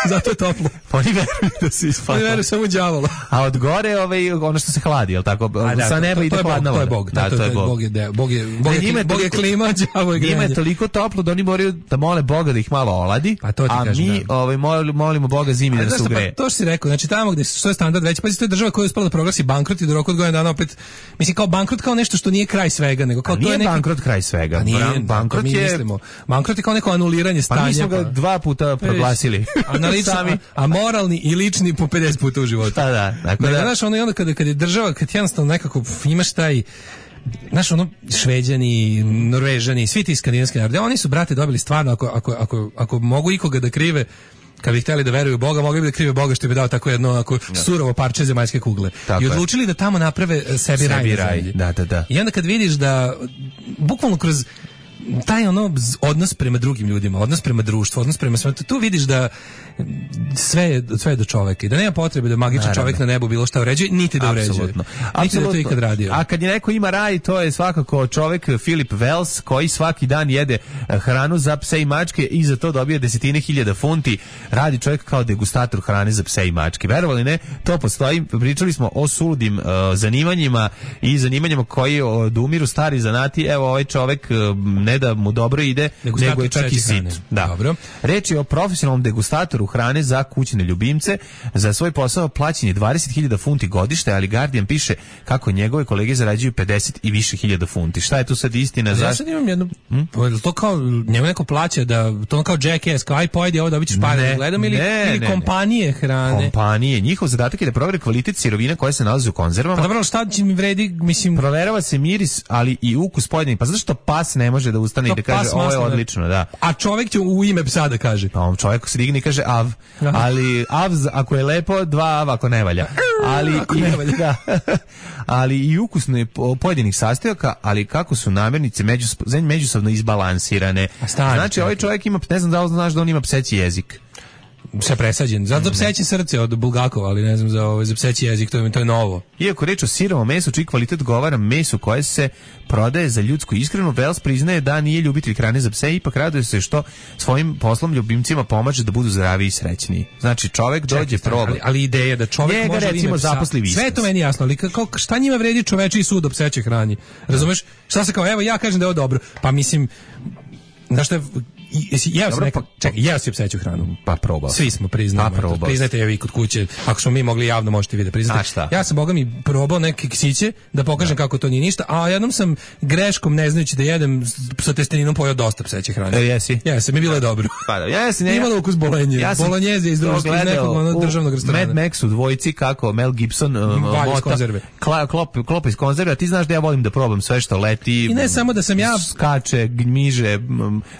S6: zato je toplo.
S5: Pa oni veruju da se iz pakla.
S6: Oni veruju samo u đavola.
S5: A od gore ovaj ono što se hladi, je l' tako?
S6: A, da,
S5: sa neba ide hladna voda.
S6: To je Bog. Da, to je Bog. Bog je Bog je Bog je, Bog je, Bog je klima, đavo je grejanje.
S5: Njima je toliko toplo da oni moraju da mole Boga da ih malo oladi.
S6: Pa to ti
S5: a
S6: kažem,
S5: mi
S6: da.
S5: ovaj molimo Boga zimi da se ugreje.
S6: Pa to što si rekao, znači tamo gde što je standard veći, pa to je država koja je uspela da proglasi bankrot i do roka od godinu dana opet mislim kao bankrot kao nešto što nije kraj svega, nego kao to je neki
S5: bankrot kraj svega.
S6: Bankrot je bankrot je kao neko anuliranje stanja.
S5: Pa mi smo ga dva puta proglasili.
S6: Sami, a moralni i lični po pedeset puta u životu.
S5: Da, da. Dakle,
S6: da, znaš, ono, onda kada, kada je država, kad jednostavno nekako imaš taj, znaš, ono, Šveđani, Norvežani, svi ti skandinavski narodi, oni su, brate, dobili stvarno, ako, ako, ako, ako mogu ikoga da krive, kad bi htjeli da veruju u Boga, mogli bi da krive Boga što bi dao tako jedno ako surovo parče zemaljske kugle. Tako I odlučili je. da tamo naprave sebi, sebi raj. raj.
S5: Da, da, da.
S6: I onda kad vidiš da, bukvalno kroz taj ono odnos prema drugim ljudima, odnos prema društvu, odnos prema svetu, tu vidiš da sve je, sve je do čoveka i da nema potrebe da magičan Naravno. čovek na nebu bilo šta uređuje, niti da uređuje. Apsolutno. Niti da to ikad radio.
S5: A kad je neko ima raj, to je svakako čovek Philip Wells koji svaki dan jede hranu za pse i mačke i za to dobije desetine hiljada funti. Radi čovjek kao degustator hrane za pse i mačke. Verovali ne, to postoji. Pričali smo o suludim uh, zanimanjima i zanimanjima koji odumiru stari zanati. Evo ovaj čovek uh, ne da mu dobro ide, degustator nego je čak i sit. Da. Dobro. Reč je o profesionalnom degustatoru hrane za kućne ljubimce. Za svoj posao plaćen je dvadeset hiljada funti godište, ali Guardian piše kako njegove kolege zarađuju pedeset i više hiljada funti. Šta je tu sad istina?
S6: Ja sad imam jednu, hmm? to kao njemu neko plaća da, to kao Jackass, kao aj pojedi ovo da bićeš pare da gledam ili, ne, ili ne, kompanije hrane.
S5: Kompanije, njihov zadatak je da provere kvalitet sirovina koje se nalaze u konzervama.
S6: Pa dobro, šta će mi vredi, mislim...
S5: Proverava se miris, ali i ukus pojedinih. Pa zašto pas ne može da ustane i da kaže ovo je odlično, da.
S6: A čovjek će u ime psa da kaže.
S5: Pa on čovjek se digne i kaže av. Ali av ako je lepo, dva av ako ne valja. Ali
S6: ako ne valja.
S5: Da. Ali i ukusno pojedinih sastojaka, ali kako su namirnice međus, međusobno izbalansirane. Znači ovaj čovjek ima, ne znam da li znaš da on ima pseći jezik.
S6: Sve presađen. Zato za pseće srce od Bulgakova, ali ne znam za ovo, za pseći jezik, to je, to je novo.
S5: Iako reč o sirovom mesu, čiji kvalitet govara mesu koje se prodaje za ljudsku ishranu, Wells priznaje da nije ljubitelj hrane za pse, ipak raduje se što svojim poslom ljubimcima pomaže da budu zdravi i srećniji. Znači čovjek dođe proba.
S6: Ali, ali ideja da čovjek
S5: Njega,
S6: može
S5: recimo, zaposli
S6: sve je to meni jasno, ali kako, šta njima vredi čovečiji sud o psećoj hrani? Razumeš? Šta se kao, evo ja kažem da je ovo dobro. Pa mislim, znaš što je, jeo sam neka, čekaj, jeo si pseću hranu.
S5: Pa probao.
S6: Svi smo priznali.
S5: Pa
S6: priznajte je vi kod kuće. Ako smo mi mogli javno, možete vi da priznate. Ja sam, boga mi, probao neke ksiće da pokažem da. kako to nije ništa, a jednom sam greškom, ne znajući da jedem sa testeninom, pojeo dosta pseće hrane.
S5: E, jesi?
S6: Jesam, mi bilo je dobro.
S5: Pa da, ja sam, ja,
S6: imalo ukus bolenje. Ja sam Bolonjeze iz društva, iz nekog ono državnog restorana.
S5: Mad Max u dvojici, kako Mel Gibson um, mota,
S6: konzerve.
S5: Kla, klop, klop iz konzerve, a ti znaš da ja volim da probam sve što leti.
S6: I ne samo da sam ja
S5: skače, gmiže,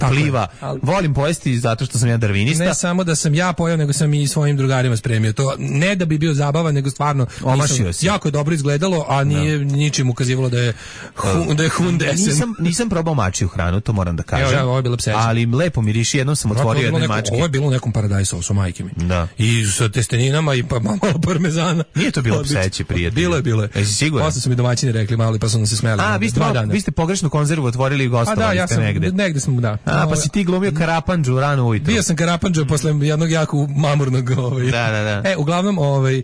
S5: pliva. ali, volim pojesti zato što sam ja darvinista.
S6: Ne samo da sam ja pojeo, nego sam i svojim drugarima spremio. To ne da bi bio zabavan, nego stvarno
S5: omašio si.
S6: Jako je dobro izgledalo, a nije no. ničim ukazivalo da je hun, da je hundesen.
S5: Nisam, nisam probao mačiju hranu, to moram da kažem.
S6: Evo, ovo je bilo pseće.
S5: Ali lepo miriši, jednom sam otvorio jedne
S6: neko,
S5: mačke.
S6: Ovo je bilo u nekom paradajz sosu, majke mi.
S5: Da.
S6: I sa testeninama i pa malo parmezana.
S5: Nije to bilo pseće, prijatelj.
S6: Bilo je, bilo je.
S5: Jesi siguran?
S6: Posle su mi domaćini rekli malo, pa su nam se smeli.
S5: A, vi ste, malo, vi ste pogrešnu konzervu otvorili i gostovali
S6: da, ja
S5: ste
S6: sam,
S5: negde.
S6: Negde sam, da.
S5: A, pa si ti glumio Karapandžu rano ujutro.
S6: Bio sam Karapandžu posle jednog jako mamurnog ovaj.
S5: Da, da, da.
S6: E, uglavnom, ovaj,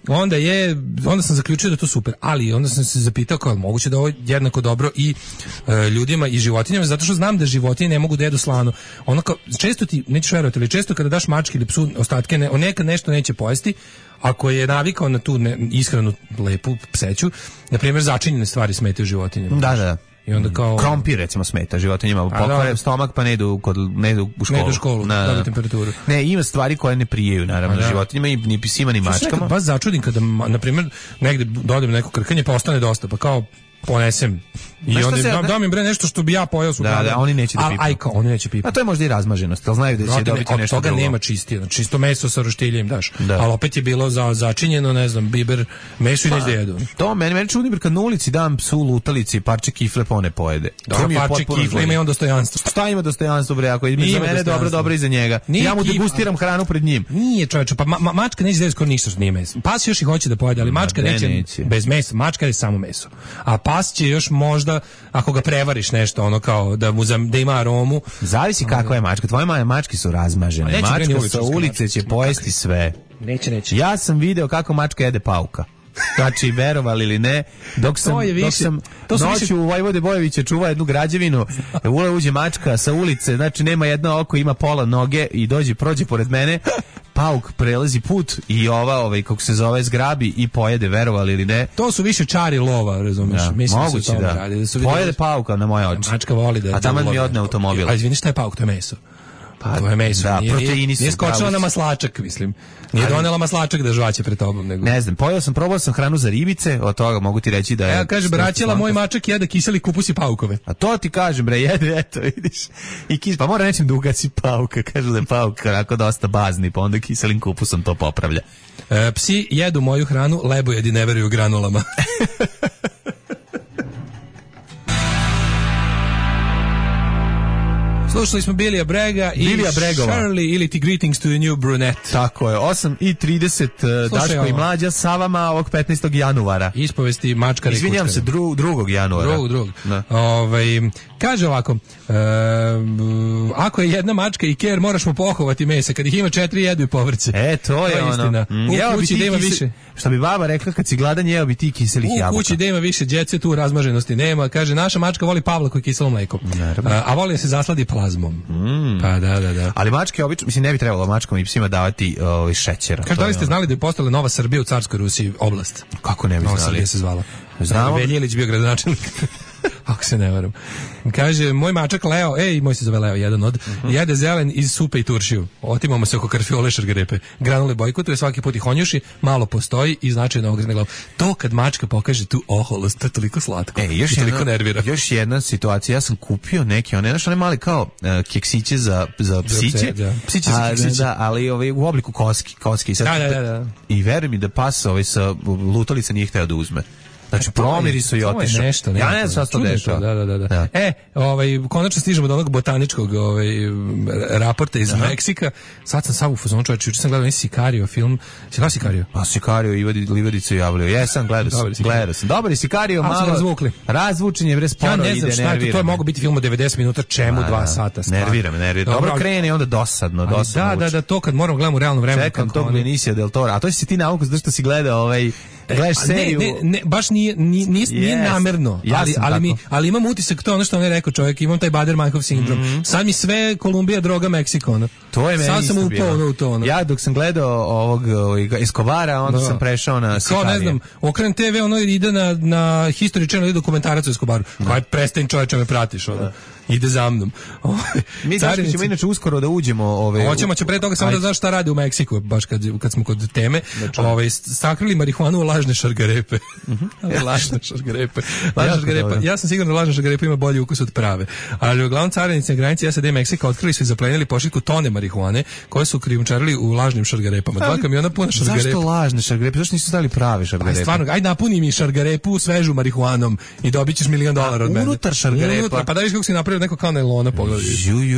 S6: onda je, onda sam zaključio da je to super, ali onda sam se zapitao kao moguće da ovo je jednako dobro i e, ljudima i životinjama, zato što znam da životinje ne mogu da jedu slano. Ono kao, često ti, nećeš verovati, ali često kada daš mački ili psu ostatke, ne, on nekad nešto neće pojesti, ako je navikao na tu ne, ishranu lepu pseću, na primjer začinjene stvari smetaju životinjama.
S5: Da, da, da.
S6: I onda kao
S5: krompir recimo smeta životinjama, pokvare stomak pa ne idu kod ne idu u školu.
S6: Ne idu u školu, na, da, temperaturu.
S5: Ne, ima stvari koje ne prijeju naravno da. životinjama i ni psima ni mačkama.
S6: Baš začudim kada na primjer negde dodam neko krkanje pa ostane dosta, pa kao ponesem i onda dam, dam im bre nešto što bi ja pojeo su.
S5: Da, da, oni neće da pipaju.
S6: Aj kao, oni neće pipati.
S5: A to je možda i razmaženost, al znaju da će dobiti nešto drugo.
S6: Od toga nema čistije, znači čisto meso sa roštiljem daš. Da. Ali opet je bilo za začinjeno, ne znam, biber, meso pa, i neće da jedu.
S5: To meni meni čudi kad na ulici dam psu lutalici parče kifle pa one pojede.
S6: To mi je parče kifle ima i on dostojanstvo.
S5: Šta ima dostojanstvo bre, ako je za mene dobro, dobro i za njega. Ja mu degustiram hranu pred njim.
S6: Nije čoveče, pa mačka neće da skoro ništa što nije meso. Pas još i hoće da pojede, ali mačka neće bez mesa, mačka je samo meso. A pas će još možda ako ga prevariš nešto ono kao da mu da ima aromu.
S5: Zavisi kakva je mačka. Tvoje mačke su razmažene. Mačka sa ulice će pojesti sve.
S6: Neće, neće.
S5: Ja sam video kako mačka jede pauka. Znači, verovali ili ne, dok sam, dok sam noću više... u Vojvode Bojevića čuva jednu građevinu, ule uđe mačka sa ulice, znači nema jedno oko, ima pola noge i dođe, prođe pored mene, pauk prelazi put i ova, ovaj, kako se zove, zgrabi i pojede, verovali ili ne.
S6: To su više čari lova, razumiješ?
S5: Ja,
S6: mislim
S5: moguće da.
S6: Radi, da su
S5: pojede pauka na moje oči.
S6: Mačka voli da.
S5: A tamo mi odne automobil.
S6: A izvini, šta je pauk, to je meso.
S5: Pa,
S6: to je meso.
S5: Da,
S6: nije,
S5: proteini su.
S6: Nije skočila na maslačak, mislim. Nije ali, donela maslačak da žvaće pred tobom. Nego.
S5: Ne znam, pojeo sam, probao sam hranu za ribice, od toga mogu ti reći da je...
S6: Evo, kaže, braćela, moj mačak jede kiseli kupus i paukove.
S5: A to ti kažem, bre, jede, eto, vidiš. I kis, pa mora nečim da ugaci pauka, kaže da je pauk onako dosta bazni, pa onda kiselim kupusom to popravlja.
S6: E, psi jedu moju hranu, lebojedi ne veruju granulama. Slušali smo Bilija Brega i
S5: Bilija Bregova.
S6: Shirley ili ti Greetings to the New Brunette.
S5: Tako je, osam i trideset Daško ovo. I Mlađa sa vama ovog petnaestog januara.
S6: Ispovesti mačka i
S5: izvinjam se, dru, drugog januara.
S6: Drugog, drugog. Ovaj, kaže ovako, e, ako je jedna mačka i ker, moraš mu pohovati mesa, kad ih ima četiri jedu i povrće.
S5: E, to je, to je ono.
S6: Istina. Mm. U kući da ima
S5: kise,
S6: više.
S5: Što bi baba rekla, kad si gladan jeo bi ti kiselih
S6: u
S5: jabuka.
S6: U kući da ima više djece, tu razmaženosti nema. Kaže, naša mačka voli Pavla koji kiselo mleko. A, a voli da se zasladi plazmom.
S5: Mm.
S6: Pa da, da, da.
S5: Ali mačke obično, mislim, ne bi trebalo mačkom i psima davati ovaj šećera.
S6: Kaže, da li ste znali da je postala Nova Srbija u Carskoj Rusiji oblast?
S5: Kako ne bi
S6: Nova
S5: znali?
S6: Srbija se zvala.
S5: Znamo.
S6: Veljilić bio gradonačelnik. Ako se ne varam. Kaže, moj mačak Leo, ej, moj se zove Leo, jedan od, uh-huh. jede zelen iz supe i turšiju. Otimamo se oko karfiole šargarepe. Granule bojkotuje, svaki put ih honjuši, malo postoji i značajno ogrzne glavu. To kad mačka pokaže tu oholost, to je toliko slatko.
S5: E, još
S6: i toliko
S5: jedna,
S6: nervira.
S5: Još jedna situacija, ja sam kupio neke, one, znaš, one mali kao uh, keksiće za, za psiće.
S6: Da. Psiće za keksiće.
S5: Da, ali ovaj, u obliku koski. koski. Sad,
S6: da, da, da.
S5: I veruj mi da pas ovaj, sa lutalica nije hteo da uzme. Znači, promiri su i otišao.
S6: Nešto,
S5: ja ne znam šta to dešava.
S6: Da, da, da, da. da. E, ovaj, konačno stižemo do onog botaničkog ovaj, raporta iz Aha. Meksika. Sad sam sam u fazonu, čovječ, juče sam gledao nisi Sicario film. Si gledao Sicario?
S5: Pa Sicario i Livadicu javljaju. Jesam, gledao sam. Gledao sam. Dobar je Sicario, malo
S6: razvukli.
S5: Razvučen je, bre, sporo ide, nervira. Ja ne znam šta je
S6: to, to je mogao biti film od devedeset minuta, čemu A, dva sata. Stvar.
S5: Nervira me, nervira. Dobro, dobro krene i onda dosadno, dosadno.
S6: Da, da, da, to kad moram gledam u realnom vremenu.
S5: Čekam tog Benicia del Toro. A to si ti nauku zato što si gledao ovaj gledaš seriju.
S6: Ne, ne, ne, baš nije, nije, nije, yes. nije namerno, ja ali, ali, mi, ali imam utisak, to je ono što on je rekao čovjek, imam taj Bader-Meinhof sindrom. Mm-hmm. Sad mi sve Kolumbija, droga, Meksiko. Ono.
S5: To je meni
S6: sad sam upao u to. Ono.
S5: Ja dok sam gledao ovog Escobara, onda da. sam prešao na Sicario.
S6: Kao ne znam, okren te ve, ono ide na, na History Channel, ide dokumentarac o Escobaru. Kaj prestaň čovječe, me pratiš. Ono. Da. Ide za mnom.
S5: Mi Daško ćemo inače uskoro da uđemo. Ove,
S6: Hoćemo će pre toga samo da znaš šta radi u Meksiku, baš kad, kad smo kod teme. Ove, sakrili marihuanu u lažne lažne šargarepe. lažne šargarepe. Lažne šargarepa. Ja sam siguran da lažna šargarepa ima bolji ukus od prave. Ali uglavnom carinici na granici S A D i Meksika otkrili su i zaplenili pošiljku tone marihuane koje su krijumčarili u lažnim šargarepama. Dva kamiona puna šargarepa.
S5: Zašto lažne šargarepe? Zašto nisu stavili prave šargarepe?
S6: Pa stvarno, ajde napuni mi šargarepu svežu marihuanom i dobit ćeš milion dolara od mene.
S5: Unutar šargarepa?
S6: Unutar, pa da viš kako si napravio neko kao nailona, pogledaj.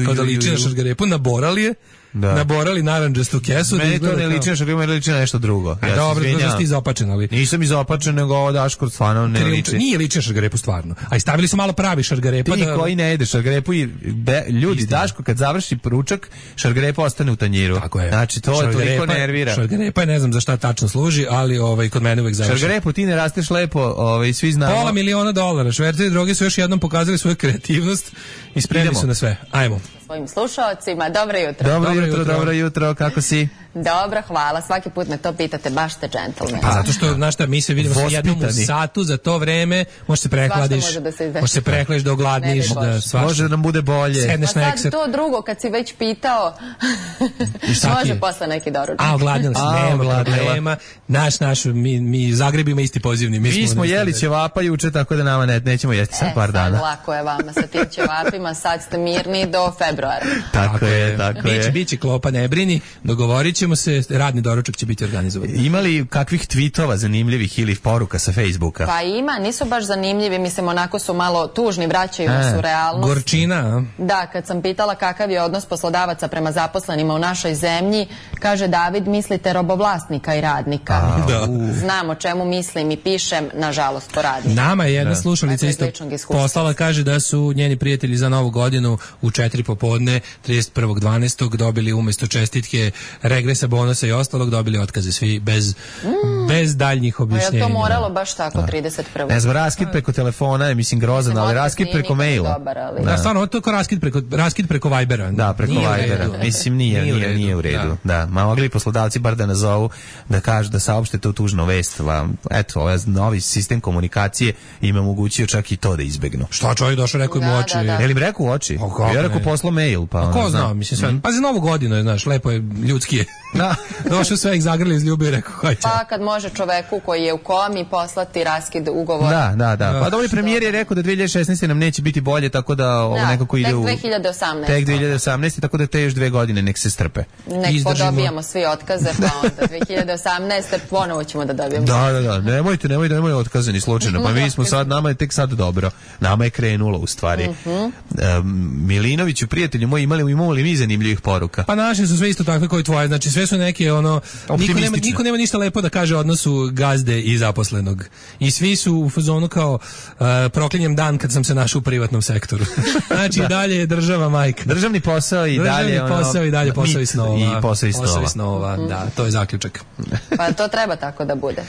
S6: Kao da liči na šargarepu, naborali je. Da. Naborali narandžastu kesu.
S5: Meni to ne liči na šargarepu, meni liči na nešto drugo.
S6: Ja dobro, to da ti izopačen, ali...
S5: Nisam izopačen, nego ovo Daško stvarno ne
S6: Krim,
S5: liči.
S6: Nije liči na šargarepu stvarno. A i stavili su malo pravi šargarepa.
S5: Ti
S6: da...
S5: koji ne jedeš šargarepu i be, ljudi, Istina. Daško kad završi ručak, šargarepa ostane u tanjiru.
S6: Tako je.
S5: Znači to je toliko nervira.
S6: Šargarepa je, ne znam za šta tačno služi, ali ovaj, kod mene uvek završi.
S5: Šargarepu ti ne rasteš lepo, ovaj, svi znamo.
S6: Pola miliona dolara. Šverceri droge su još jednom pokazali svoju kreativnost i spremni Idemo. su na sve. Ajmo.
S10: Svojim slušaocima, dobro jutro.
S5: Dobro, dobro jutro, jutro, dobro jutro, kako si?
S10: Dobro, hvala. Svaki put me to pitate, baš ste džentlmen.
S6: Pa zato što, znaš šta, mi se vidimo sa jednom u satu za to vreme, možeš se prehladiš,
S10: može da se
S6: možeš se prehladiš da ogladniš, da svašta.
S5: Može da nam bude bolje.
S6: Sedneš
S10: pa
S6: na
S10: sad to drugo, kad si već pitao, može posle neki doručak.
S6: A, ogladnila si, nema problema. Naš, naš, mi, mi Zagrebima isti pozivni. Mi,
S5: mi smo jeli ćevapa juče, tako da nama ne, nećemo jesti sad
S10: e,
S5: par dana.
S10: Sad lako je vama sa tim ćevapima, sad ste mirni do februara.
S5: Tako, tako je, tako
S6: biće,
S5: je.
S6: Biće, biće klopa, ne brini, dogovorit ćemo se, radni doručak će biti organizovan.
S5: Ima li kakvih tweetova zanimljivih ili poruka sa Facebooka?
S10: Pa ima, nisu baš zanimljivi, mislim, onako su malo tužni, vraćaju nas u realnost.
S6: Gorčina, a?
S10: Da, kad sam pitala kakav je odnos poslodavaca prema zaposlenima u našoj zemlji, kaže David, mislite robovlasnika i radnika.
S6: A, da.
S10: Znam o čemu mislim i pišem, nažalost, po radnika.
S6: Nama je jedna da. slušalica isto poslala, kaže da su njeni prijatelji za novu godinu u četiri popodne, trideset prvog dvanaestog dobili umesto čestitke regresa, bonusa i ostalog, dobili otkaze svi bez, mm. bez daljnjih objašnjenja.
S10: A je to moralo baš tako da. trideset prvog
S5: Ne znam, raskid preko telefona je, mislim, grozan, ali raskid preko maila.
S10: Dobar, ali...
S6: Da, da, stvarno, to je raskid preko, raskid preko Vibera.
S5: Da, preko nije Vibera. Mislim, nije, nije, nije, nije u redu. Da. da, ma mogli poslodavci bar da nazovu, da kažu, da saopšte tu tužnu vest. Eto, ovaj novi sistem komunikacije im omogućio čak i to da izbegnu.
S6: Šta čovjek došao, rekao im u oči?
S10: Da, da, da.
S5: Je li im rekao u oči?
S6: O,
S5: ja rekao poslo mail, pa...
S6: A ko zna, mislim, sve. Mm. Pa za novu godinu je, znaš, lepo je, ljudski je. Da. Došao sve ih zagrli iz ljubi i rekao, hajde.
S10: Pa kad može čoveku koji je u komi poslati raskid ugovora.
S5: Da, da, da. Pa dobri premijer je rekao da dve hiljade šesnaeste nam neće biti bolje, tako da ovo
S10: da,
S5: nekako ide u...
S10: tek dve hiljade osamnaeste
S5: Tek dve hiljade osamnaeste, tako da te još dve godine nek se strpe.
S10: Nek Izdržimo. Podobijamo svi otkaze, pa onda dve hiljade osamnaeste ponovo ćemo da dobijemo.
S5: Da, da, da. Nemojte, nemojte, nemojte otkaze ni slučajno. Pa mi smo sad, nama je tek sad dobro. Nama je krenulo u stvari. Mm -hmm. um, Milinoviću, prijatelju moji, imali, imali mi zanimljivih poruka.
S6: Pa naše su sve isto takve kao i tvoje. Znači sve su neke ono niko nema, niko nema ništa lepo da kaže o odnosu gazde i zaposlenog. I svi su u fazonu kao uh, proklinjem dan kad sam se našao u privatnom sektoru. Znači da. I dalje je država majka.
S5: Državni posao i
S6: Državni
S5: dalje
S6: ono, posao i dalje posao i snova.
S5: I posao i snova.
S6: Posao i snova, mm. da, to je zaključak.
S10: Pa to treba tako da bude.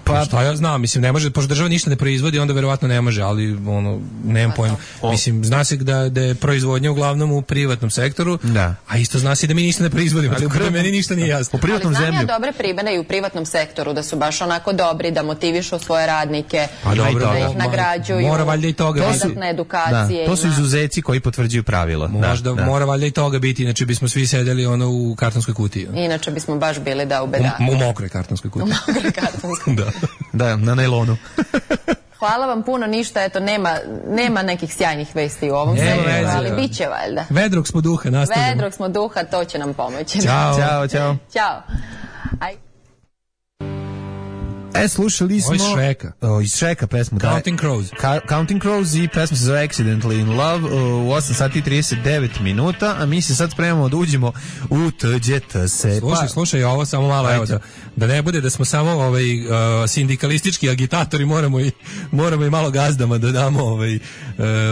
S6: Pa šta ja znam, mislim ne može, pošto država ništa ne proizvodi, onda verovatno ne može, ali ono nemam pa pojma. Mislim zna se da da je proizvodnja uglavnom u privatnom sektoru. Da. A isto zna se da mi ništa ne proizvodimo, ali u meni ništa nije jasno.
S5: U privatnom
S10: ali
S5: zemlju.
S10: Ja dobre primere i u privatnom sektoru da su baš onako dobri, da motivišu svoje radnike,
S6: pa dobro,
S10: da ih nagrađuju.
S6: Mora valjda i toga
S10: dodatne edukacije.
S5: Da, to su izuzeci koji potvrđuju pravilo.
S6: Možda
S5: da, da.
S6: Mora valjda i toga biti, inače bismo svi sedeli ono u kartonskoj kutiji.
S10: Inače bismo baš bili da u bedaku.
S6: U, u mokroj kartonskoj kutiji.
S10: U mokroj kartonskoj.
S6: da.
S5: Da, na nailonu.
S10: Hvala vam puno, ništa, eto, nema, nema nekih sjajnih vesti u ovom sektoru, ali bit će valjda.
S6: Vedrog smo duha, nastavljamo.
S10: Vedrog smo duha, to će nam pomoći.
S5: Ćao, ćao, ćao.
S10: Ćao. Aj.
S5: E, slušali smo...
S6: Ovo iz Shreka.
S5: O, iz Shreka pesmu.
S6: Counting
S5: da,
S6: Crows.
S5: Ka, Counting Crows i pesma se zove Accidentally in Love u osam sati i trideset devet minuta, a mi se sad spremamo da uđemo u Tuđete se.
S6: Slušaj,
S5: pa,
S6: slušaj, ovo samo malo, evo da, da ne bude da smo samo ovaj, uh, sindikalistički agitatori, moramo i, moramo i malo gazdama da damo ovaj, uh,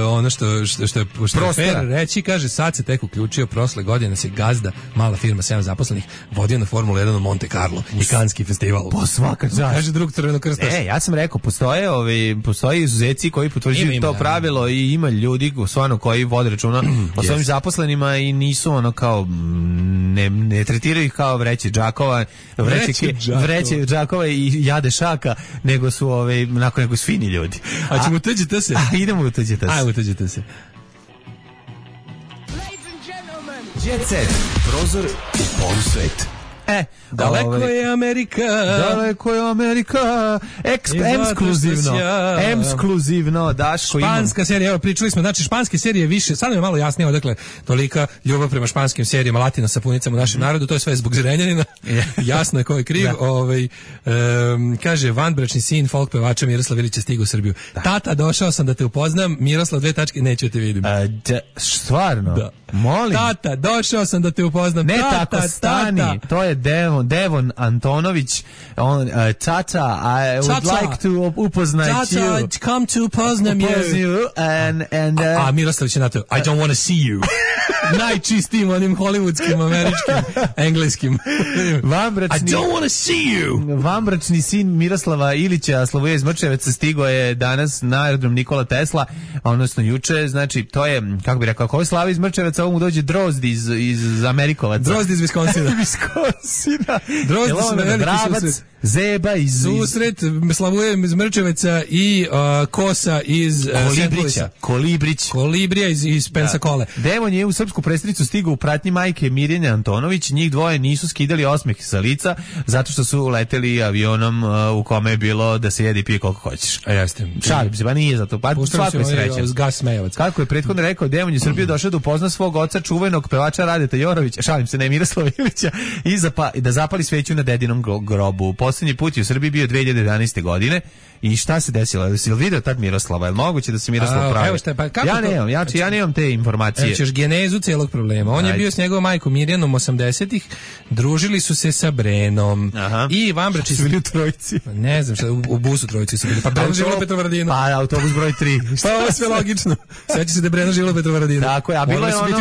S6: ono što, što, što je, što je fair reći, kaže, sad se tek uključio, prošle godine se gazda, mala firma, sedam zaposlenih, vodio na Formulu jedan u Monte Carlo i Kanski festival.
S5: Po svaka čast.
S6: Drug Crveno krsta.
S5: E, ja sam rekao, postoje ovi, postoje izuzeci koji potvrđuju to pravilo i ima ljudi stvarno koji vode računa o svojim zaposlenima i nisu ono kao ne, ne tretiraju ih kao vreće džakova, vreće, vreće džakova i jade šaka, nego su ove, onako nego su fini ljudi.
S6: A ćemo Tuđete se?
S5: A, idemo u Tuđete se.
S6: Ajmo Tuđete se.
S5: Jet Set, prozor u polsvet. E,
S6: daleko ovaj, je Amerika.
S5: Daleko je Amerika. Eksp- ekskluzivno. Ekskluzivno, Daško imam.
S6: Španska serija, evo pričali smo, znači španske serije više, sad nam je malo jasnije odakle tolika ljubav prema španskim serijama, latina sapunicama u našem mm. narodu, to je sve zbog Zrenjanina. Jasno je ko je kriv. Ovaj, um, kaže, vanbračni sin folk pevača Miroslav Ilić je stigao u Srbiju. Da. Tata, došao sam da te upoznam, Miroslav, dve tačke, neću te vidim.
S5: A, da, stvarno?
S6: Da.
S5: Molim.
S6: Tata, došao sam da te upoznam.
S5: Ne
S6: tata,
S5: tako stani,
S6: tata.
S5: To je Devon, Devon Antonović. On, uh, tata, I would
S6: tata.
S5: like to upoznat
S6: tata,
S5: you.
S6: Tata, come to upoznam
S5: you. And, and, uh,
S6: a, a Miroslav će na to, I don't want to see you. Najčistijim onim hollywoodskim, američkim, engleskim.
S5: Vambračni,
S6: I don't want to see you.
S5: Vambračni sin Miroslava Ilića, Slavuje iz Mrčeveca, stigo je danas na aerodrom Nikola Tesla, odnosno juče, znači to je, kako bi rekao, ako je Slava iz Mrčeveca, ovo mu dođe Drozd iz, iz Amerikovaca.
S6: Drozd iz Viskonsina.
S5: Viskonsina.
S6: Drozd su veliki
S5: Drabac,
S6: susret.
S5: Zeba iz...
S6: Susret, Slavuje iz Mrčeveca i uh, Kosa iz... Uh,
S5: Kolibrića. Kolibrić.
S6: Kolibrija iz, iz Pensakole.
S5: Da. Devon je u srpsku prestonicu stigao u pratnji majke Mirjane Antonović. Njih dvoje nisu skidali osmeh sa lica zato što su leteli avionom uh, u kome je bilo da se jede i pije koliko hoćeš.
S6: A jeste.
S5: Šalim se, pa nije zato. Pa svako je srećan.
S6: Gas Smejevac.
S5: Kako je prethodno rekao, Devon je Srbiju došao da upozna svog oca, čuvenog pevača Radeta Jorovića, šalim se, ne Miroslava Ilića, i zapa, da zapali sveću na dedinom grobu. Poslednji put je u Srbiji bio dve hiljade jedanaeste. godine. I šta se desilo? Jesi li video tad Miroslava? Je li moguće da se Miroslav pravi?
S6: Evo šta, pa kako
S5: ja
S6: to?
S5: nemam, ja, ja nemam te informacije.
S6: Evo ćeš genezu celog problema. On Ajde. je bio s njegovom majkom Mirjanom osamdesetih, družili su se sa Brenom.
S5: Aha.
S6: I vanbračni
S5: su bili u trojici.
S6: Ne znam šta, u, u busu trojici su bili. Pa Brena živjela u Petrovaradinu.
S5: Pa autobus broj tri.
S6: Pa ovo je sve logično. Sveći se da je Brena živjela u Petrovaradinu.
S5: Tako je, a bilo je ono,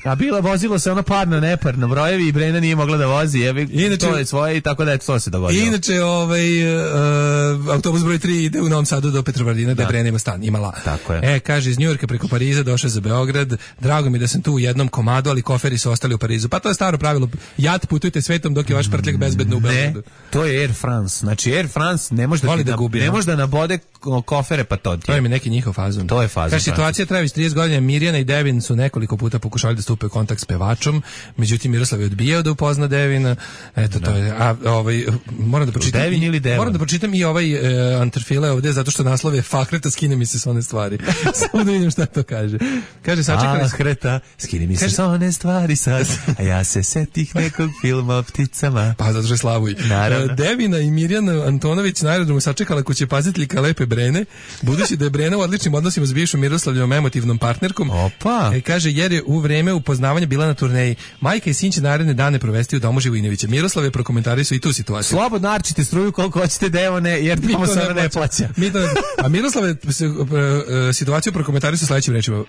S5: a bilo vozilo se ono parno, neparno brojevi i Brena nije mogla da vozi. Jevi, inače, to je svoje i tako da je to se dogodilo.
S6: Inače, ovaj, uh, autobus broj tri ide u Novom Sadu do Petrovaradina, da je Brena ima stan, imala.
S5: Tako je.
S6: E, kaže, iz Njujorka preko Pariza došao za Beograd. Drago mi da sam tu u jednom komadu, ali koferi su ostali u Parizu. Pa to je staro pravilo. Jat, putujte svetom dok je vaš prtljak bezbedno u Beogradu.
S5: Ne, to je Air France. Znači Air France ne može da, da, gubi, ne može da nabode kofere, pa to ti je.
S6: To je mi neki njihov fazon.
S5: To je fazon.
S6: Kaže, situacija traje već trideset godina. Mirjana i Devin su nekoliko puta pokušali da stupe u kontakt s pevačom, međutim Miroslav je odbijao da upozna Devina. Eto, to je. A ovaj moram da pročitam.
S5: Devin ili Devon?
S6: Moram da pročitam i ovaj uh, Anterfile ovde zato što naslov je Fahreta, skine mi se s one stvari. Samo da vidim šta to kaže. Kaže, sačekali
S5: Fahreta, skine mi se s one stvari sad, a ja se setih nekog filma o pticama.
S6: Pa zato što je Slavuj. Uh, Devina i Mirjana Antonović na aerodromu sačekala kuće paziteljka lepe Brene, budući da je Brena u odličnim odnosima s bivšom Miroslavljevom emotivnom partnerkom.
S5: Opa.
S6: E, kaže, jer je u vreme upoznavanja bila na turneji. Majka i sin će naredne dane provesti u domu Živojinovića. Miroslav je prokomentarisao i tu situaciju.
S5: Slobodno arčite struju koliko hoćete, Devone, jer tamo se ona ne plaća.
S6: Mi to, a Miroslav je situaciju prokomentarisao sledećim rečima. Uh,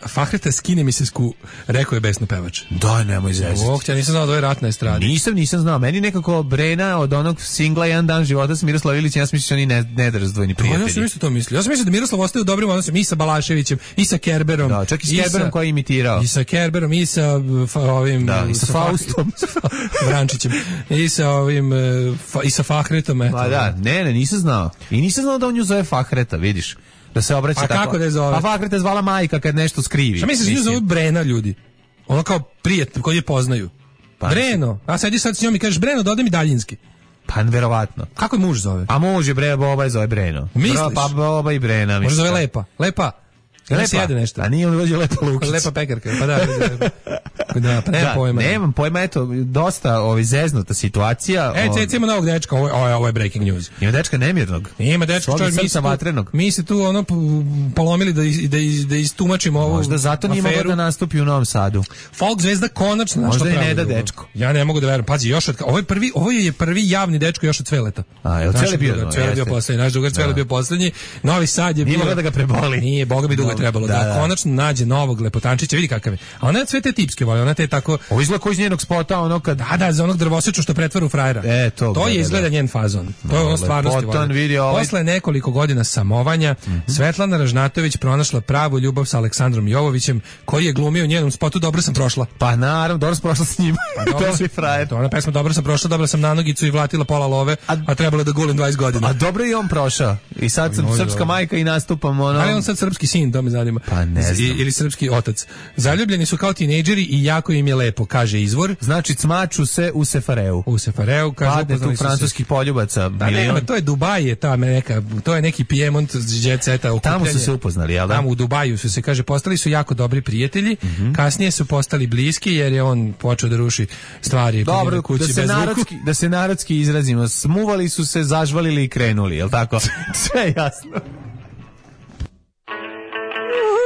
S6: Fahreta, skine mi se sku, rekao je besno pevač.
S5: Da, nemoj zezati.
S6: Oh, ja nisam znao da je rat na estradi.
S5: Nisam, nisam znao. Meni nekako Brena od onog singla Jedan dan života s Miroslav Ilićem, ja sam mislio da oni ne, ne da razdvojni prijatelji.
S6: Ja sam isto to mislio. Ja sam mislio da Miroslav ostaje u dobrim odnosima i sa Balaševićem, i sa Kerberom.
S5: Da, čak i s Kerberom koji je imitirao.
S6: I sa Kerberom, i sa fa, ovim...
S5: Da, i sa, sa Faustom.
S6: Vrančićem. I sa ovim... Fa, i sa Fahretom, eto.
S5: Pa da, ne, ne, nisam znao. I nisam znao da on nju zove Fahreta, vidiš. Da se obraća
S6: a
S5: tako.
S6: A kako da je zove?
S5: Pa Fahreta je zvala majka kad nešto skrivi.
S6: Šta misliš da nju zove Brena, ljudi? Ono kao prijatelj koji je poznaju. Pa, Breno, a sedi sad s njom i kažeš, Breno, dodaj mi daljinski.
S5: Pa verovatno.
S6: Kako je muž zove?
S5: A muž je Bre, Boba je zove Breno.
S6: Misliš?
S5: Pa Boba i Brena.
S6: Može zove Lepa. Lepa. Lepa. Se jede nešto.
S5: A nije on vođe Lepa Lukić.
S6: Lepa pekarka. Pa da, da, pa nema
S5: da,
S6: pojma.
S5: Nemam pojma, eto, dosta ovaj zeznuta situacija.
S6: E, cec ima novog dečka, ovo, ovo, ovo je breaking news.
S5: Ima dečka nemirnog.
S6: Ima dečka, čovjek, mi se vatrenog. Mi se tu ono polomili da, da, da istumačimo ovu
S5: možda zato nije mogao da nastupi u Novom Sadu.
S6: Folk zvezda konačno našla
S5: možda
S6: pravu.
S5: Možda i ne da dečko.
S6: Ja ne mogu da verujem. Pazi, još od, ovo je prvi, ovo je prvi javni dečko još od Cveleta.
S5: A, je Cvele bio? No,
S6: Cvele bio poslednji, naš drugar Cvele bio poslednji. Novi Sad je bio.
S5: Nije mogao da ga preboli.
S6: Nije, boga bi dugo trebalo da konačno nađe novog lepotančića, vidi kakav je. A ona je sve te tipske voli, ona te tako...
S5: Ovo izgleda koji iz njenog spota, ono kad...
S6: Da, da, za onog drvoseču što pretvara u frajera.
S5: E, to,
S6: to je izgleda
S5: da.
S6: njen fazon. To je ono stvarnosti voli.
S5: Ovaj...
S6: Posle nekoliko godina samovanja, mm-hmm. Svetlana Ražnatović pronašla pravu ljubav sa Aleksandrom Jovovićem, koji je glumio u njenom spotu Dobro sam prošla.
S5: Pa naravno, dobro sam prošla s njim.
S6: Pa, dobro, to je frajer. To ona pesma Dobro sam prošla, dobila sam na nogicu i vlatila pola love, a, a trebalo da gulim dvadeset godina.
S5: A dobro i on prošao. I sad sam srpska majka i nastupam ono...
S6: Ali on sad srpski sin, to me zanima.
S5: Pa ne znam.
S6: I, ili srpski otac. Zaljubljeni su kao tinejdžeri i jako im je lepo, kaže izvor.
S5: Znači, cmaču se u Sefareu.
S6: U Sefareu, kaže,
S5: padne tu francuskih poljubaca.
S6: Da, nema, to je Dubaj, je ta neka, to je neki Piemont jet seta okupljanje.
S5: Tamo su se upoznali, jel da?
S6: Tamo u Dubaju su se, kaže, postali su jako dobri prijatelji, mm-hmm. kasnije su postali bliski jer je on počeo da ruši stvari.
S5: Dobro,
S6: kući
S5: da se,
S6: bez
S5: narodski, da se narodski izrazimo, smuvali su se, zažvalili i krenuli, jel tako? Sve jasno.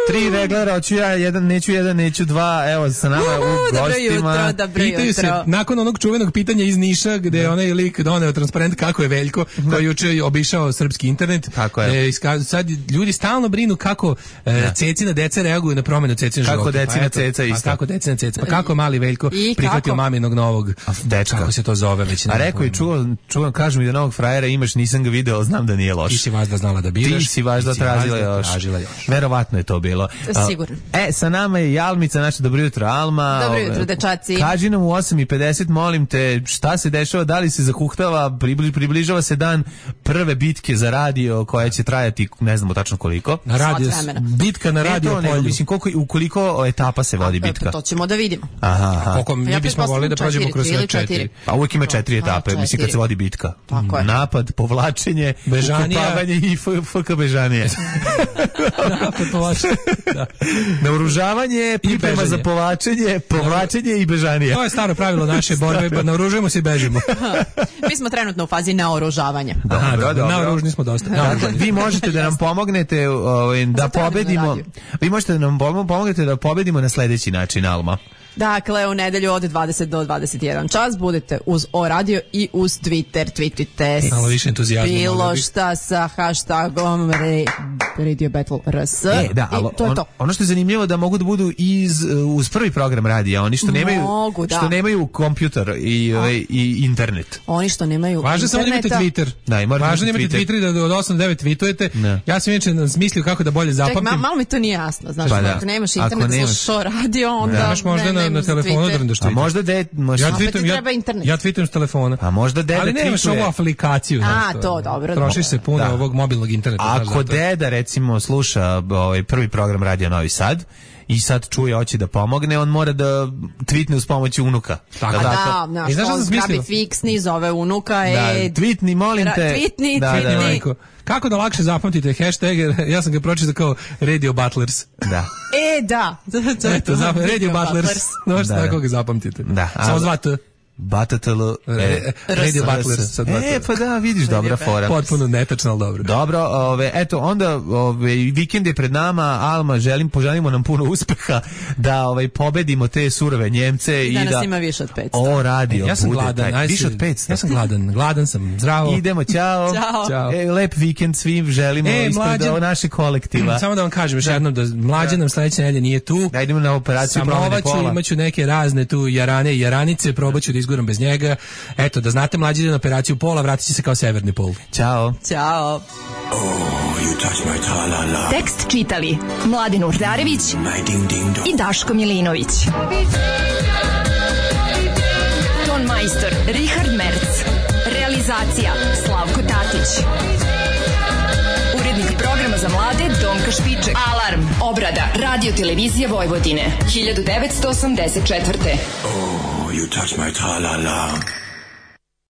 S5: Tri reglera, hoću ja, jedan neću, jedan neću, dva, evo sa nama u gostima.
S10: Dobro jutro, dobro
S6: Pitaju
S10: jutro.
S6: se, nakon onog čuvenog pitanja iz Niša, gde je onaj lik doneo transparent kako je Veljko, koji juče obišao srpski internet.
S5: Tako je.
S6: E, iskaz, sad ljudi stalno brinu kako e, cecina deca reaguju na promenu cecina života.
S5: Kako decina
S6: pa
S5: ceca isto.
S6: Pa kako decina ceca, pa kako mali Veljko I prihvatio kako? maminog novog
S5: dečka.
S6: Kako se to zove već?
S5: A rekao je, čuo, čuo, kažu mi da novog frajera imaš, nisam ga video, znam da nije loš.
S6: Ti si važda znala da biraš.
S5: Ti si važda tražila još. Verovatno je to bilo.
S10: Sigurno.
S5: E, sa nama je Jalmica, naša dobro jutro, Alma.
S10: Dobro jutro, dečaci.
S5: Kaži nam u osam i pedeset, molim te, šta se dešava, da li se zahuhtava, pribli, približava se dan prve bitke za radio koja će trajati, ne znamo tačno koliko.
S6: Na radio, bitka na radio
S5: polju. Nego, mislim, koliko, u koliko etapa se vodi
S10: A,
S5: bitka?
S10: To ćemo da vidimo.
S5: Aha, aha.
S6: Koliko mi
S10: ja
S6: bismo volili da prođemo kroz sve četiri.
S10: četiri.
S5: Pa uvijek ima četiri etape,
S10: četiri.
S5: mislim, kad se vodi bitka.
S10: Tako je.
S5: Napad, povlačenje, ukopavanje i F K bežanije.
S6: Napad, povlačenje. Da.
S5: Naoružavanje, priprema za povlačenje, povlačenje i bežanije.
S6: To je staro pravilo naše borbe, naoružujemo se i bežimo.
S10: Mi smo trenutno u fazi naoružavanja.
S5: Dobro,
S6: Aha,
S5: dobro.
S6: Naoružni smo dosta.
S5: Dakle, vi možete da nam pomognete ovaj, da pobedimo. Vi možete da nam pomognete da pobedimo na sledeći način, Alma.
S10: Dakle, u nedelju od dvadeset do dvadeset jedan čas budete uz O Radio i uz Twitter. Tweetujte
S6: malo više entuzijazma.
S10: Bilo šta sa hashtagom re, Radio Battle R S.
S5: E, da, ali
S10: to je
S5: on,
S10: to.
S5: ono što je zanimljivo da mogu da budu iz, uz prvi program radija, oni što nemaju,
S10: Mogu, da.
S5: što nemaju kompjuter i, ovaj, i internet.
S10: Oni što nemaju
S6: Važno samo da imate Twitter.
S5: Da, i
S6: Važno da imate
S5: Twitter.
S6: Twitter i da od osam do devet tweetujete. Ne. Ja sam inače smislio kako da bolje zapamtim.
S10: Ček, malo mi to nije jasno. Znaš,
S5: pa da.
S10: ako nemaš internet,
S5: nemaš...
S10: slušaš O Radio, onda
S6: da. Nemaš možda
S10: ne,
S6: na, na telefonu da drndaš Twitter.
S5: A možda de, možda...
S6: Ja tweetujem, ja, ja tweetujem s telefona.
S5: A možda deda
S6: ali nemaš
S5: tweetuje.
S6: ovu aplikaciju.
S10: A,
S6: znaš,
S10: to dobro.
S6: Trošiš se puno
S5: da.
S6: ovog mobilnog interneta.
S5: Ako deda, recimo, sluša ovaj prvi program Radija Novi Sad i sad čuje, hoće da pomogne, on mora da tweetne uz pomoć unuka.
S6: Tako.
S10: Da, da, znaš,
S6: I znaš
S10: on zgrabi fiksni, zove unuka.
S5: Da,
S10: e,
S5: tweetni, molim te.
S10: Tweetni,
S5: da,
S10: tweetni.
S5: Da, da.
S6: Majko, kako da lakše zapamtite hashtag, ja sam ga pročitao kao Radio Butlers.
S5: Da.
S10: E, da.
S6: Eto, zap, Radio Butlers. Možete
S5: da,
S6: tako ga zapamtite.
S5: Da.
S6: Samo dva T.
S5: Batatl
S6: e, Radio Butlers.
S5: E, pa da, vidiš, dobra fora.
S6: Potpuno netačno, ali dobro.
S5: Dobro, ove, eto, onda ove, vikend je pred nama, Alma, želim, poželimo nam puno uspeha da ovaj, pobedimo te surove Njemce.
S10: I da
S5: i
S10: nas
S5: da
S10: ima više od petsto.
S5: O, radio,
S6: ja sam
S5: bude
S6: gladan,
S5: taj,
S6: aj,
S5: više od petsto.
S6: Ja sam gladan, gladan sam, zdravo.
S5: Idemo, ćao.
S10: Ćao.
S5: E, lep vikend svim želimo
S6: e,
S5: ispred
S6: mlađan,
S5: naše kolektiva.
S6: Samo da vam kažem još jednom da mlađan nam sledeće nedelje nije tu.
S5: Da idemo na operaciju promene pola.
S6: Samovaću, imaću neke razne tu jarane i jaranice, probaću da izguram bez njega. Eto, da znate, mlađi ide na operaciju pola, vratit će se kao severni pol.
S5: Ćao.
S10: Ćao.
S12: Oh, you touch my tra-la-la.
S4: Tekst čitali Mladin Urdarević i Daško Milinović. Ton majstor Richard Merc. Realizacija Slavko Tatić. Urednik programa za mlade Donka Špiček. Alarm, obrada, radio televizija Vojvodine, hiljadu devetsto osamdeset četvrte.
S12: Oh, you touch my tra-la-la.